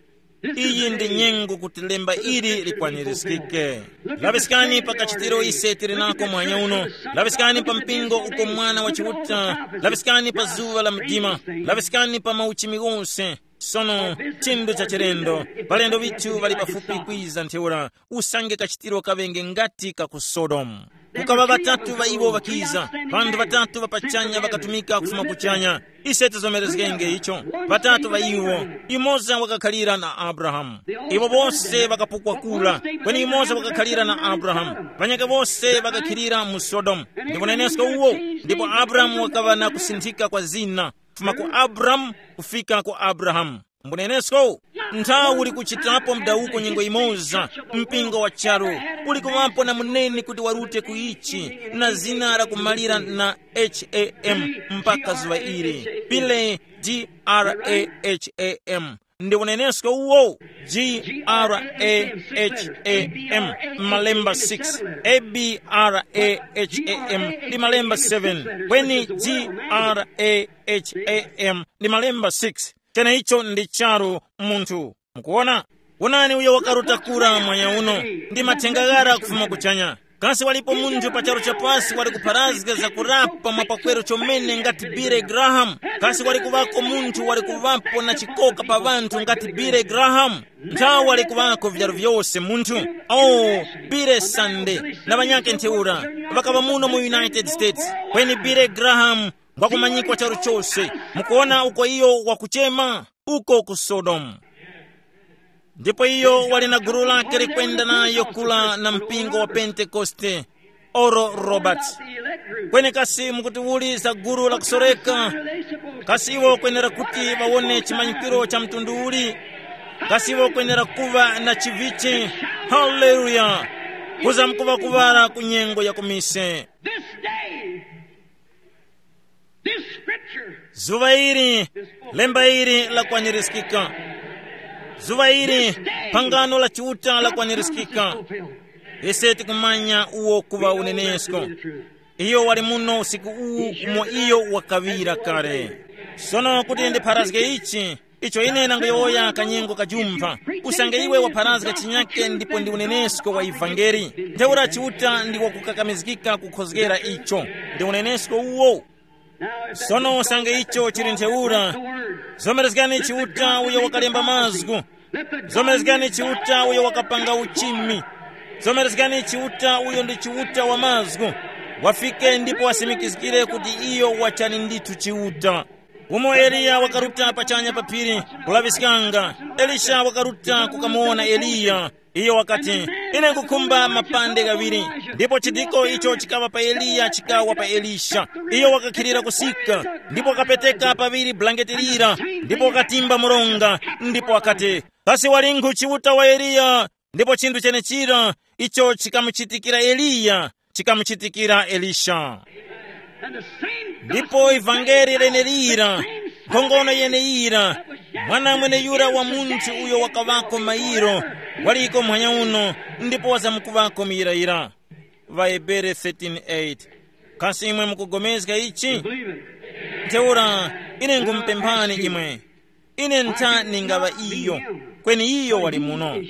Iyi ndi nyengo kuti lemba ili likwanirizgike. Laŵiskani pa kachitiro ise tili nako mwanya uno. Laŵiskani pa mpingo uko Mwana wa Chiuta. Laŵiskani pa zuŵa la mdima. Laŵiskani pa mauchimi ghose. Sono, chinthu cha chilendo, palendo ŵithu ŵali pafupi kwiza ntheura, usange kachitiro kaŵenge ngati ka ku Sodomu. Kukaŵa ŵatatu ŵa iwo ŵakiza, ŵanthu ŵatatu ŵa pachanya ŵakatumika kufuma kuchanya. Ise tizomerezgenge icho. Ŵatatu ŵa iwo, yumoza wakakhalira na Abrahamu. Iwo bose ŵakapukwa kura, kweni yumoza wakakhalira na Abrahamu. Ŵanyakhe bose ŵakakhilira mu Sodomu. Ndi unenesko uwo. Ndipo Abrahamu wakaŵa na kusinthika kwa zina, kufuma ku Abramu kufika ku Abrahamu. Mbunenesko, nthawi uli kuchitapo mdawuko nyengo imoza, mpingo wa charu, uli kuŵapo na muneni kuti warute ku ichi, na zina lakumalira na H A M mpaka zuŵa ili. Pile, G R A H A M. Ndi unenesko uwo, G R A H A M, malemba six, A B R A H A M, ndi malemba seven, kweni G R A H A M, ndi malemba six. Cheneicho ndi charu munthu. Mukuwona? Wonani uyo wakaruta kura mwanya uno, ndi mathenga ghara kufuma kuchanya. Kasi walipo munthu pa charu chapasi wali kupharazga za kurapa mwa pakwero chomene ngati Billy Graham? Kasi wali kuŵako munthu wali kuŵapo na chikoka pa ŵanthu ngati Billy Graham? Nthawi wali kuŵako vyaru vyose munthu. Oh, Billy Sunday na ŵanyakhe ntheura ŵakaŵa muno mu United States, kweni Billy Graham ngwakumanyikwa charu chose. Mukuwona uko iyo wakuchema? Uko ku Sodomu. Ndipo iyo wali na gulu lake likwenda nayo kula na mpingo wa Pentekoste, Oral Roberts. Kweni kasi mukuti uli za gulu la kusoreka? Kasi iwo kwenera kuti ŵawone chimanyikiro cha mtundu uli? Kasi iwo kwenera kuŵa na chivichi? Haleluya! Kuza mkuŵa kuŵala ku nyengo ya kumise. This day, this scripture, zuŵa ili, lemba ili lakwanirizgika. Zuŵa ili, phangano la Chiuta lakwanirizgika. Ise tikumanya uwo kuŵa unenesko. Iyo wali muno usiku uwu umo iyo wakaŵira kale. Sono kuti ndipharazge ichi, icho ine nangoyowoya kanyengo kajumpha, usange iwe wapharazga chinyake ndipo ndi unenesko wa ivangeli, ntheura Chiuta ndi wakukakamizgika kukhozgera icho. Ndi unenesko uwo. Sono usange icho chili ntheura, zomerezgani Chiuta uyo wakalemba mazgu. Zomerezgani Chiuta uyo wakapanga uchimi. Zomerezgani Chiuta uyo ndi Chiuta wa mazgu. Wafike ndipo wasimikizgire kuti iyo wachani ndithu Chiuta. Umo Eliya wakaruta pachanya pa phiri, kulaŵiskanga. Elisha wakaruta kukamuwona Eliya. Iyo wakati, "Ine nkukhumba mapande ghaŵiri." Ndipo chidiko icho chikawa pa Eliya chikawa pa Elisha. Iyo wakakhilira kusika, ndipo wakapeteka paŵiri bulangeti lira, ndipo wakatimba mronga, ndipo wakati, "Kasi walinkhu Chiuta wa Eliya?" Ndipo chinthu chenechira icho chikamuchitikira Eliya, chikamuchitikira Elisha. Ndipo ivangeli lenelira, nkhongono yeneyira, mwana mweneyura wa munthu uyo wakaŵako mairo, waliko muhanya uno, ndipo wazamkuŵako muyirayira. Vahebere thirteen eight. Kasi imwe mukugomezga ichi? Ntheura, ine ngumupemphani imwe. Ine ntha ningaŵa iyo, kweni iyo wali muno.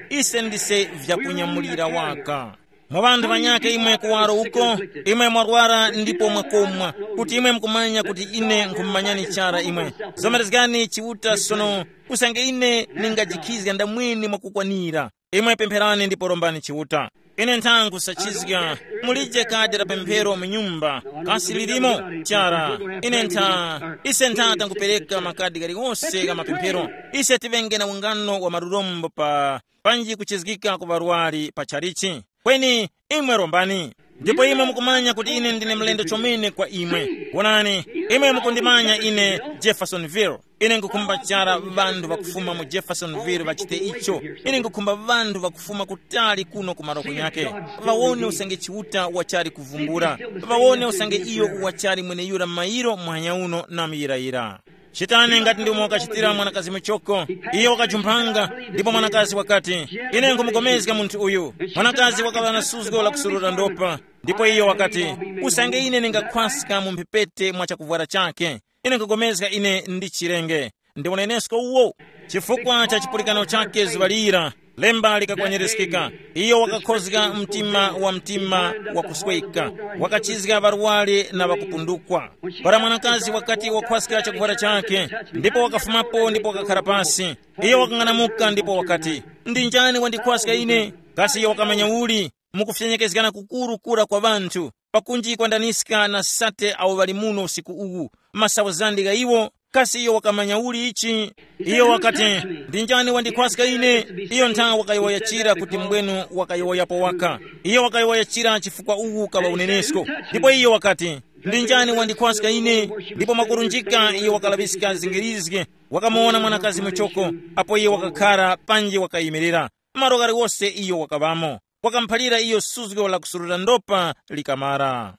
Ise ndise vyakunyamulira waka. Mwa ŵanthu ŵanyakhe imwe kuwaro uko, imwe mwarwara ndipo mwakomwa, kuti imwe mukumanya kuti ine nkhumumanyani chara imwe. Zomerezgani Chiuta sono, usange ine ningajikhizga ndamwini mwakukwanira. Imwe pempherani ndipo rombani Chiuta. Ine nthangu sachizga, mulije kadi la pemphero mu nyumba, kasi lilimo? Chara, ine ntha, ise ntha tangupereka makadi galiwose ga mapemphero. Ise tivenge na ungano wa malurombo pa panji kuchizgika ku ŵarwari pa chalichi. Kweni imwe rombani. Ndipo imwe mukumanya kuti ine ndine mlendo chomene kwa imwe. Wonani, imwe mukundimanya ine, Jeffersonville. Ine nkukhumba chara ŵanthu ŵakufuma mu Jeffersonville ŵachite icho. Ine nkukhumba ŵanthu ŵakufuma kutali kuno ku maroko nyake, ŵawone usange Chiuta wachali kuvumbula, ŵawone usange iyo wachali mweneyura mairo muhanya uno na muyirayira. Chitani ngati ndimo wakachitira mwanakazi muchoko. Iyo wakajumphanga, ndipo mwanakazi wakati, ine nkumukomezga munthu uyu. Mwanakazi wakaŵa na suzgo la kusurura ndopa, ndipo iyo wakati, usange ine ningakhwaska mu mphepete mwa chakuvwara chake, ine nkugomezga ine ndi chirenge. Ndi unenesko uwo. Chifukwa cha chipulikano chake zuŵa lira, lemba likakwanirizikika. Iyo wakakhozga mtima wa mtima wa kusweka, wakachizga ŵarware na ŵakupundukwa. Para mwanakazi wakati wakhwaska chakuvwara chake, ndipo wakafumapo ndipo wakakhara pasi, iyo wakang'anamuka ndipo wakati, ndi njani wandikhwaska ine? Kasi iyo wakamanya uli? Mukufyenyekezgana kukuru kura kwa ŵanthu, pakunji kwandaniska na sate awo ŵali muno usiku uwu, masauzandi gha iwo. Kasi iyo wakamanya uli ichi? Iyo wakati, ndi njani wandikhwaska ine? Iyo ntha wakayowoyachira kuti mbwenu wakayowoyapo waka. Iyo wakayowoyachira chifukwa uwu kaŵa unenesko. Ndipo iyo wakati, ndi njani wandikhwaska ine? Ndipo mwakurunjika iyo wakalaŵiska zingirizge, wakamuwona mwanakazi muchoko, apo iyo wakakhara panji wakayimirira. Malo ghaliwose iyo wakaŵamo, wakamuphalira iyo suzgo la kusurura ndopa likamara.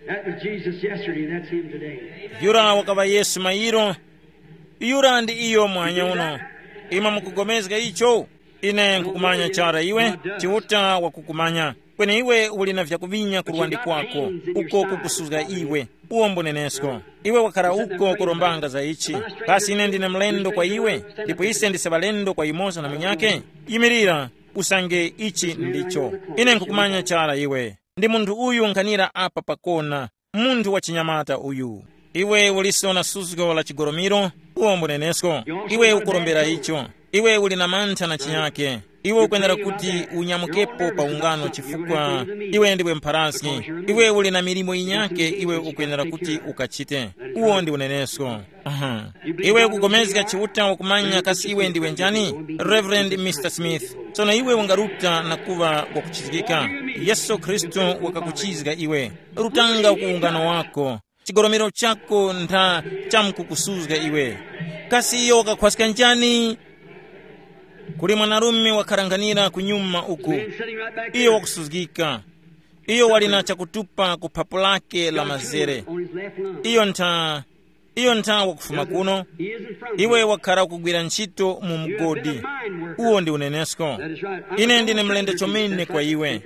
That was Jesus yesterday, and that's him today. Yura wakaŵa Yesu mairo, yura ndi iyo mwanya uno. Imwe mukugomezga icho? Ine nkukumanya chara iwe, Chiuta wakukumanya. Kweni iwe uli na vyakuvinya ku luwandi kwako, uko kukusuzga iwe. Uwo mbunenesko. Iwe wakhala uko kurombanga za ichi. Kasi ine ndine mlendo kwa iwe, ndipo ise ndise ŵalendo kwa yumoza na munyake? Yimirira, usange ichi ndicho. Ine nkukumanya chara iwe. Ndi munthu uyu nkhanira apa pakona, munthu wa chinyamata uyu. Iwe uliso na suzgo la chigolomiro, uwo mbunenesko. Iwe ukurombera icho. Iwe uli na mantha na chinyake. Iwe ukwenera kuti unyamukepo pa ungano chifukwa iwe ndiwe mpharaski. Iwe uli na milimo yinyake iwe ukwenera kuti ukachite. Uwo ndi unenesko. Aha. Iwe ukugomezga Chiuta wakumanya kasi iwe ndiwe njani? Reverend Mister Smith, tsono iwe ungaruta na kuŵa wakuchizgika. Yesu Khristu wakakuchizga iwe. Rutanga ku ungano wako. Chigolomero chako ntha chamkukusuzga iwe. Kasi iyo wakakhwaska njani? Kuli mwanarume wakharanghanira kunyuma uku. Iyo wakusuzgika. Iyo wali na chakutupa ku phapu lake la mazere. Iyo ntha, iyo ntha wakufuma kuno. Iwe wakhara kugwira ntchito mu mgodi. Uwo ndi unenesko. Ine ndine mlendo chomene kwa iwe.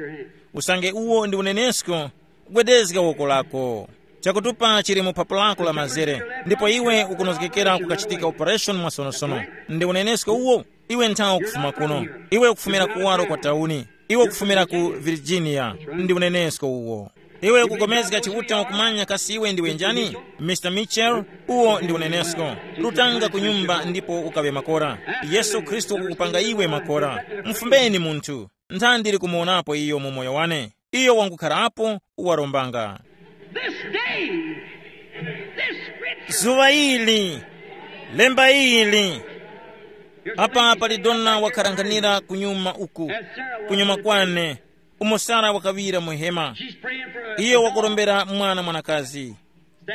Usange uwo ndi unenesko, gwedezga woko lako. Chakutupa chili mu phapu lako la mazere, ndipo iwe ukunozgekera kukachitika operation mwasonosono. Ndi unenesko uwo. Iwe nthawe ukufuma kuno. Iwe ukufumira kuwaro kwa tauni. Iwe ukufumira ku Virginia. Ndi unenesko uwo. Iwe ukukomezga Chiuta wakumanya kasi iwe ndiwe njani? Mister Mitchell, uwo ndi unenesko. Rutanga ku nyumba ndipo ukawe makora. Yesu Khristu wakukupanga iwe makora. Mufumbeni munthu. Ntha ndili kumuwonapo iyo mu moyo wane. Iyo wangukharapo, warombanga. This day, this scripture. Zuŵa ili, lemba ili. Apa pali dona wakharanghanira kunyuma uku, kunyuma kwane, umo Sara wakaŵira mu hema. Iyo wakurombera mwana mwanakazi.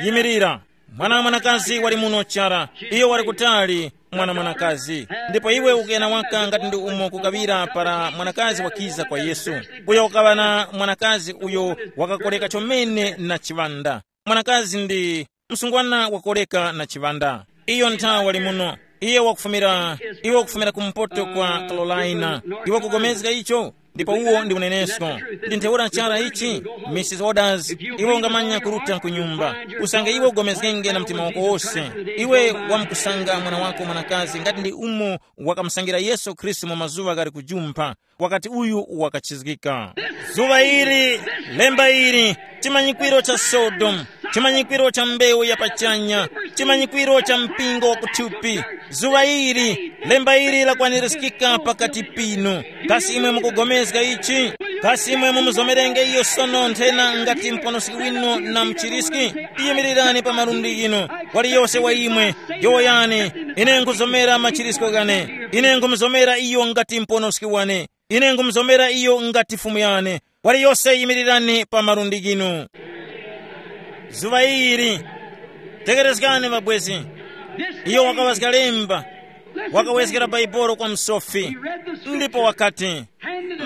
Yimirira, mwana mwanakazi wali muno chara. Iyo wali kutali. mwana mwanakazi. Ndipo iwe ukuyana waka ngati ndi umo kukaŵira para mwanakazi wakiza kwa Yesu. Uyo ukaŵa na mwanakazi uyo wakakoreka chomene na chiŵanda. Mwanakazi ndi msungwana wakoreka na chiŵanda. Iyo nthawi wali muno. Iye wakufumira, iwe wakufumira kumpoto kwa Carolina. Iwe kugomezga icho? Ndipo uwo ndi unenesko. Ndi ntheura chara ichi? Mrs Orders, iwe ungamanya kuruta ku nyumba. Usange iwe ugomezgenge na mtima wako wose. Iwe wamkusanga mwana wako mwanakazi ngati ndi umo wakamusangira Yesu Khristu mu mazuŵa ghali kujumpha. Wakati uyu wakachizgika. Zuŵa ili, lemba ili, chimanyikwiro cha Sodomu, chimanyikwiro cha mbewu ya pachanya, chimanyikwiro cha mpingo wa kuthupi. Zuŵa ili, lemba ili lakwanirizgika pakati pinu. Kasi imwe mukugomezga ichi? Kasi imwe mumuzomerenge iyo sono nthena ngati mponoski winu na mchiriski? Yimirirani pa malundi ghinu. Waliyose wa imwe, yowoyani, ine nkhuzomera machirisko ghane. Ine nkhumuzomera iyo ngati mponoski wane. Ine nkhumuzomera iyo ngati Fumu yane. Waliyose yimirirani pa malundi ghinu. Zuŵa ili, tekerezgani mabwezi. Iyo wakaŵazga lemba, wakawezgera Baibolo kwa msofi. Ndipo wakati,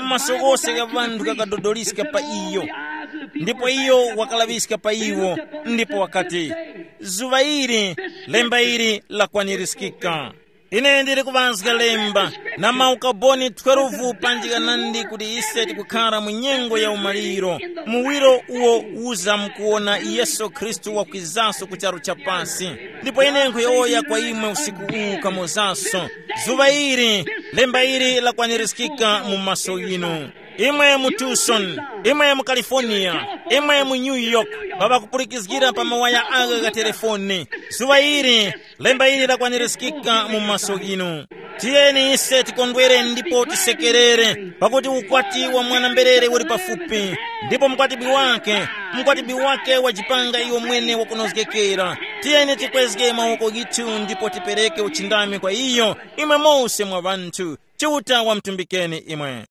maso ghose gha ŵanthu ghakadodoliska pa iyo. Ndipo iyo wakalaŵiska pa iwo, ndipo wakati, zuŵa ili, lemba ili lakwanirizgika. Ine ndili kuŵazga lemba na maukaboni twelve panjika nandi kuti ise tikukhara mu nyengo ya umaliro, muwiro uwo uza mukuwona Yesu Khristu wakwizaso ku charu cha pasi. Ndipo ine nkhuyowoya kwa imwe usiku uwu kamozaso, zuŵa ili, lemba ili lakwanirizgika mu maso ghinu. Imwe mu Tucson, imwe mu California, imwe mu New York, baba kupulikizgira pa mawaya agha gha telefoni. Zuŵa ili, lemba ili lakwanirizgika mu maso ghinu. Tiyeni ise tikondwere ndipo tisekerere, pakuti ukwati wa mwana-mberere uli pafupi, ndipo mkwatibwi wake, mkwatibwi wake wajipanga iyo mwene wakunozgekera. Tiyeni tikwezge mawoko ghithu ndipo tipereke uchindami kwa iyo, imwe mose mwa ŵanthu. Chiuta wamtumbikeni imwe.